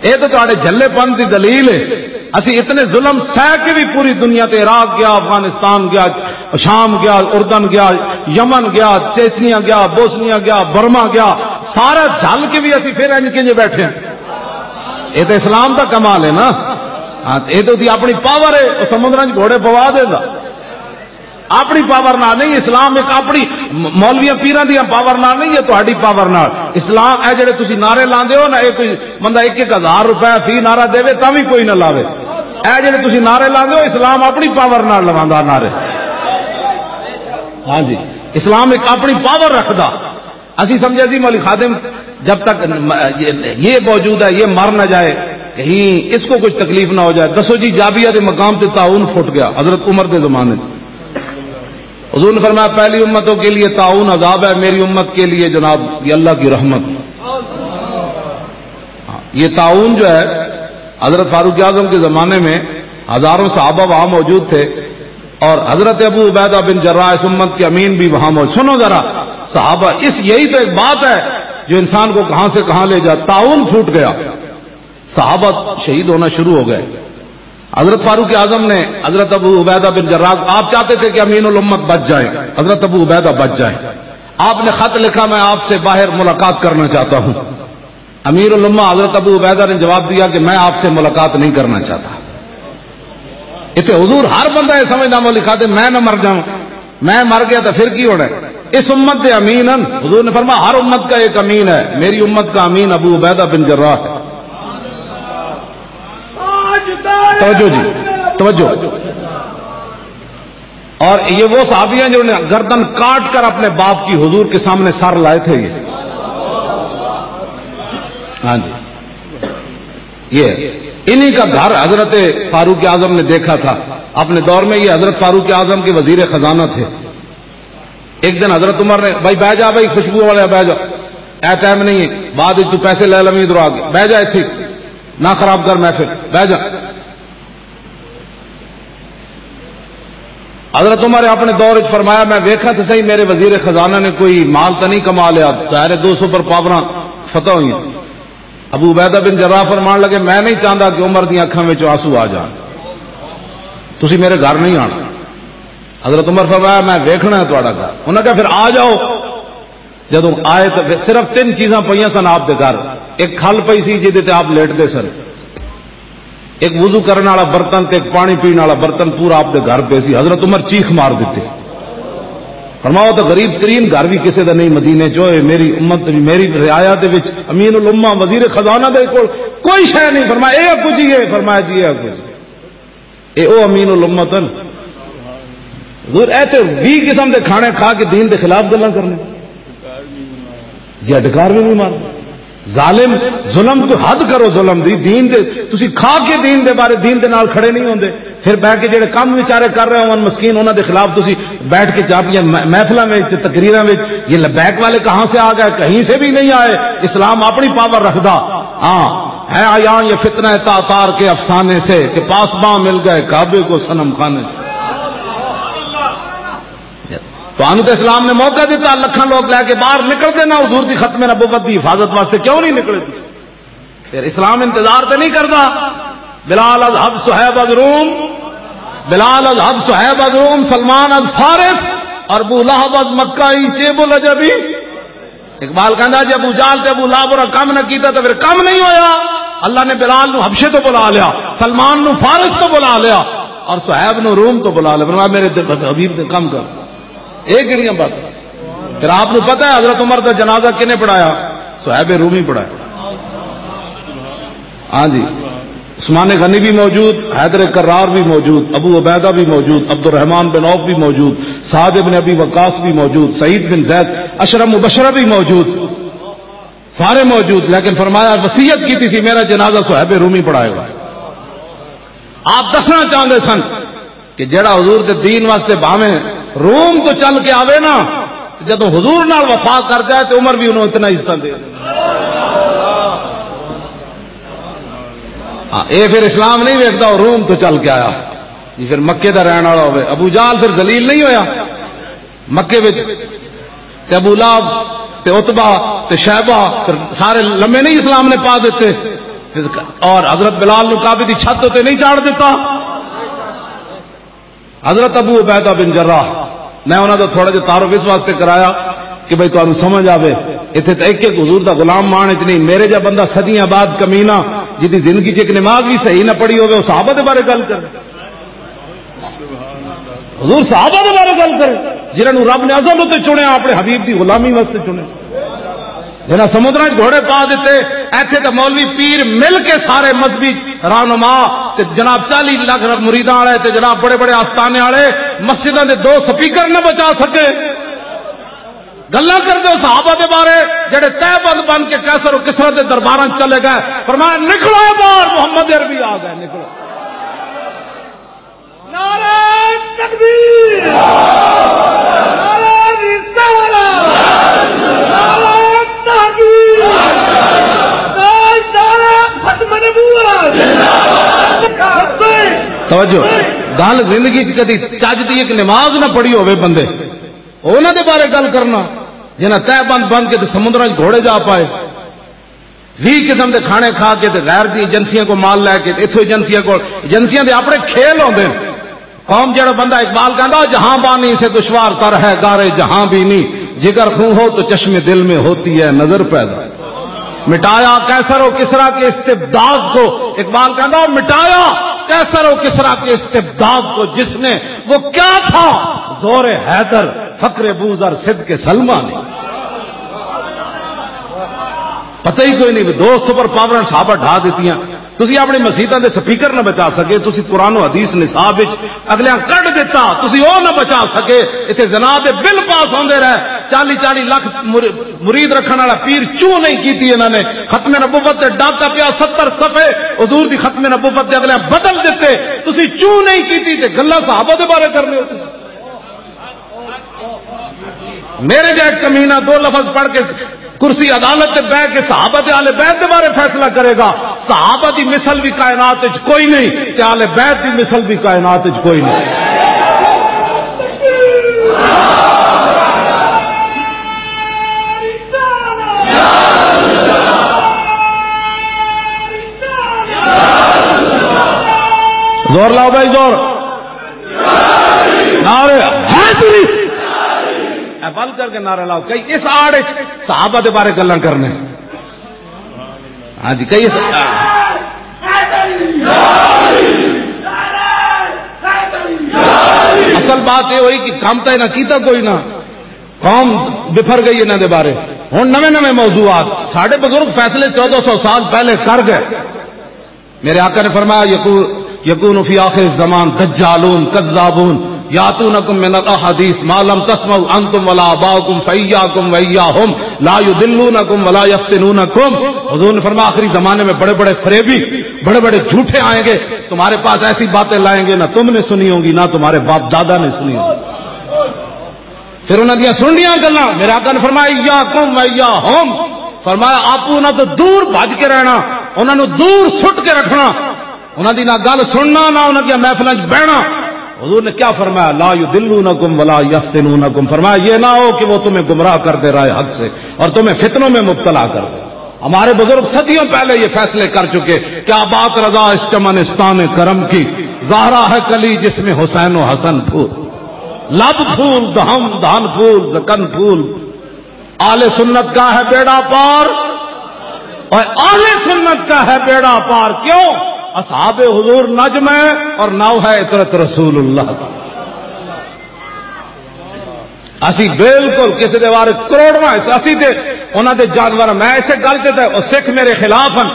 یہ تو تہاڈے جھلے پن دی دلیل ہے۔ اسی اتنے ظلم سہ کے بھی پوری دنیا تے، عراق گیا، افغانستان گیا، شام گیا، اردن گیا، یمن گیا، چیچنیا گیا، بوسنیا گیا، برما گیا، سارا جھل کے بھی اسی پھر انج کے جے بیٹھے ہیں۔ یہ تو اسلام دا کمال ہے نا۔ ہاں، یہ تو اپنی پاور ہے، وہ سمندر چ گھوڑے پوا دے گا۔ اپنی پاور نال نہیں، اسلام ایک اپنی م-، مولویاں پیراں دیاں پاور نال نہیں، یہ تہاڈی پاور نال۔ اسلام، اے جڑے تسی نعرے لاندے ہو نا، اے کوئی بندہ ایک ایک ہزار روپے فی نعرہ دے، تاں وی کوئی نہ لاوے۔ اے جڑے تسی نعرے لاندے ہو، اسلام اپنی پاور نال لواندا نعرے۔ ہاں جی، اسلام ایک اپنی پاور رکھدا۔ اسی سمجھا سی مولوی خادم جب تک م-، یہ، یہ موجود ہے، یہ مر نہ جائے، کہیں اس کو کچھ تکلیف نہ ہو جائے۔ دسو جی، جابیہ دے مقام تے طاعون پھٹ گیا حضرت عمر دے زمانے۔ حضور نے فرمایا، پہلی امتوں کے لیے طاعون عذاب ہے، میری امت کے لیے جناب یہ اللہ کی رحمت۔ یہ طاعون جو ہے، حضرت فاروق اعظم کے زمانے میں ہزاروں صحابہ وہاں موجود تھے، اور حضرت ابو عبیدہ بن جراح اس امت کے امین بھی وہاں موجود۔ سنو ذرا، صحابہ، اس، یہی تو ایک بات ہے جو انسان کو کہاں سے کہاں لے جاتا۔ طاعون پھوٹ گیا، صحابہ شہید ہونا شروع ہو گئے۔ حضرت فاروق اعظم نے، حضرت ابو عبیدہ بن جراح، آپ چاہتے تھے کہ امین الامت بچ جائیں، حضرت ابو عبیدہ بچ جائیں۔ آپ نے خط لکھا، میں آپ سے باہر ملاقات کرنا چاہتا ہوں۔ امیر الامہ حضرت ابو عبیدہ نے جواب دیا کہ میں آپ سے ملاقات نہیں کرنا چاہتا۔ اتنے حضور ہر بندہ یہ سمجھدا، مولوی خادم، میں نہ مر جاؤں، میں مر گیا تو پھر کی ہونا ہے؟ اس امت دے امین ہیں۔ حضور نے فرمایا، ہر امت کا ایک امین ہے، میری امت کا امین ابو عبیدہ بن جراح ہے۔ توجہ جی، توجہ۔ اور یہ وہ صحابی ہیں جنہوں نے گردن کاٹ کر اپنے باپ کی حضور کے سامنے سر لائے تھے۔ یہ، ہاں جی، یہ انہی کا گھر حضرت فاروق اعظم نے دیکھا تھا۔ اپنے دور میں یہ حضرت فاروق اعظم کے وزیر خزانہ تھے۔ ایک دن حضرت عمر نے، بھائی بہ جا، بھائی خوشبو والے بہ جا، اے ٹائم نہیں ہے، بعد وچ تو پیسے لے لویں ادھر آ کے، بہ جا اتھے، نہ خراب کر محفل، بہ جا۔ حضرت عمر نے اپنے دور وچ فرمایا، میں ویکھاں تے صحیح، میرے وزیر خزانہ نے کوئی مال تو نہیں کما لیا؟ ظاہر ہے، دو سپر پاوراں فتح ہوئی۔ ابو عبیدہ بن جراح فرمان لگے، "میں نہیں چاہتا کہ عمر دی اکھاں وچ آنسو آ جان، تسی میرے گھر نہیں آنا۔" حضرت عمر فرمایا، "میں ویکھنا ہے تہاڈا گھر۔" انہاں کہا، "پھر آ جاؤ۔" جدوں آئے تو پھر صرف تین چیزاں پئیاں سن آپ دے گھر۔ ایک کھل پئی سی جہدے تے آپ لیٹدے سن، ایک وضو کرن والا برتن تے ایک پانی پین والا برتن پورا آپ دے گھر پہ سی۔ حضرت عمر چیخ مار دیتی۔ فرمایا، "تو غریب ترین گھر بھی کسی دا نہیں مدینے چ، اے میری امت، میری رعایا دے وچ امین الامہ وزیر خزانہ دے کول کوئی شے نہیں۔" فرمایا، "اے کچھ ہی ہے۔" فرمایا، "جی، اے کچھ۔" اے او امین الامت ہن۔ حضور، اے تے ویہہ قسم دے کھانے کھا کے دین دے خلاف گلاں کرنے۔ جی، ڈکار بھی نہیں مار۔ ظالم، ظلم تو حد کرو، ظلم دی، دین دے، تسی کھا کے دین دے بارے، دین دے نال کھڑے نہیں ہوندے۔ پھر بیٹھ کے جڑے کم بیچارے کر رہے ہون مسکین، انہاں دے خلاف تسی بیٹھ کے جا اپنیاں مح-، محفلاں وچ تے تقریراں وچ، "یہ لبیک والے کہاں سے آ گئے؟ کہیں سے بھی نہیں آئے، اسلام اپنی پاور رکھدا۔" ہاں، ہے آیاں یہ فتنہ تاتار کے افسانے سے کہ پاسباں مل گئے کعبے کو صنم خانے سے۔ تانوں تے اسلام نے موقع دیتا، لکھاں لوگ لے کے باہر نکلتے نہ حضور دی ختم نبوت دی حفاظت واسطے، کیوں نہیں نکلے تسی؟ پھر اسلام انتظار تے نہیں کردا۔ بلال از حب صہیب از روم، بلال از حب صہیب از روم، سلمان از فارس، اور ابو لہب از مکہ، ای چیب العجبی۔ اقبال کہندا، "جے ابو جہل تے ابو لہب اور کم نہ کیتا تو پھر کم نہیں ہویا۔" اللہ نے بلال نو حبشے تو بلا لیا، سلمان نو فارس تو بلا لیا، اور صہیب نو روم تو بلا لیا۔ فرمایا، "میرے دل، حبیب دے کم کر۔" یہ کہڑیاں باتاں؟ پھر آپ نو پتہ ہے حضرت عمر دا جنازہ کنے پڑھایا؟ صہیب رومی پڑھایا۔ ہاں جی، عثمان غنی بھی موجود، حیدر کرار بھی موجود، ابو عبیدہ بھی موجود، عبد الرحمن بن عوف بھی موجود، سعد ابن ابی وقاص بھی موجود، سعید بن زید، عشرہ مبشرہ بھی موجود، سارے موجود۔ لیکن فرمایا، وصیت کی تھی سی، "میرا جنازہ صہیب رومی پڑھائے گا۔" آپ دسنا چاہتے سن کہ جڑا حضور دے دین واسطے بھاویں روم تو چل کے آوے نا، جدوں حضور نال وفا کر جائے تو عمر بھی انہوں اتنا عزت دے۔ ہاں، اے پھر اسلام نہیں ویکھدا، وہ روم تو چل کے آیا۔ جی، پھر مکے دا رہن والا ہوئے، ابو جہل پھر ذلیل نہیں ہویا مکے وچ؟ تے ابو لہب، تے عتبہ، تے شیبہ، پھر سارے لمے نہیں اسلام نے پا دیتے۔ اور حضرت بلال نو کعبے دی چھت تے نہیں چاڑھ دیتا۔ حضرت ابو عبیدہ بن جراح، میں انہاں دا تھوڑا جہا تعارف اس واسطے کرایا کہ بھئی تانوں سمجھ آوے۔ ایتھے تے ایک ایک حضور دا غلام مان اتنی، میرے جا بندہ صدیاں بعد کمینہ، جدی زندگی چ ایک نماز بھی صحیح نہ پڑھی ہوے، وہ صحابہ دے بارے گل کر۔ حضور صحابہ دے بارے گل کرے، جنہاں نوں رب نے ازل اتے چنیا، اپنے حبیب دی غلامی واسطے چنیا۔ جنہاں سمندراں 'چ گھوڑے پا دتے، ایتھے تے مولوی پیر مل کے سارے مذہبی رہنما تے جناب چالی لاکھ مریداں والے تے جناب بڑے بڑے آستانے والے مسجداں دے دو سپیکر نہ بچا سکے۔ گلاں کردے ہو صحابہ دے بارے، جڑے تہہ بند بن کے قیصر و کسریٰ دے درباراں 'چ چلے گئے، فرمایا، "نکلو باہر، محمد عربی آ گئے، نکلو۔" نعرہ تکبیر، نعرہ رسالت، نعرہ تحقیق، تاجدار ختم نبوت۔ توجہ، گل زندگی چ کدی چج دی ایک نماز نہ پڑھی ہوے بندے، انہاں دے بارے گل کرنا، جنہاں تہہ بند بن کے تے سمندراں 'چ گھوڑے جا پائے۔ ویہہ قسم دے کھانے کھا کے تے غیر دی ایجنسیاں کو مال لے کے، اتھوں ایجنسیاں کو، ایجنسیاں دے اپنے کھیل ہوندے نے۔ قوم جڑا بندہ اقبال کہندا، "جہاں بانی سے دشوار تر ہے گارے جہاں بھی نہیں، جگر خوں ہو تو چشم دل میں ہوتی ہے نظر پیدا۔" مٹایا قیصر و کسریٰ کے استبداد کو، اقبال کہندا، "مٹایا قیصر و کسریٰ کے استبداد کو جس نے، وہ کیا تھا زور حیدر، فقر بوزر، صدق سلمہ نے۔" پتہ ہی کوئی نہیں، دو سپر پاور صحابہ ڈھا دیتیاں۔ تسی اپنی مسیتاں دے سپیکر نہ بچا سکے، تسی قرآن و حدیث نصاب وچ اگلیاں کڈ دیتا، تسی او نہ بچا سکے۔ اتھے زنا دے بل پاس ہوندے رہے، چالی چالی لاکھ مر-، مرید رکھن والا پیر چوں نہیں کیتی انہاں نے۔ ختم نبوت دے ڈاکا پیا، ستر صفحے حضور دی ختم نبوت دے اگلیاں بدل دیتے، تسی چوں نہیں کیتی تے گلاں صحابہ دے بارے کرنے ہو تسی۔ میرے جائے کمینہ دو لفظ پڑھ کے کرسی عدالت تے بیٹھ کے صحابہ تے آل بیت دے بارے فیصلہ کرے گا۔ صحابہ دی مثل بھی کائنات وچ کوئی نہیں، تے آل بیت دی مثل بھی کائنات وچ کوئی نہیں۔ زور لاؤ بھائی، زور۔ نعرے حیدری۔ اے بل کر کے نعرہ لاؤ۔ کئی اس آڑ وچ صحابہ دے بارے گلاں کرنے۔ ہاں جی، کئی اس، اصل بات یہ ہوئی کہ کام تو انہاں کیتا کوئی نہ، قوم بفر گئی انہاں دے بارے۔ ہن نویں نویں موضوعات، ساڈے بزرگ فیصلے چودہ سو سال پہلے کر گئے۔ میرے آقا نے فرمایا، یقو-، یکون فی آخر الزمان دجالون کذابون یاتونکم من الاحادیث ما لم تسمعوا انتم ولا آباؤکم فایاکم وایاہم لا یضلونکم ولا یفتنونکم۔ حضور نے فرمایا، آخری زمانے میں بڑے بڑے فریبی، بڑے بڑے جھوٹے آئیں گے، تمہارے پاس ایسی باتیں لائیں گے نہ تم نے سنی ہوں گی نہ تمہارے باپ دادا نے سنی ہوں گی۔ پھر انہاں دیاں سننیاں گلاں، میرے آقا نے فرمایا، "ایاکم و ایاہم"، فرمایا، "آپ انہاں تو دور بھج کے رہنا، انہاں نو دور سٹ کے رکھنا، انہاں دی نہ گل سننا، نہ انہاں دیاں محفلاں وچ بہنا۔" حضور نے کیا فرمایا؟ "لا یضلونکم ولا یفتنونکم"، فرمایا، "یہ نہ ہو کہ وہ تمہیں گمراہ کر دے راہ حق سے اور تمہیں فتنوں میں مبتلا کر دے۔" ہمارے بزرگ صدیوں پہلے یہ فیصلے کر چکے۔ کیا بات رضا اس چمنستان کرم کی، زہرا ہے کلی جس میں حسین و حسن پھول، لب پھول، دہم دہن پھول، زکن پھول۔ اہل سنت کا ہے بیڑا پار، اور اہل سنت کا ہے بیڑا پار۔ کیوں؟ اصحاب حضور نجم ہے اور ناؤ ہے عترت رسول اللہ۔ اسی بالکل کسی دے بارے کروڑواں حصہ، اسی تے انہاں دے جانور، میں اسے گل تے تے، او سکھ میرے خلاف ہن۔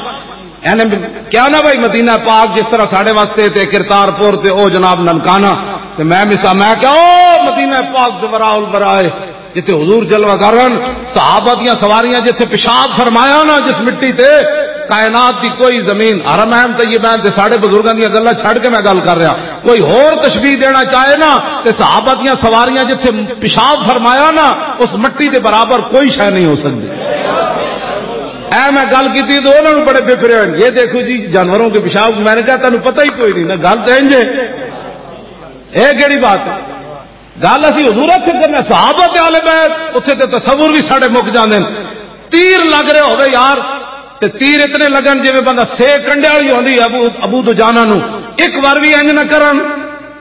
یعنی کیا نا بھائی، مدینہ پاک جس طرح ساڈے واسطے تے کرتارپور تے او جناب ننکانہ، تے میں مثال، میں کہا، او مدینہ پاک دے وراء الورائے، جتھے حضور جلوہ گر ہن، صحابہ دیاں سواریاں جتھے پیشاب فرمایا نا جس مٹی تے، کائنات دی کوئی زمین، حرمین طیبین تے ساڈے بزرگاں دیاں گلاں چھڈ کے میں گل کر رہا، کوئی ہور تشبیہ دینا چاہے نا، تے صحابہ دیاں سواریاں جتھے پیشاب فرمایا نا، اس مٹی دے برابر کوئی شے نہیں ہو سکدی۔ اے میں گل کیتی تے انہاں نوں بڑے بفرے ہوئے، "یہ دیکھو جی جانوروں کے پیشاب۔" میں نے کہا، "تانوں پتہ ہی کوئی نہیں نا، گل تے انج ہے۔ اے کیڑی بات ہے؟" گل اسی حضور اتھے کرنا، صحابہ تے آل بیت، اتھے تے تصور بھی ساڈے مک جاندے نے۔ تیر لگ رہے ہوئے یار، تے تیر اتنے لگن جویں بندہ سے کنڈے والی ہوندی ہے، ابو، ابو دجانہ نو ایک وار بھی انج نہ کرن۔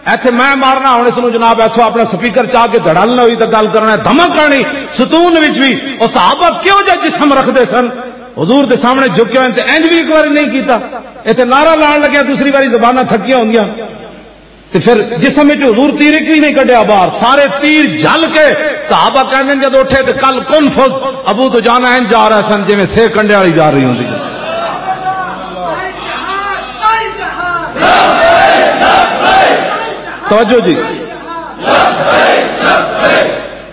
ایتھے میں مارنا، ہن اس نو جناب ایتھوں اپنا سپیکر چا کے دھڑل نہ ہوئی تے گل کرنا ہے، دھمک آنی ستون وچ بھی۔ او صحابہ کیوں جا جسم رکھدے سن؟ حضور دے سامنے جھکے ہوئے تے انج بھی ایک وار نہیں کیتا۔ ایتھے نعرہ لان لگیا، دوسری واری زباناں تھکیاں ہوندیاں۔ تے پھر جسم وچ حضور تیر ایک بھی نہیں کڈیا باہر، سارے تیر جھل کے صحابہ کہندے نے، جدوں اٹھے تے کل کن فز ابو دجانہ انج جا رہا سن جویں سے کنڈے والی جا رہی ہوندی۔ توجہ جی،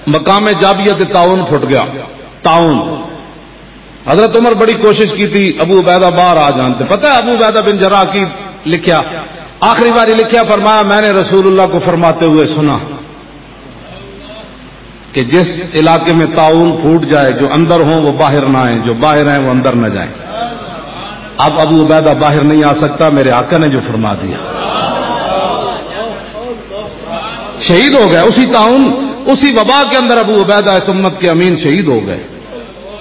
مقام جابیہ تے تعاون پھٹ گیا، تعاون۔ حضرت عمر بڑی کوشش کی تھی ابو عبیدہ باہر آ جان۔ تے پتہ ہے ابو عبیدہ بن جراح کی لکھیا؟ آخری باری لکھیا، فرمایا، "میں نے رسول اللہ کو فرماتے ہوئے سنا کہ جس علاقے میں طاعون پھوٹ جائے، جو اندر ہوں وہ باہر نہ آئیں، جو باہر ہیں وہ اندر نہ جائیں۔" اب ابو عبیدہ باہر نہیں آ سکتا، میرے آقا نے جو فرما دیا۔ شہید ہو گئے اسی طاعون، اسی وبا کے اندر ابو عبیدہ اس امت کے امین شہید ہو گئے۔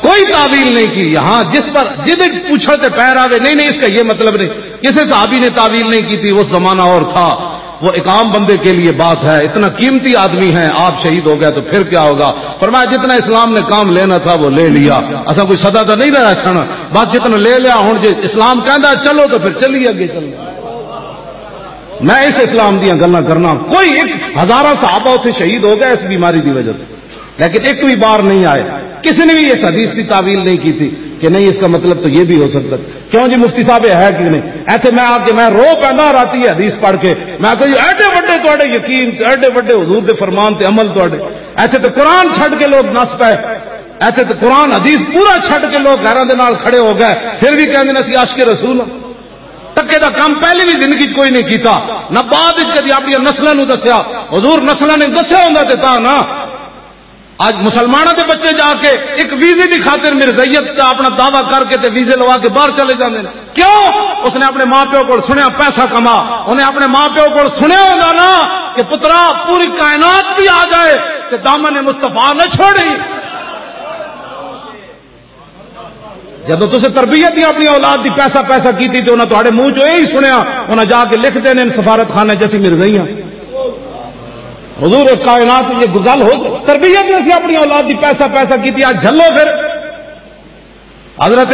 کوئی تعویل نہیں کی۔ یہاں جس پر جدھر پوچھو تے پیر آوے، نہیں، نہیں، اس کا یہ مطلب نہیں۔ کسی صحابی نے تعویل نہیں کی تھی، وہ زمانہ اور تھا۔ وہ ایک عام بندے کے لیے بات ہے، اتنا قیمتی آدمی ہے، آپ شہید ہو گئے تو پھر کیا ہوگا؟ فرمایا، جتنا اسلام نے کام لینا تھا وہ لے لیا، اسا کوئی سدا تو نہیں رہا سن، بس جتنا لے لیا۔ ہن جے اسلام کہندا چلو تو پھر چلیے اگے چلو۔ میں اس اسلام دیاں گلاں کرنا، کوئی ایک ہزاراں صحابہ اتھے شہید ہو گئے اس بیماری دی وجہ سے۔ لیکن ایک بھی بار نہیں آئے، کسی نے بھی اس حدیث کی تعویل نہیں کی تھی کہ نہیں، اس کا مطلب تو یہ بھی ہو سکتا ہے۔ کیوں جی مفتی صاحب، یہ ہے کہ نہیں؟ ایسے میں آ کے میں رو پینا راتی یہ حدیث پڑھ کے، میں آکھیا جی ایڈے وڈے تواڈے یقین، ایڈے وڈے حضور دے فرمان تے عمل تواڈے، ایسے تے قرآن چھڈ کے لوگ نس پے، ایسے تے قرآن حدیث پورا چھڈ کے لوگ غیراں دے نال کھڑے ہو گئے، پھر بھی کہندے نے اسی عاشق رسول ہاں۔ ٹکے دا کام پہلے بھی زندگی چ کوئی نہیں کیتا، نہ بعد وچ کدی اپنی نسلاں نو دسیا۔ حضور نسلاں نے دسیا ہوندا تے تاں نہ۔ اج مسلماناں دے بچے جا کے ایک ویزے دی خاطر مرزائیت دا اپنا دعویٰ کر کے تے ویزے لوا کے باہر چلے جاندے نے۔ کیوں؟ اس نے اپنے ماں پیو کول سنیا پیسہ کما، انہیں اپنے ماں پیو کول سنیا ہوندا نا کہ پترا پوری کائنات بھی آ جائے تے دامن مصطفیٰ نہ چھوڑی۔ جدوں تسیں تربیت دی اپنی اولاد دی پیسہ پیسہ کیتی تے انہاں تہاڈے منہ چوں یہی سنیا، انہاں جا کے لکھ دینے نے سفارت خانے چ، "اسی مرزائی ہاں۔" حضور کائنات، یہ گل ہو سک-، تربیت نے اسی اپنی اولاد دی پیسہ پیسہ کیتی، آج جھلو پھر۔ حضرت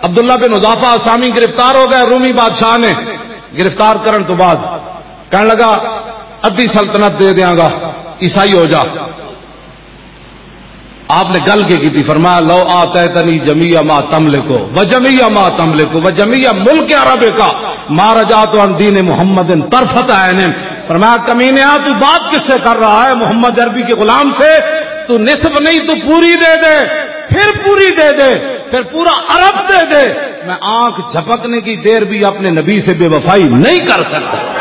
عبداللہ بن حذافہ اسامی گرفتار ہو گئے، رومی بادشاہ نے گرفتار کرن تو بعد کہنے لگا، "ادھی سلطنت دے دیاں گا، عیسائی ہو جا۔" آپ نے گل کے کی تھی، فرمایا، "لو آتیتنی جمیع ما تملک و جمیع ما تملک و جمیع ملک عرب کا ما رجعت عن دین محمد طرفت عین۔" فرمایا، "کمینیا، تو بات کس سے کر رہا ہے؟ محمد عربی کے غلام سے تو نصف نہیں، تو پوری دے دے، پھر پوری دے دے، پھر پورا عرب دے دے، میں آنکھ جھپکنے کی دیر بھی اپنے نبی سے بے وفائی نہیں کر سکتا۔"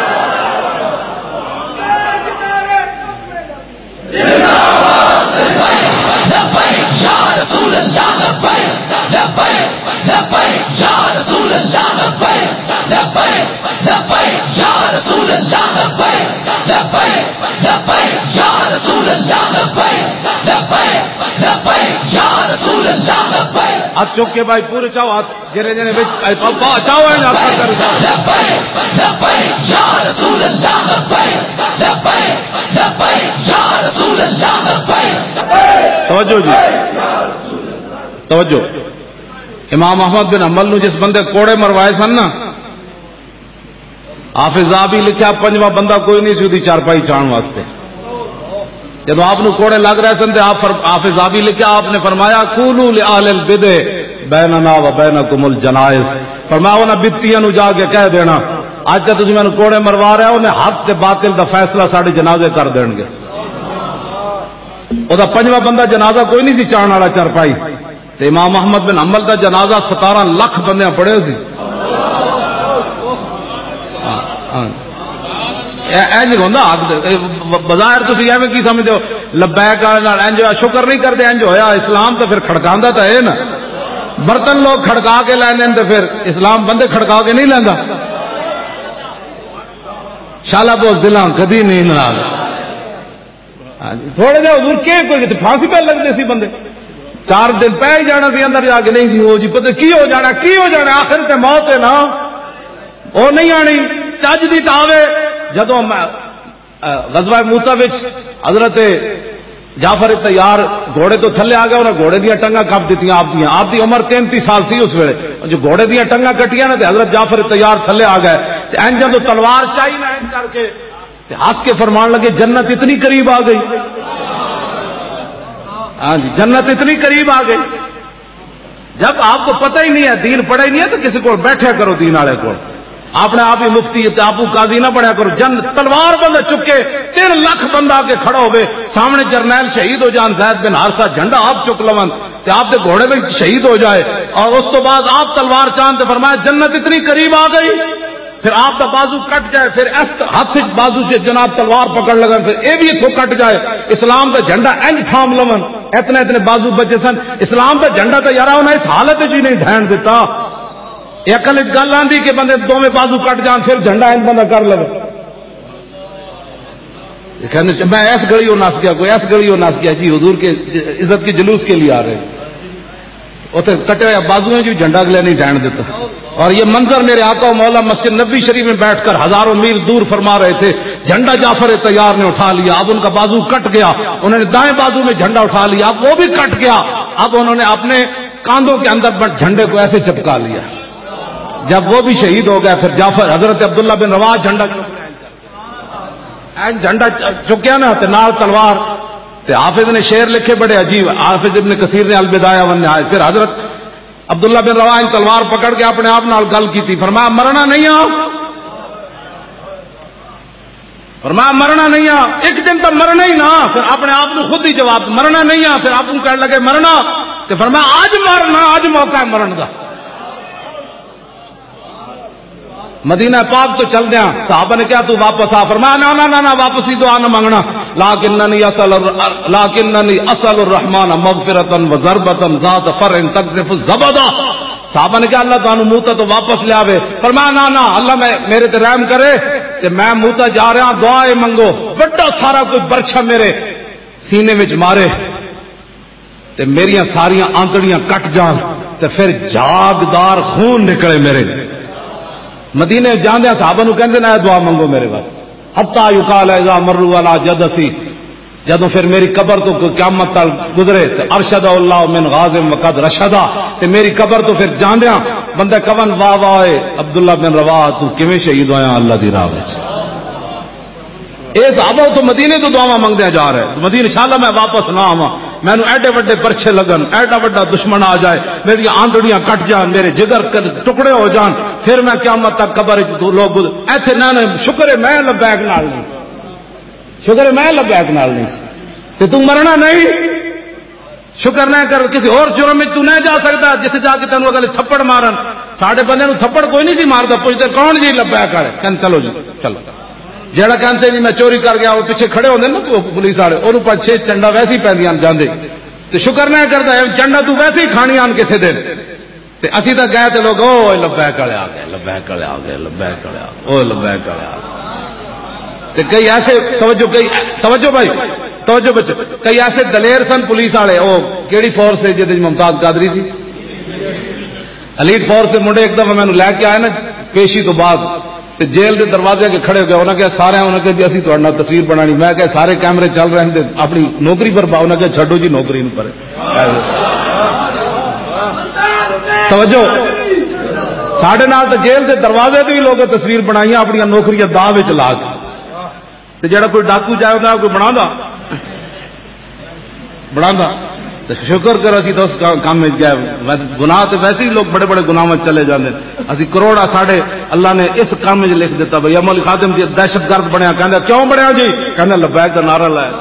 لبیک یا رسول اللہ، لبیک، لبیک، لبیک یا رسول اللہ، لبیک، لبیک، لبیک یا رسول اللہ، لبیک، لبیک یا رسول اللہ، لبیک، لبیک، لبیک یا رسول اللہ، لبیک۔ ہاتھ چوک کے بھائی، پورے چاہو ہاتھ، جنے جنے بچ، اے پاپا، چاہو ہے نا، آپ کا کر۔ لبیک، لبیک یا رسول اللہ، لبیک، لبیک، لبیک یا رسول اللہ، لبیک۔ توجہ جی، توجہ۔ امام احمد بن حنبل نو جس بندے کوڑے مروائے سن نا، حافظ زابی لکھیا، پنجواں بندہ کوئی نہیں سی اودی چارپائی چان واسطے۔ جدوں آپ نو کوڑے لگ رہے سن تے آپ فر-، حافظ زابی لکھیا، آپ نے فرمایا، "قولوا لأهل البدع بيننا وبينكم الجنائز۔" فرمایا، "انہاں بدعتیاں نو جا کے کہہ دینا، اج تے تسی مینوں کوڑے مروا رہے ہو، انہیں حق تے باطل دا فیصلہ ساڈے جنازے کر دین گے۔" او دا پنجواں بندہ جنازہ کوئی نہیں سی چان والا چارپائی۔ تے امام احمد بن حنبل دا جنازہ ستارہ لکھ بندیاں پڑھے سی۔ ہاں، ہاں۔ اے، اے نہیں ہوندا حق دے، اے ب-، بظاہر تسی ایویں کی سمجھدے ہو، لبیک والے نال انج ہویا، شکر نہیں کردے، انج ہویا، اسلام تے پھر کھڑکاندا تے ہے نا۔ برتن لوگ کھڑکا کے لیندے نے تے پھر اسلام بندے کھڑکا کے نہیں لیندا۔ شالا بوز دلاں کدی نہیں ناراض۔ ہاں جی، تھوڑے جہے حضور کے کوئی تے پھانسی پہ لگدے سی بندے۔ چار دن پہ ہی جانا سی اندر جا کے، نہیں سی، وہ جی پتہ کی ہو جانا، کی ہو جانا، آخر تے موت ہے نا، وہ نہیں آنی، چج دی تاوے۔ جدوں میں، آ، غزوہ موتہ وچ حضرت جعفر طیار گھوڑے تو تھلے آ گیا، انہاں گھوڑے دیاں ٹنگاں کپ دتیاں آپ دیاں۔ آپ دی عمر تینتی سال سی اس ویلے۔ جو گھوڑے دیاں ٹنگاں کٹیاں نا تے حضرت جعفر طیار تھلے آ گئے تے اینجاں تو تلوار چائی نہ اینج کر کے تے ہنس کے فرمان لگے، "جنت اتنی قریب آ گئی۔" ہاں جی، جنت اتنی قریب آ گئی۔ جب آپ کو پتہ ہی نہیں ہے، دین پڑھا ہی نہیں ہے، تو کسی کو بیٹھے کرو دین والے کو۔ اپنے آپ ہی مفتی تے آپ کو قاضی نہ بنیا کرو۔ جن تلوار بندہ چکے، تین لاکھ بندہ آ کے کھڑا ہوئے، سامنے جرنیل شہید ہو جان، زید بن حارثہ جھنڈا آپ چک لون تے آپ دے گھوڑے وچ شہید ہو جائے، اور اس تو بعد آپ تلوار چاند تے فرمایا، "جنت اتنی قریب آ گئی۔" پھر آپ دا بازو کٹ جائے، پھر اس ہاتھ وچ بازو سے جناب تلوار پکڑ لگن، پھر اے بھی اتھوں کٹ جائے، اسلام دا جھنڈا انج تھام لون، اتنے اتنے بازو بچے سن۔ اسلام دا جھنڈا تے یارا انہاں اس حالت وچ ہی نہیں دھین دتا۔ اے عقل وچ گل آندی کہ بندے دوویں بازو کٹ جان، پھر جھنڈا انج بندہ کر لو۔ یہ کہنے، "میں اس گلی وہ نس گیا، کوئی اس گلی وہ نس گیا جی، حضور کے عزت کے جلوس کے لیے آ رہے ہیں۔" اتنے کٹے ہوئے بازو ہیں جو جھنڈا اگلے نہیں ڈائن دیتا۔ اور یہ منظر میرے آقا و مولا مسجد نبوی شریف میں بیٹھ کر ہزاروں میل دور فرما رہے تھے، جھنڈا جعفر طیار نے اٹھا لیا، اب ان کا بازو کٹ گیا، انہوں نے دائیں بازو میں جھنڈا اٹھا لیا، اب وہ بھی کٹ گیا، اب انہوں نے اپنے کاندھوں کے اندر بٹ-، جھنڈے کو ایسے چپکا لیا۔ جب وہ بھی شہید ہو گیا، پھر جعفر، حضرت عبداللہ بن رواحہ جھنڈا چک رہے ہیں۔ این جھنڈا چ-، چکیا نا تے نال تلوار، تے حافظ نے شعر لکھے بڑے عجیب، حافظ ابن کثیر نے البدایہ والنہایہ۔ پھر حضرت عبداللہ بن رواحہ نے تلوار پکڑ کے اپنے آپ نال گل کی تھی، فرمایا، "مرنا نہیں آ۔" فرمایا، "مرنا نہیں آ، ایک دن تو مرنا ہی نا۔" پھر اپنے آپ کو خود ہی جواب، "مرنا نہیں آ۔" پھر آپ کو کہنے لگے، "مرنا۔" تے فرمایا، "اج مرنا، اج موقع ہے مرن دا۔" مدینہ پاک تو چل دیا، صحابہ نے کہا، "تو واپس آ۔" فرمایا، "نہ، نہ، نہ، نہ، واپسی دعا نہ مانگنا۔ لکننی اسأل الر-، لکننی اسأل الرحمن مغفرة و ضربة ذات فرع تقذف الزبدہ۔" صحابہ نے کہا، "اللہ تعالیٰ موتا تو واپس لے آوے۔" فرمایا، "نہ، نہ، اللہ میں، میرے تے رحم کرے، تے میں موتا جا رہا، دعا اے منگو، بڑا سارا کوئی برچھا میرے سینے وچ مارے، تے میریاں ساریاں آنتڑیاں کٹ جان۔" تے پھر جاگدار خون نکلے میرے۔ مدینے جاندے صحابہ نو کہندے نے، "اے دعا منگو میرے واسطے۔" حتی یقال اذا مروا علی جدثی، جدوں پھر میری قبر تو کوئی قیامت تک گزرے تے ارشد اللہ من غازم وقد رشدا، تے میری قبر تو پھر جاندیاں بندہ کون، "واہ واہ اے عبداللہ بن رواحہ، تو کیویں شہید ہویا اللہ دی راہ وچ؟" اے صحابہ اتوں مدینے تو دعاواں منگدے جا رہے، مدینے، "انشاءاللہ میں واپس نہ آواں، مینوں ایڈے وڈے پرچے لگن، ایڈا وڈا دشمن آ جائے، میری آنڈڑیاں کٹ جان، میرے جگر ک-، ٹکڑے ہو جان، پھر میں قیامت تک قبر وچ لوگ گز-۔" ایتھے نہ، نہ، شکر ہے میں لبیک نال نہیں، شکر ہے میں لبیک نال نہیں، تے تو مرنا نہیں۔ شکر نہ کر، کسی اور جرم وچ تو نہ جا سکدا، جتھے جا کے تینوں اگلے تھپڑ مارن۔ ساڈے بندے نوں تھپڑ کوئی نہیں سی ماردا، پوچھدے، "کون جی لبیک والے؟" کہن، "چلو جی، چلو۔" جیڑا کہن تے جی میں چوری کر گیا، وہ پیچھے کھڑے ہوندے نا پو-، پولیس والے، انہوں پنج چھ چنڈا ویسے ہی پیندیاں جاندے۔ تے شکر نہ کردا ہے، چنڈا تو ویسے ہی کھانی آن کسے دن۔ تے اسی تاں گئے تے لوگ، "او لبیک والے آ گئے، لبیک والے آ گئے، لبیک والے آ گئے، او لبیک والے آ گئے۔" تے کئی ایسے، توجہ، کئی، توجہ بھائی، توجہ بچ، کئی ایسے دلیر سن پولیس والے، او کیڑی فورس ہے جدے ممتاز قادری سی؟ ایلیٹ فورس دے منڈے ایک دفعہ مینوں لے کے آئے نا، پیشی تو بعد، تے جیل دے دروازے کے کھڑے ہو گئے۔ انہاں کہا، سارے، انہاں کہا، "جی، اسی تہاڈے نال تصویر بنانی۔" میں کہا، "سارے کیمرے چل رہے ہیں، تے اپنی نوکری پر پاؤ۔" انہاں کہا، "چھڈو جی نوکری نوں پر۔" توجہ، ساڈے نال تے جیل دے دروازے تے بھی لوگ تصویر بنائیاں، اپنی نوکریاں داغ وچ لا کے۔ تے جڑا کوئی ڈاکو جائے، انہاں کوئی بناوندا؟ بناوندا؟ تے شکر کر، اسی تو اس کا-، کام وچ گئے۔ ویسے گناہ تے ویسے ہی لوگ بڑے بڑے گناہاں وچ چلے جاندے نے۔ اسی کروڑا ساڈے اللہ نے اس کام وچ لکھ دیتا۔ بھئی، عمل خادم جی دہشت گرد بنیا، کہندا، "کیوں بنیا جی؟" کہندا، "لبیک دا نعرہ لایا۔"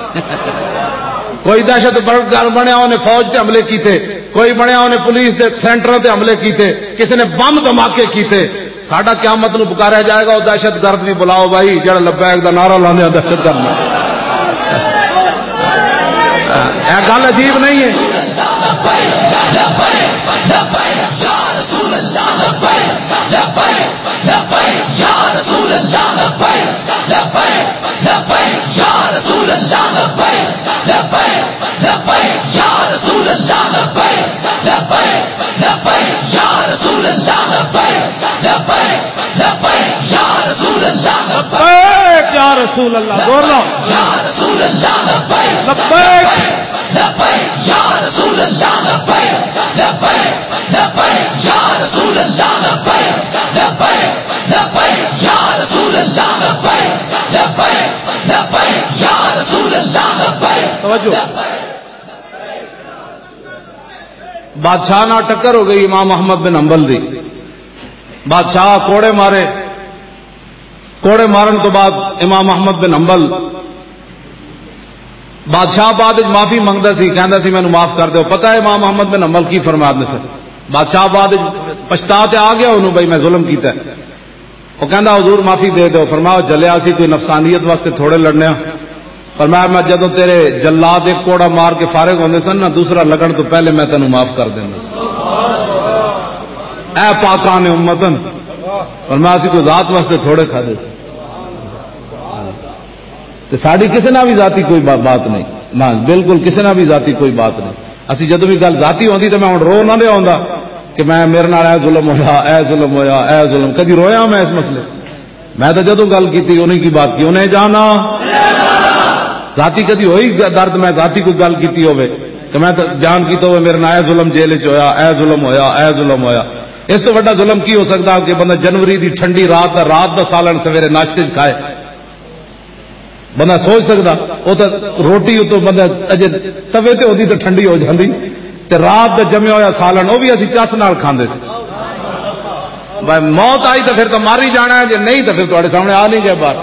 کوئی دہشت گرد بنیا، انہیں فوج تے حملے کیتے، کوئی بنیا، انہیں پولیس دے سینٹراں تے حملے کیتے، کسی نے بم دھماکے کیتے۔ ساڈا قیامت نو پکاریا جائے گا، او دہشت گرد بھی بلاؤ بھائی، جڑا لبیک دا نعرہ لاندے آ دہشت گرد نوں۔ اے گل عجیب نہیں ہے؟ لبیک یا رسول اللہ، زور لاؤ۔ لبیک۔ توجہ۔ بادشاہ نال ٹکر ہو گئی امام احمد بن حنبل دی۔ بادشاہ کوڑے مارے، کوڑے مارن تو بعد امام احمد بن حنبل، بادشاہ بعد وچ معافی منگدا سی، کہندا سی، "مینوں معاف کر دیو۔" پتہ ہے امام احمد بن حنبل کی فرمایا نے سر؟ بادشاہ بعد وچ پچھتا تے آ گیا انہوں، بھائی میں ظلم کیتا ہے۔ وہ کہندا، "حضور معافی دے دیو۔" فرمایا، "جلیا سی کوئی نفسانیت واسطے تھوڑے لڑنے ہاں۔" فرمایا، "میں جدوں تیرے جلاد ایک کوڑا مار کے فارغ ہوندے سن نا، دوسرا لگن تو پہلے میں تینوں معاف کر دیندا سی۔" اے پاکان امتن، فرمایا، "اسی کوئی ذات واسطے تھوڑے کھادے سی۔" تے ساڈی کسے نال بھی ذاتی کوئی با-، بات نہیں، نہ، بالکل کسے نال بھی ذاتی کوئی بات نہیں۔ اسی جدوں بھی گل ذاتی ہوندی تے میں ہن رو نہ لیا ہوندا کہ میں، میرے نال اے ظلم ہویا، اے ظلم ہویا، اے ظلم۔ کدی رویا میں اس مسئلے؟ میں تو جدوں گل کیتی، انہیں کی بات کی، انہیں جانا۔ ذاتی کدی ہوئی گ-، درد، میں ذاتی کوئی گل کیتی ہوے کہ میں تو بیان کیتا ہوے، میرے نال اے ظلم جیل وچ ہویا، اے ظلم ہویا، اے ظلم ہویا۔ اس تو بڑا ظلم کی ہو سکتا کہ بندہ جنوری دی ٹھنڈی رات دا، رات دا سالن سویرے ناشتے وچ کھائے؟ بندہ سوچ سکدا؟ وہ تو روٹی اتوں بندہ اجے توے تے ہوندی تے ٹھنڈی ہو جاندی، تے رات دا جمیا ہویا سالن، وہ بھی اسی چس نال کھاندے سی۔ بھائی، موت آئی تو پھر تو مر ہی جانا ہے، جے نہیں تو پھر تہاڈے سامنے آ نہیں گیا باہر۔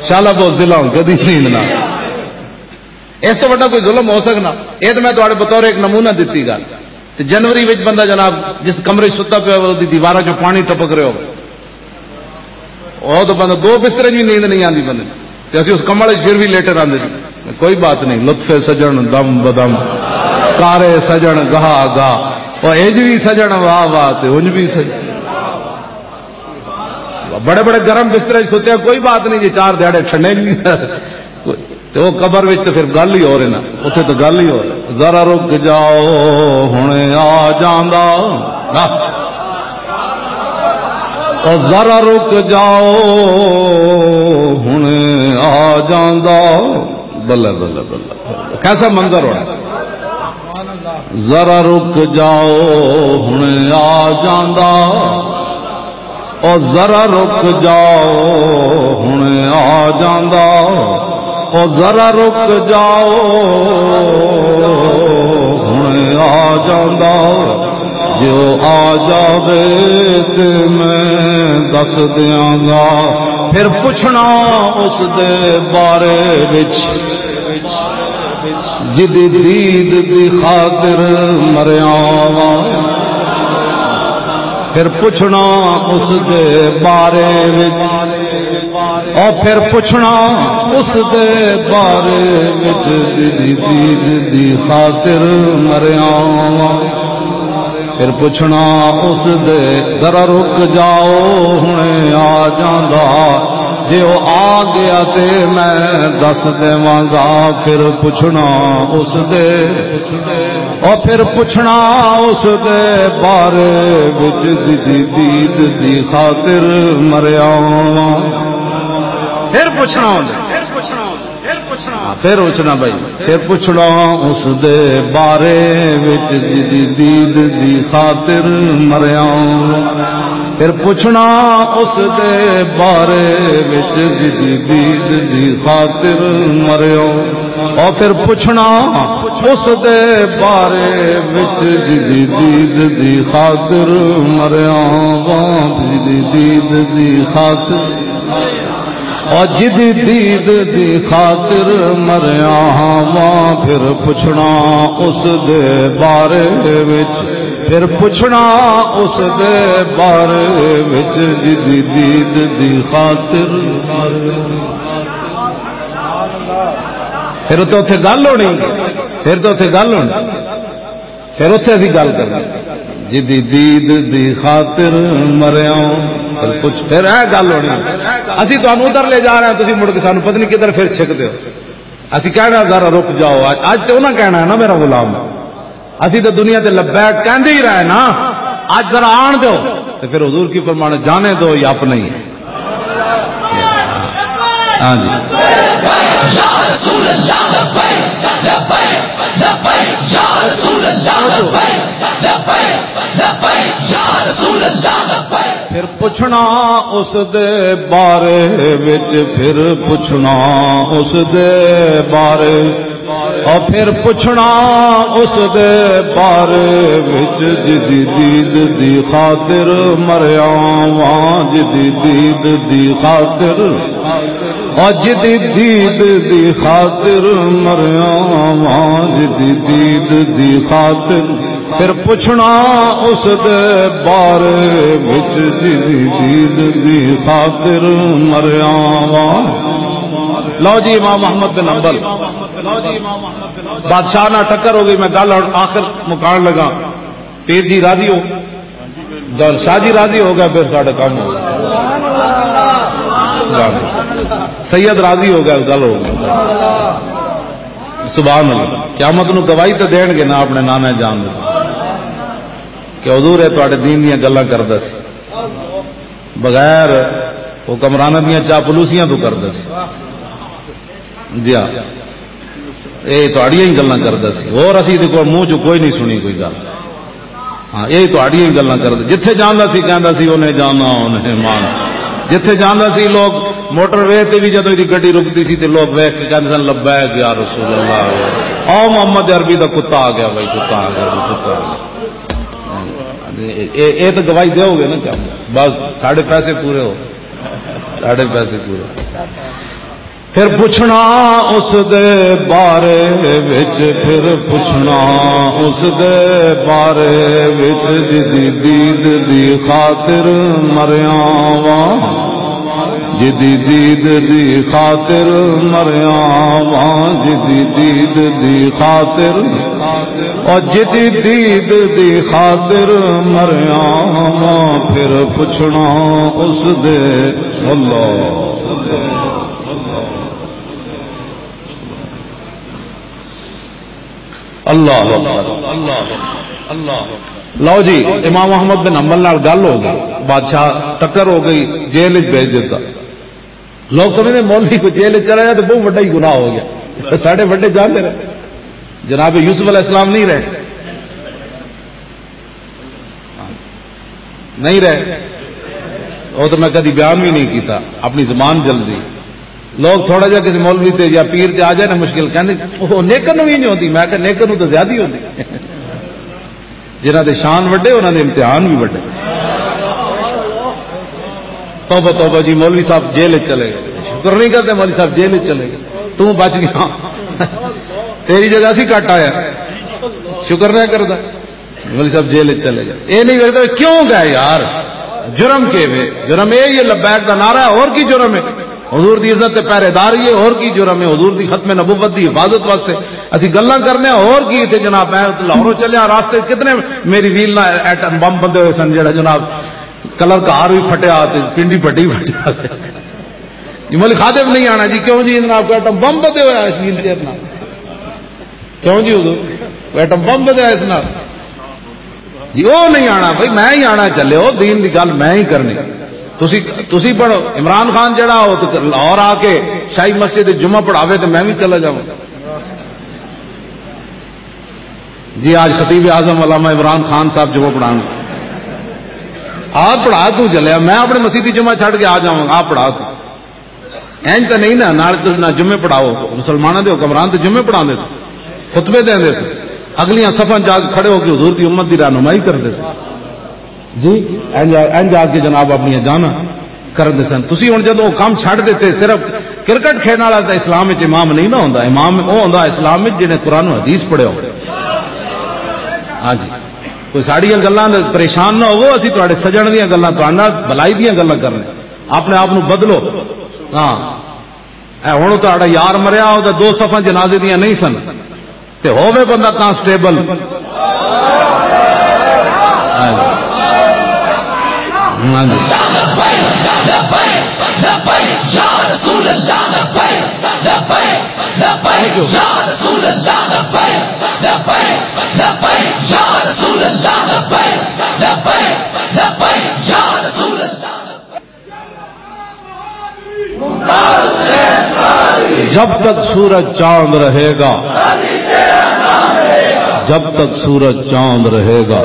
شالا بوز دلاؤں کدی نیند نہ۔ اس تو بڑا کوئی ظلم ہو سکنا؟ یہ تو میں تہاڈے بطور ایک نمونہ دتی گل۔ تے جنوری وچ بندہ جناب جس کمرے وچ ستا پیا ہوئے، دی دیواراں چوں پانی ٹپک رہے ہو، او تو بندہ دو بسترے وچ بھی نیند نہیں آندی بندے نوں۔ تے اسی اس کمرے وچ پھر بھی لیٹے رہندے سی۔ کوئی بات نہیں، لطف سجن دم بدم، کارے سجن گاہ گاہ، او انج بھی سجن واہ واہ تے انج بھی سجن۔ بڑے بڑے گرم بسترے وچ سوتے ہیں، کوئی بات نہیں جی، چار دیہاڑے ٹھنڈے نہیں۔ تے او قبر وچ تے پھر گل ہی ہو رہی نا، اتھے تے گل ہی ہو رہی۔ ذرا رک جاؤ، ہن آ جاندا۔ او ذرا رک جاؤ، ہن آ جاندا۔ بلے، بلے، بلے۔ کیسا منظر ہونا؟ ذرا رک جاؤ، ہن آ جاندا۔ او ذرا رک جاؤ، ہن آ جاندا۔ او ذرا رک جاؤ، ہن آ جاندا۔ جے او آ جاوے تے میں دس دیاں گا۔ پھر پچھنا اس دے بارے وچ، جدی دید دی خاطر مریا واں۔ پھر پچھنا اس دے بارے وچ، او پھر پچھنا اس دے بارے وچ، جدی دید دی خاطر مریا واں۔ پھر پچھنا اس دے، ذرا رک جاؤ، ہن آ جاندا۔ جے او آ گیا تے میں دس دیواں گا۔ پھر پچھنا اس دے، او پھر پچھنا اس دے بارے وچ، جدی دید دی خاطر مریا واں۔ پھر پچھنا اس دے۔ پھر پچھنا بھائی، پھر پچھنا اس دے بارے وچ، جدی دید دی خاطر مریا۔ پھر پچھنا اس دے بارے وچ، جدی دید دی خاطر مریا۔ او پھر پچھنا اس دے بارے وچ، جدی دید دی خاطر مریا واں، جدی دید دی خاطر۔ او جدی دید دی خاطر مریا واں، پھر پچھنا اس دے بارے وچ، پھر پچھنا اس دے بارے وچ، جدی دید دی خاطر۔ پھر تو اتھے گل ہونی، پھر تو اتھے گل ہونی۔ پھر اتھے اسی گل کرنی، جدی دید دی خاطر مریا۔ پھر پچھ، پھر اے گل ہونی، اسی تانوں ادھر لے جا رہے ہیں، تسی مڑ کے سانوں پتہ نہیں کدھر پھر چھک دیو۔ اسی کہنا، "ذرا رک جاؤ۔" اج، اج تے انہاں کہنا ہے نا، "میرا غلام۔" اسی تے دنیا تے لبیک کہندے ہی رہے نا، اج ذرا آن دیو۔ تے پھر حضور کی فرمانے، "جانے دو، یہ اپنا ہی ہے۔" ہاں جی۔ پھر پچھنا اس دے بارے وچ، پھر پچھنا اس دے بارے، او پھر پچھنا اس دے بارے وچ، جدی دید دی خاطر مریا واں، جدی دید دی خاطر، او جدی دید دی خاطر مریا واں، جدی دید دی خاطر۔ پھر پچھنا اس دے بارے وچ، جدی دید دی خاطر مریا واں۔ لو جی، امام احمد بن حنبل، بادشاہ نال ٹکر ہو گئی، میں گل ہن آخر مکان لگا۔ پیر جی راضی ہو، گل شاہ جی راضی ہو گیا، پھر ساڈا کام ہو گیا۔ سبحان اللہ۔ سید راضی ہو گیا، گل ہو گئی۔ سبحان اللہ۔ قیامت نو گواہی تے دین گے نا اپنے نانا جان دے۔ کہ حضور اے تواڈے دین دیاں گلاں کردا سی، بغیر حکمراناں دیاں چاپلوسیاں تو کردا سی۔ جی ہاں، اے تہاڈیاں ہی گلاں کردا سی، اور اسی دے کول منہ چوں کوئی نہیں سنی کوئی گل۔ ہاں، اے تہاڈیاں ہی گلاں کردا، جتھے جاندا سی کہندا سی، "انہیں جانا، انہیں مان۔" جتھے جاندا سی، لوگ موٹر وے تے بھی جدوں دی گڈی رکدی سی تے لوگ ویکھ کے کہندے سن، "لبیک یا رسول اللہ۔" او محمد عربی دا کتا آ گیا بھائی، کتا آ گیا، کتا آ گیا۔ اے، اے، اے تو گواہی دیو گے نا؟ کیا بس ساڈے پیسے پورے ہو، ساڈے پیسے پورے۔ پھر پچھنا اس دے بارے وچ، پھر پچھنا اس دے بارے وچ، جدی دید دی خاطر مریا واں، جدی دید دی خاطر مریا واں، جدی دید دی خاطر، او جدی دید دی خاطر مریا واں، پھر پچھنا اس دے۔ اللہ۔ اللہ اکبر، اللہ اکبر، اللہ اکبر۔ لو جی، امام احمد بن حنبل نال گل ہو گئی، بادشاہ ٹکر ہو گئی، جیل وچ بھیج دیتا۔ لوگ سمجھتے مولوی کو جیل وچ چلا جائے تو بہت بڑا ہی گناہ ہو گیا۔ ساڈے بڑے جاندے رہے، جناب یوسف علیہ السلام نہیں رہے، نہیں رہے۔ وہ تو میں کدی بیان بھی نہیں کیتا، اپنی زبان جلدی۔ لوگ تھوڑا جہا کسی مولوی تے یا پیر تے آ جائے نا مشکل، کہندے، "وہ نیکر نوں بھی نہیں ہوندی۔" میں کہا، "نیکر نوں تو زیادہ ہی ہوندی۔" جنہاں دے شان وڈے، انہاں دے امتحان بھی وڈے۔ توبہ، توبہ جی، مولوی صاحب جیل وچ چلے گئے۔ شکر نہیں کرتے، مولوی صاحب جیل وچ چلے گئے، تو بچ گیا۔ تیری جگہ سی کٹ آیا، شکر نہیں کرتا۔ مولوی صاحب جیل وچ چلے گئے، یہ نہیں کرتا، کیوں گئے یار؟ جرم کے وے؟ جرم یہ، یہ لبیک دا نعرہ ہے، اور کی جرم ہے؟ حضور دی عزت تے پہرے دار ہی ہے، اور کی جرم ہے؟ حضور دی ختم نبوت دی حفاظت واسطے اسی گلاں کرنے ہاں، اور کی؟ اتنے جناب، میں لاہوروں چلیا، راستے کتنے میری ویل نہ ایٹم بم بندے ہوئے سن، جڑا جناب کلر کار بھی پھٹیا تے پنڈی پٹی پھٹیا۔ یہ مولوی خادم نہیں آنا جی، کیوں جی؟ جناب کو ایٹم بم بندے ہویا اس ویل چیئر نال، کیوں جی؟ حضور، ایٹم بم بندے اس نال جی، وہ نہیں آنا بھائی، میں ہی آنا چلے، وہ دین دی گل میں ہی کرنی۔ تسی، تسی پڑھو، عمران خان جڑا ہو تو لاہور آ کے شاہی مسجد وچ جمعہ پڑھاوے تو میں بھی چلا جاؤں۔ جی، آج خطیب اعظم علامہ عمران خان صاحب جمعہ پڑھان، آپ پڑھا تو چلیا، میں اپنے مسیتی جمعہ چھڈ کے آ جاؤں، آپ پڑھا تو۔ اینج تے نہیں نا، نال تے نہ جمعے پڑھاؤ، مسلماناں دے حکمران تے جمعے پڑھاندے سن، خطبے دیندے سن، اگلیاں صفاں جا کے کھڑے ہو کے حضور دی امت دی رہنمائی کردے سن۔ جی، اینج، اینج آ کے جناب اپنی جانا کردے سن۔ تسی ہن جدوں کم چھڈ دتے، صرف کرکٹ کھیڈن والا تے اسلام وچ امام نہیں نہ ہوندا، امام او ہوندا اسلام وچ جنے قرآن و حدیث پڑھے ہو۔ ہاں جی، کوئی ساڈیاں گلاں تے پریشان نہ ہوو، اسی تہاڈے سجن دیاں گلاں، تہاڈے نال بھلائی دیاں گلاں کرنے۔ اپنے آپ نو بدلو۔ ہاں، اے ہن تہاڈا یار مریا، او دو صفاں جنازے دیاں نہیں سن، تے ہووے بندہ کانسٹیبل۔ ہاں جی۔ ہاں جی۔ جب تک سورج چاند رہے گا، جب تک سورج چاند رہے گا۔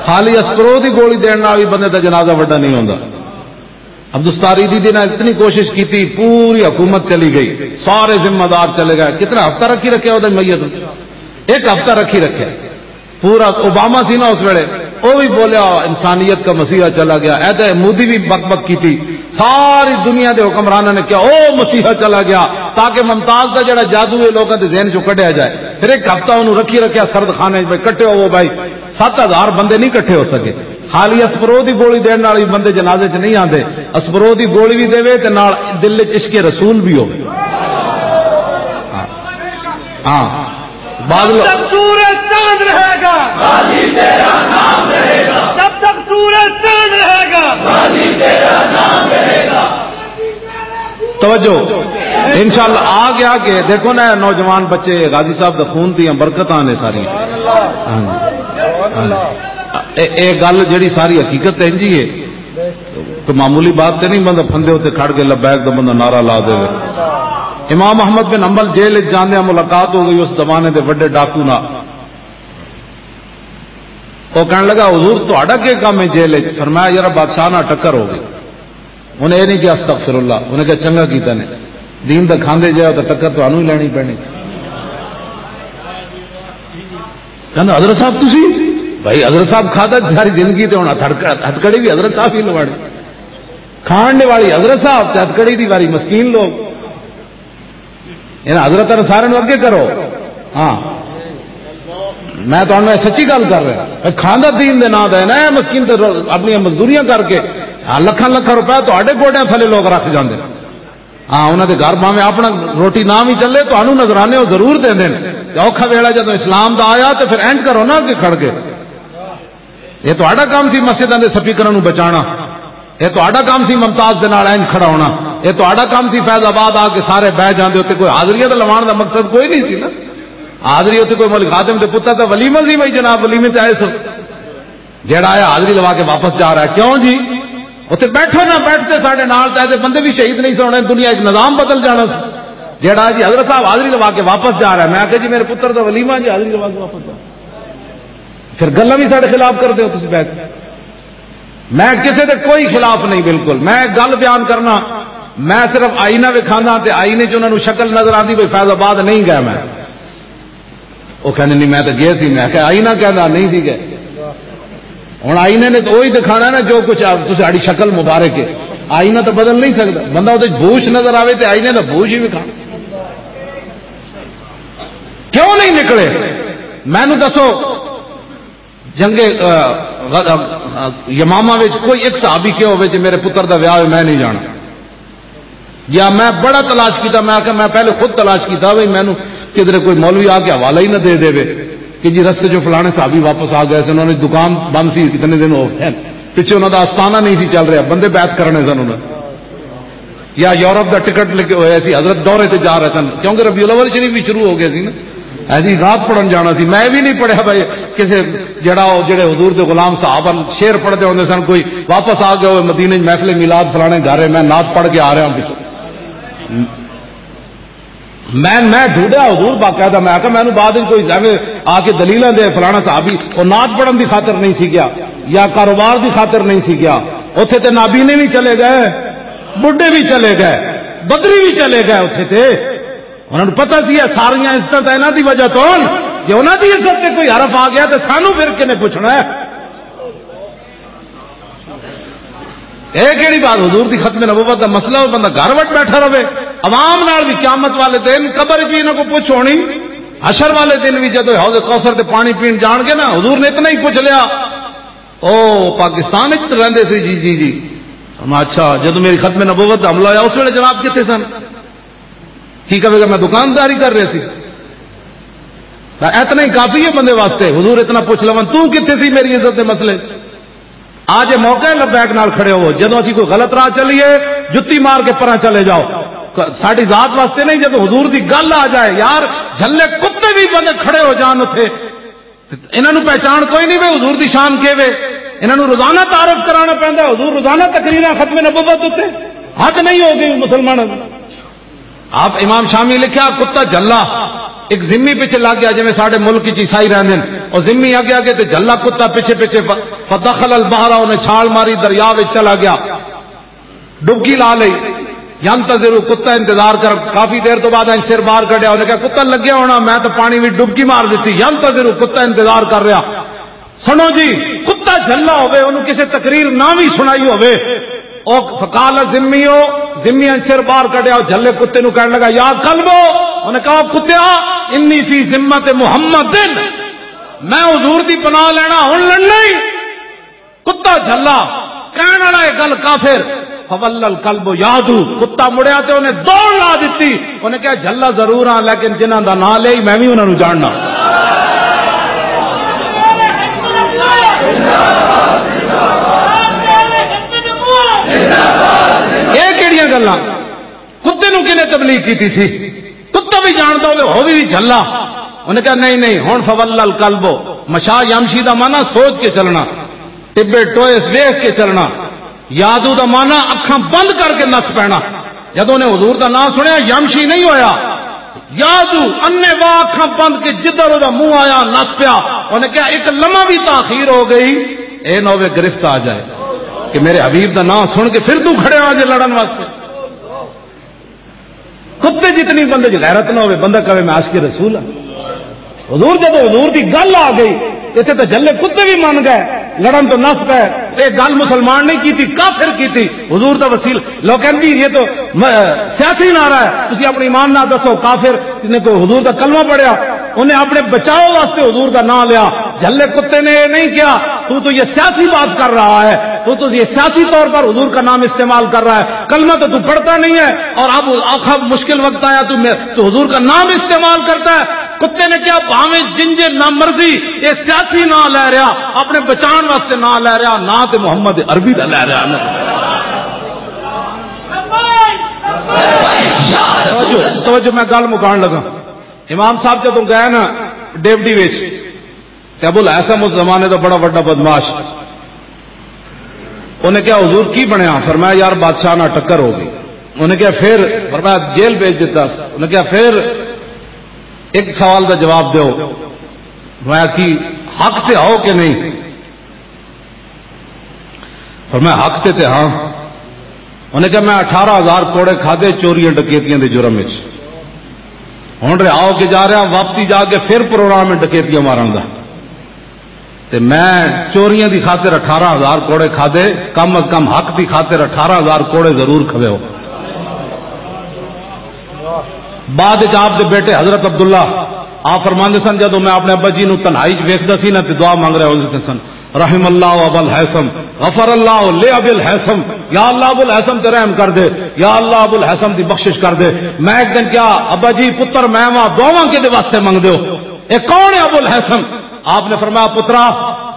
خالی اسپرو دی گولی دین نال بھی بندے دا جنازہ وڈا نہیں ہوندا۔ عبدالستار ایدی دے نال اتنی کوشش کیتی، پوری حکومت چلی گئی، سارے ذمہ دار چلے گئے۔ کتنا ہفتہ رکھی رکھیا اوہدے میت نوں؟ ایک ہفتہ رکھی رکھیا۔ پورا اوباما سی نا اس ویلے، او بھی بولیا، "انسانیت کا مسیحا چلا گیا۔" اے تے مودی بھی بک بک کیتی، ساری دنیا دے حکمراناں نے کہا، "او مسیحا چلا گیا"، تاکہ ممتاز دا جڑا جادو ہے لوکاں دے ذہن چوں کڈیا جائے۔ پھر ایک ہفتہ انہوں رکھی رکھیا سرد خانے وچ، بھائی کٹھے ہوو بھائی، ست ہزار بندے نہیں کٹھے ہو سکے۔ خالی اسپرو دی گولی دین نال ہی بندے جنازے چ نہیں آندے، اسپرو دی گولی بھی دے تے نال دل وچ عشق رسول بھی ہوے۔ ہاں۔ ہاں۔ بعض لوگ تک سورج چاند رہے گا، جب تک سورج چاند رہے گا۔ توجہ، انشاءاللہ آ گیا کہ دیکھو نا، نوجوان بچے غازی صاحب دا خون دیاں برکتاں نے ساری۔ ہاں جی۔ ہاں جی۔ اے، اے گل جڑی ساری حقیقت ہے جی، اے کوئی معمولی بات تے نہیں، بندہ پھندے ہوتے کھڑ کے لبیک دا بندہ نعرہ لا دے۔ امام احمد بن حنبل جیل وچ جاندے ملاقات ہو گئی اس زمانے دے بڑے ڈاکو نال۔ وہ کہنے لگا، "حضور، تہاڈا کی کام ہے جیل وچ؟" فرمایا، "یار، بادشاہ نال ٹکر ہو گئی۔" انہیں یہ نہیں کہ "استغفر اللہ"، انہیں کہا، "چنگا کیتا نے، دین دا کھاندے جاؤ تو ٹکر تانوں ہی لینی پینی۔" کہنا، "حضرت صاحب، تسی؟" بھائی، حضرت صاحب کھادا ساری زندگی تے ہن ہتھڑک-، ہتھکڑی بھی حضرت صاحب ہی لواڑی۔ کھان دے والی حضرت صاحب تے ہتھکڑی دی واری مسکین لوگ۔ انہاں حضرت سارے نوں اگے کرو۔ ہاں، میں تانوں یہ سچی گل کر رہا۔ اے کھاندا دین دے نام دا ہے نا، اے مسکین تے رو-، اپنی مزدوریاں کر کے، ہاں، لکھاں لکھاں روپے تہاڈے گوڈیاں تھلے لوگ رکھ جاندے۔ ہاں، انہاں دے گھر بھاویں اپنا روٹی نہ وی چلے، تانوں نذرانے او ضرور دیندے نے۔ تے اوکھا ویلا جدوں اسلام دا آیا تے پھر اینج کرو نا اگے کھڑ کے۔ یہ تہاڈا کام سی مسجداں دے سپیکراں نوں بچانا۔ یہ تہاڈا کام سی ممتاز دے نال اینج کھڑا ہونا۔ یہ تہاڈا کام سی فیض آباد آ کے سارے بہ جاندے ہو تے کوئی حاضریاں دا لواݨ دا مقصد کوئی نہیں سی نا۔ حاضری اتنے کوئی مولوی خادم دے پتر دا ولیمہ سی بھائی، جناب ولیمے تے آئے سو۔ جیڑا آیا حاضری لوا کے واپس جا رہا ہے، کیوں جی؟ اتنے بیٹھو نہ بیٹھتے ساڈے نال تے ایسے بندے بھی شہید نہیں سن ہونے، دنیا ایک نظام بدل جانا سی۔ جیڑا جی حضرت صاحب حاضری لوا کے واپس جا رہا ہے، میں آخیا جی میرے پتر دا ولیمہ جی، حاضری لوا کے واپس جا رہا ہے۔ پھر گلاں بھی ساڈے خلاف کردے ہو تسی بیٹھ کے۔ میں کسے دے کوئی خلاف نہیں، بالکل۔ میں ایک گل بیان کرنا، میں صرف آئینہ وکھانا تے آئینے چ انہاں نوں شکل نظر آندی، بھئی فیض آباد نہیں گیا میں۔ وہ کہندے، "نہیں، میں تو گیا سی۔" میں کہا، "آئینہ کہندا نہیں سی گئے۔" ہن آئینے نے تو وہی دکھانا نا جو کچھ آپ، تساڈی شکل مبارک ہے۔ آئینہ تو بدل نہیں سکدا، بندہ وہ بوش نظر آوے تے آئینے دا بوش ہی وکھا۔ کیوں نہیں نکلے؟ مینوں دسو، جنگ، آ، غ-، آ، یمامہ وچ کوئی ایک صحابی کیا ہوئے جی میرے پتر دا ویاہ ہوئے، میں نہیں جانا؟ یا میں بڑا تلاش کیتا، میں آکھیا میں پہلے خود تلاش کیتا بھئی مینوں کدھر کوئی مولوی آ کے حوالہ ہی نہ دے دے کہ جی رستے جو فلانے صحابی واپس آ گئے سن، انہاں دی دکان بند سی، کتنے دن ہو گئے، پچھے انہاں دا آستانہ نہیں سی چل رہا، بندے بیعت کرنے سن انہاں۔ یا یورپ دا ٹکٹ لے کے ہویا سی، حضرت دورے تے جا رہے سن، کیونکہ ربیع الاول شریف بھی شروع ہو گیا سی نا۔ ہاں جی، نعت پڑھن جانا سی، میں بھی نہیں پڑھیا بھائی، کسے جڑا او جڑے حضور دے غلام صاحب ہن، شعر پڑھدے ہوندے سن، کوئی واپس آ گیا ہوئے مدینے وچ محفل میلاد فلانے گھر ہے، میں نعت پڑھ کے آ رہا ہوں پچھوں۔ میں، میں ڈھونڈیا حضور باقاعدہ، میں آکھیا مینوں بعد وچ کوئی ایویں آ کے دلیلاں دے فلانا صحابی او نعت پڑھن دی خاطر نہیں سی گیا یا کاروبار دی خاطر نہیں سی گیا۔ اوتھے تے نابینے بھی چلے گئے، بڈھے بھی چلے گئے، بدری بھی چلے گئے اوتھے تے۔ انہاں نوں پتہ سی یہ ساریاں عزتاں تاں انہاں دی وجہ تو ہن۔ جے انہاں دی عزت تے کوئی حرف آ گیا تے سانوں پھر کنے پوچھنا ہے؟ اے کیڑی بات؟ حضور دی ختم نبوت دا مسئلہ، وہ بندہ گھر وچ بیٹھا رہے، عوام نال بھی قیامت والے دن قبر جی انہاں کو پوچھ ہونی، حشر والے دن بھی جدوں حوض کوثر تے پانی پین جان گے نا، حضور نے اتنا ہی پوچھ لیا، "او پاکستان وچ رہندے سی؟" "جی، جی، جی۔" فرمایا، "اچھا، جدوں میری ختم نبوت دا حملہ ہویا، اس ویلے جناب کتھے سن؟" کی کہے گا، "میں دکانداری کر رہے سی۔" اتنا ہی کافی ہے بندے واسطے، حضور اتنا پوچھ لون، "تو کتھے سی میری عزت دے مسئلے؟" آج یہ موقع ہے، لبیک نال کھڑے ہو۔ جدوں اسی کوئی غلط راہ چلیے، جتی مار کے پرا چلے جاؤ۔ ک-، ساڈی ذات واسطے نہیں، جدوں حضور دی گل آ جائے، یار، جھلے کتے بھی بندے کھڑے ہو جان اتھے، انہاں نوں پہچان کوئی نہیں وے، حضور دی شان کے وے؟ انہاں نوں روزانہ تعارف کرانا پیندا ہے، حضور روزانہ تقریراں ختم نبوت اتے۔ حد نہیں ہو گئی مسلمانوں دی۔ آپ امام شامی لکھیا، کتا جھلا، ایک ذمی پیچھے لگ گیا، جویں ساڈے ملک وچ عیسائی رہندے نے، اور ذمی اگے اگے تے جھلا کتا پیچھے پیچھے، ف-، فدخل البحر، انہیں چھال ماری، دریا وچ چلا گیا، ڈبکی لا لئی۔ ینتظر، کتا انتظار کر، کافی دیر تو بعد انج سر باہر کڈیا، انہیں کہا، "کتا لگیا ہونا، میں تو پانی وچ ڈبکی مار دیتی۔" ینتظر، کتا انتظار کر رہا۔ سنو جی، کتا جھلا ہوے، انہوں کسے تقریر نہ بھی سنائی ہوے، او فقال ذمیو، ذمی نے سر باہر کڈیا، او جھلے کتے نو کہن لگا، "یا کلبو"، انہیں کہا، "کتیا، انی فی ذمت محمد، میں حضور دی پناہ لینا، ہن لڑنا ہی۔" کتا جھلا، کہن والا یہ گل کافر، فول الکلب یادو، کتا مڑیا تے انہیں دوڑ لا دتی۔ انہیں کہا، "جھلا ضرور ہاں، لیکن جنہاں دا نام لیا ہی، میں بھی انہاں نوں جاننا۔" یہ کیڑیاں گلاں؟ کتے نوں کنے تبلیغ کیتی سی؟ کتا بھی جاندا ہوے، ہو بھی جھلا۔ انہیں کہا، "نہیں، نہیں، ہن فول الکلب، مشا یمشی دا معنی سوچ کے چلنا، ٹبے ٹوئے ویکھ کے چلنا۔" یادو دا مانا اکھاں بند کر کے نس پینا۔ جدوں نے حضور دا نام سنیا، یمشی نہیں ہویا، یادو انے وا اکھاں بند کے جدھر دا منہ آیا نس پیا۔ انہیں کہا، "ایک لمحہ بھی تاخیر ہو گئی، اے نہ ہوے گرفت آ جائے کہ میرے حبیب دا نام سن کے پھر تو کھڑے آ جے لڑن واسطے۔" کتے جتنی بندے چ غیرت نہ ہوے، بندہ کہے، "میں عاشق رسول ہاں۔" حضور، جدوں حضور دی گل آ گئی، اتنے تو جھلے کتے بھی من گئے، لڑن تو نس پے۔ یہ گل مسلمان نہیں کیتی، کافر کیتی۔ حضور دا وسیل، لوگ کہندے، "یہ تو م-، سیاسی نعرہ ہے، تسی اپنی ایمان نہ دسو۔" کافر نے کوئی حضور دا کلمہ پڑھیا، انہیں اپنے بچاؤ واسطے حضور دا نام لیا۔ جھلے کتے نے یہ نہیں کہا، "تو تو یہ سیاسی بات کر رہا ہے، تو تو یہ سیاسی طور پر حضور کا نام استعمال کر رہا ہے، کلمہ تو تو پڑھتا نہیں ہے، اور اب آخا مشکل وقت آیا تو میں، تو حضور کا نام استعمال کرتا ہے۔" کتے نے کہا، "بھاویں جنجے نہ مرضی، یہ سیاسی نام لے رہا، اپنے بچان واسطے نام لے رہا، نام تے محمد عربی دا لے رہا نا۔" توجہ، توجہ، میں گل مکان لگا۔ امام صاحب جدوں گئے نا ڈیوڈی وچ، تے ابو الہیثم اس زمانے دا بڑا وڈا بدمعاش، انہیں کہا، "حضور، کی بنیا؟" فرمایا، "یار، بادشاہ نال ٹکر ہو گئی۔" انہیں کہا، "پھر؟" فرمایا، "جیل بھیج دیتا۔" انہیں کہا، "پھر ایک سوال دا جواب دیو۔" فرمایا، "کی حق تے ہو کہ نہیں؟" فرمایا، "حق تے تے ہاں۔" انہیں کہا، "میں اٹھارہ ہزار کوڑے کھادے چوریاں ڈکیتیاں دے جرم وچ، ہن رہا ہو کے جا رہا، واپسی جا کے پھر پروگرام ہے ڈکیتیاں مارن دا۔ تے میں چوریاں دی خاطر اٹھارہ ہزار کوڑے کھادے، کم از کم حق دی خاطر اٹھارہ ہزار کوڑے ضرور کھوے ہو۔" بعد وچ آپ دے بیٹے حضرت عبداللہ، آپ فرماندے سن، جدوں میں اپنے ابا جی نوں تنہائی وچ ویکھدا سی نا تے دعا منگ رہے ہوندے سن، "رحم اللہ ابا الہیثم، غفر اللہ لے ابی الہیثم۔" یا اللہ، ابو الہیثم تے رحم کر دے، یا اللہ، ابو الہیثم دی بخشش کر دے۔ میں ایک دن کیا، "ابا جی، پتر میں واں، دعاواں کدے واسطے منگدے ہو؟ اے کون ہے ابو الہیثم؟" آپ نے فرمایا، "پترا،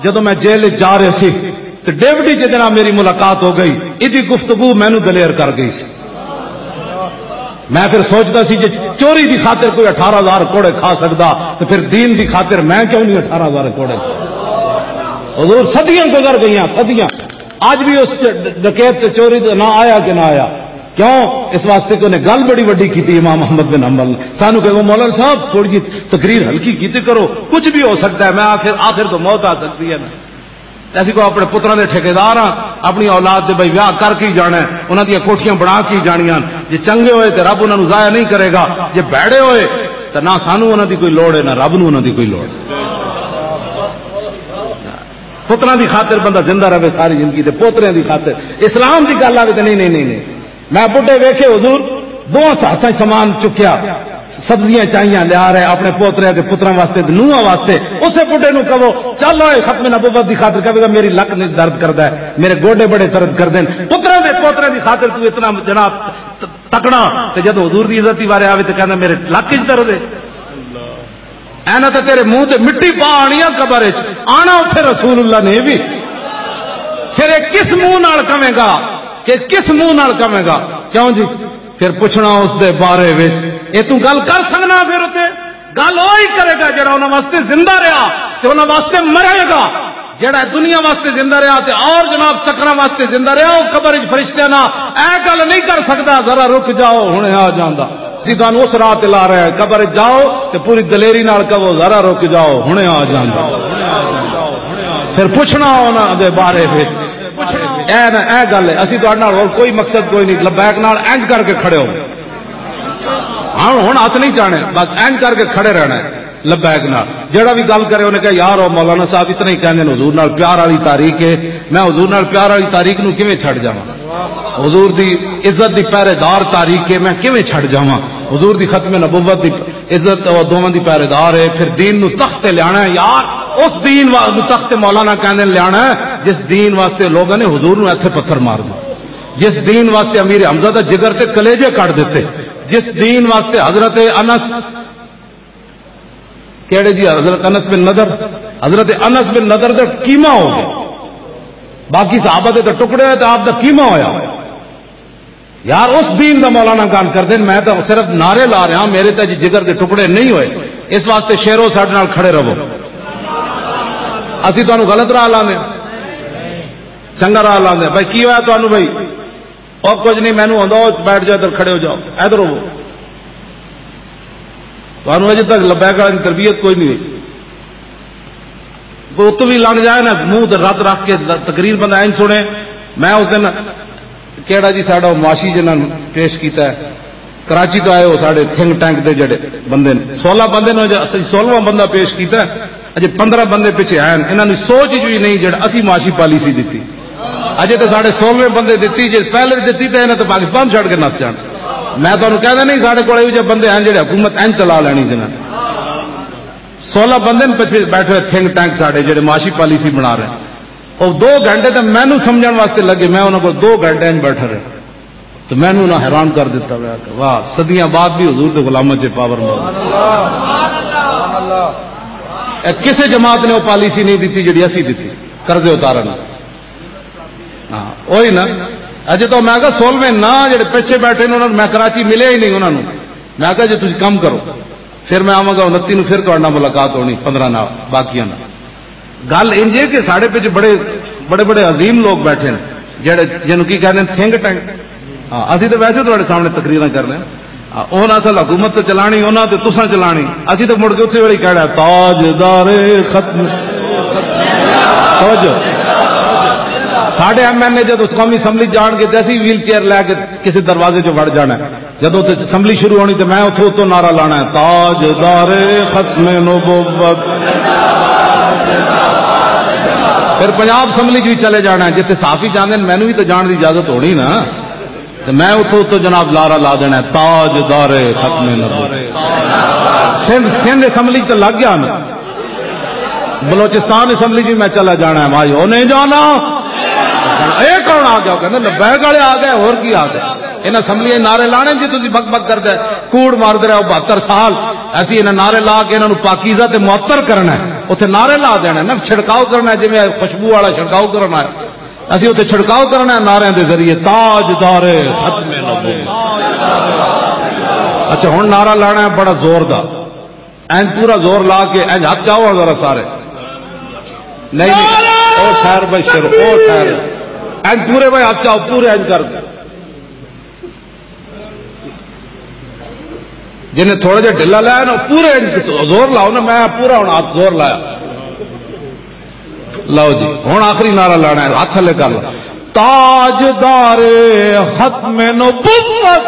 جدوں میں جیل وچ جا رہے سی، تے ڈیوڈی جے نال میری ملاقات ہو گئی، ایدی گفتگو مینوں دلیر کر گئی سی۔" میں پھر سوچدا سی، جے چوری دی خاطر کوئی اٹھارہ ہزار کوڑے کھا سکدا، تے پھر دین دی خاطر میں کیوں نہیں اٹھارہ ہزار کوڑے کھا؟ حضور، صدیاں گزر گئیاں، صدیاں۔ اج بھی اس ڈکیت تے چوری تے نہ آیا کہ نہ آیا؟ کیوں؟ اس واسطے کہ انہیں گل بڑی وڈی کیتی امام احمد بن حنبل نے۔ سانو کہو، "مولانا صاحب، تھوڑی جی تقریر ہلکی کیتی کرو، کچھ بھی ہو سکتا ہے، میں آخر، آخر تو موت آ سکتی ہے نا۔" تے اسی کو اپنے پتراں دے ٹھیکیدار ہاں، اپنی اولاد دے بھائی ویاہ کر کے ہی جانا ہے، انہاں دیاں کوٹھیاں بنا کے ہی جانیاں۔ جے چنگے ہوئے تے رب انہاں نوں ضائع نہیں کرے گا، جے بھڑے ہوئے تے نہ سانوں انہاں دی کوئی لوڑ ہے، نہ رب نوں انہاں دی کوئی لوڑ ہے۔ پتراں دی خاطر بندہ زندہ رہے ساری زندگی، تے پوتریاں دی خاطر اسلام دی گل آوے تے نہیں، نہیں، نہیں، نہیں۔ میں بڈھے ویکھے حضور، دو ہاتھاں سامان چکیا، سبزیاں چاہیاں لیا رہے اپنے پوترے دے پتراں واسطے تے نوحاں واسطے۔ اسے بڈھے نوں کہو، "چل اوئے، ختم نبوت دی خاطر۔" کہے گا، "میری لک نہیں درد کردا ہے، میرے گوڈے بڑے درد کردے نے۔" پتراں دے پوترے دی خاطر تو اتنا جناب ت-، تکڑا، تے جدوں حضور دی عزت دی بارے آوے تے کہندا، "میرے لک وچ درد ہے۔" اینا تے تیرے منہ تے مٹی پا آنی آ قبر وچ، آنا اوتھے رسول اللہ نے بھی۔ پھر ایک کس منہ نال کہے گا، کہ کس منہ نال کہے گا؟ کیوں جی؟ پھر پوچھنا اس دے بارے وچ، اے تو گل کر سکنا؟ پھر تے گل وہی کرے گا جڑا انہاں واسطے زندہ رہیا تے انہاں واسطے مرے گا۔ جڑا دنیا واسطے زندہ رہیا تے اور جناب چکراں واسطے زندہ رہیا، او قبر وچ فرشتیاں نال اے گل نہیں کر سکدا، "ذرا رک جاؤ، ہنے آ جاندا۔" اسی تانوں اس راہ تے لا رہے ہیں، قبر وچ جاؤ تے پوری دلیری نال کہو، "ذرا رک جاؤ، ہنے آ جاندا۔" پھر پوچھنا انہاں دے بارے وچ۔ اے نہ، اے گل ہے، اسی تہاڈے نال ہور کوئی مقصد کوئی نہیں، لبیک نال انج کر کے کھڑے ہو۔ ہاں، ہن ہاتھ نہیں چاہنے، بس اینج کر کے کھڑے رہنا ہے، لبیک نال۔ جیڑا بھی گل کرے، انہیں کہا، "یار، او مولانا صاحب اتنا ہی کہندے نے، حضور نال پیار والی تاریخ ہے، میں حضور نال پیار والی تاریخ نو کیویں چھڈ جاواں؟ حضور دی عزت دی پہرے دار تاریخ ہے، میں کیویں چھڈ جاواں؟ حضور دی ختم نبوت دی عزت، او دوواں دی پہرے دار ہے، پھر دین نو تخت تے لیانا ہے یار۔" اس دین وا-، نو تخت تے مولانا کہندے نے لیانا ہے، جس دین واسطے لوگاں نے حضور نو ایتھے پتھر مار دے، جس دین واسطے امیر حمزہ دا جگر تے کلیجے کٹ دتے، جس دین واسطے حضرت انس، کیڑے جی؟ حضرت انس بن نضر، حضرت انس بن نضر دا قیمہ ہو گیا۔ باقی صحابہ دے تو ٹکڑے ہوئے، تو آپ دا قیمہ ہویا۔ یار، اس دین دا مولانا گل کر دین، میں تو صرف نعرے لا رہا، میرے تے جی جگر دے ٹکڑے نہیں ہوئے۔ اس واسطے شیرو، ساڈے نال کھڑے رہو۔ اسی تانوں غلط راہ لانے، چنگا راہ لانے۔ بھائی، کی ہویا تانوں بھائی؟ اور کچھ نہیں، مینوں آندا، او بیٹھ جاؤ، ادھر کھڑے ہو جاؤ، ادھر ہو۔ تانوں اجے تک لبیک والی تربیت کوئی نہیں ہوئی۔ کوئی اتوں بھی لنگ جائے نا، منہ تے رت رکھ کے تقریر بندہ اینج سنے۔ میں اس دن، کیڑا جی ساڈا معاشی جنہاں نوں پیش کیتا ہے، کراچی تو آئے ہو، ساڈے تھنک ٹینک دے جڑے بندے نے، سولہ بندے نے، اجے اسی سولہواں بندہ پیش کیتا ہے، اجے پندرہ بندے پیچھے آئے نے۔ انہاں نوں سوچ جو ہی نہیں جڑا اسی معاشی پالیسی دتی۔ اجے تے ساڈے سولہویں بندے دتی، جے پہلے دتی تے انہاں تے پاکستان چھڈ کے نس جان۔ میں تانوں کہدا نہیں، ساڈے کول ایہو جہے بندے ہیں جڑے حکومت اینج چلا لینی جنہاں نے۔ سولہ بندے نے پچھے بیٹھے ہوئے تھنک ٹینک ساڈے جڑے معاشی پالیسی بنا رہے ہیں۔ او دو گھنٹے تے مینوں سمجھن واسطے لگے، میں انہاں کول دو گھنٹے اینج بیٹھا رہا۔ تو مینوں انہاں حیران کر دیتا ہوا کہ واہ، صدیاں بعد بھی حضور دے غلاماں چ پاور موجود۔ اے کسے جماعت نے وہ پالیسی نہیں دیتی جڑی اسی دیتی، قرضے اتارن۔ ہاں، وہی نا۔ اجے تو میں کہا سولہویں نا جڑے پیچھے بیٹھے نے، انہاں نوں میں کراچی ملیا ہی نہیں انہاں نوں۔ میں کہا جی تسی کم کرو، پھر میں آواں گا انتی نوں، پھر تہاڈے نال ملاقات ہونی، پندرہ نال، باقیاں نال۔ گل انج ہے کہ ساڈے وچ بڑے، بڑے بڑے عظیم لوگ بیٹھے نے، جڑے، جنوں کی کہندے نے، تھنک ٹینک۔ ہاں، اسی تو ویسے تہاڈے سامنے تقریراں کر رہے ہیں۔ ہاں، انہاں اصل حکومت تو چلانی، انہاں تے تساں چلانی۔ اسی تو مڑ کے اتھے ویلے کہڑا تاجدار ختم۔ توجہ۔ ساڈے ایم این اے جدوں قومی اسمبلی جان گے تے اسی ویل چیئر لے کے کسی دروازے چ وڑ جانا ہے۔ جدوں تے اسمبلی شروع ہونی تے میں اتھوں اتوں نعرہ لانا ہے، "تاجدار ختم نبوت۔" پھر پنجاب اسمبلی چ بھی چلے جانا ہے، جتھے صحافی جاندے نے، مینوں بھی تو جان دی اجازت ہونی نا۔ تے میں اتھوں اتوں جناب نعرہ لا دینا ہے، "تاجدار ختم نبوت۔" سندھ، سندھ اسمبلی چ لگ گیا نا، بلوچستان اسمبلی جی میں چلا جانا ہے بھائی، وہ نہیں جانا۔ اے کون آ گیا؟ کہندے لبیک والے آ گئے، اور کی آ گئے؟ انہاں اسمبلیاں نعرے لانے جی، تسی بک بک کردا ہے، کوڑ ماردا رہیا بہتر سال۔ اسی انہاں نعرے لا کے انہاں نوں پاکیزہ تے معطر کرنا ہے، اوتھے نعرے لا دینا ہے نا، چھڑکاؤ کرنا ہے، جویں خوشبو والا چھڑکاؤ کرنا ہے۔ اسی اوتھے چھڑکاؤ کرنا ہے نعرے دے ذریعے، "تاجدار ختم نبوت۔" اچھا، ہن نعرہ لانا ہے بڑا زور دا۔ اینج پورا زور لا کے اینج ہاتھ چاؤ ذرا سارے۔ نہیں، نہیں۔ او ٹھہر بھائی شیر، او ٹھہر۔ اینج پورے بھائی ہاتھ چاؤ، پورے اینج کر۔ جنہیں تھوڑا جہا ڈھیلا لایا نا، پورے اینج زور لاؤ نا، میں پورا ہن ہاتھ زور لایا۔ لو جی، ہن آخری نعرہ لانا ہے، ہاتھ تھلے کر لو۔ تاجدار ختم نبوت۔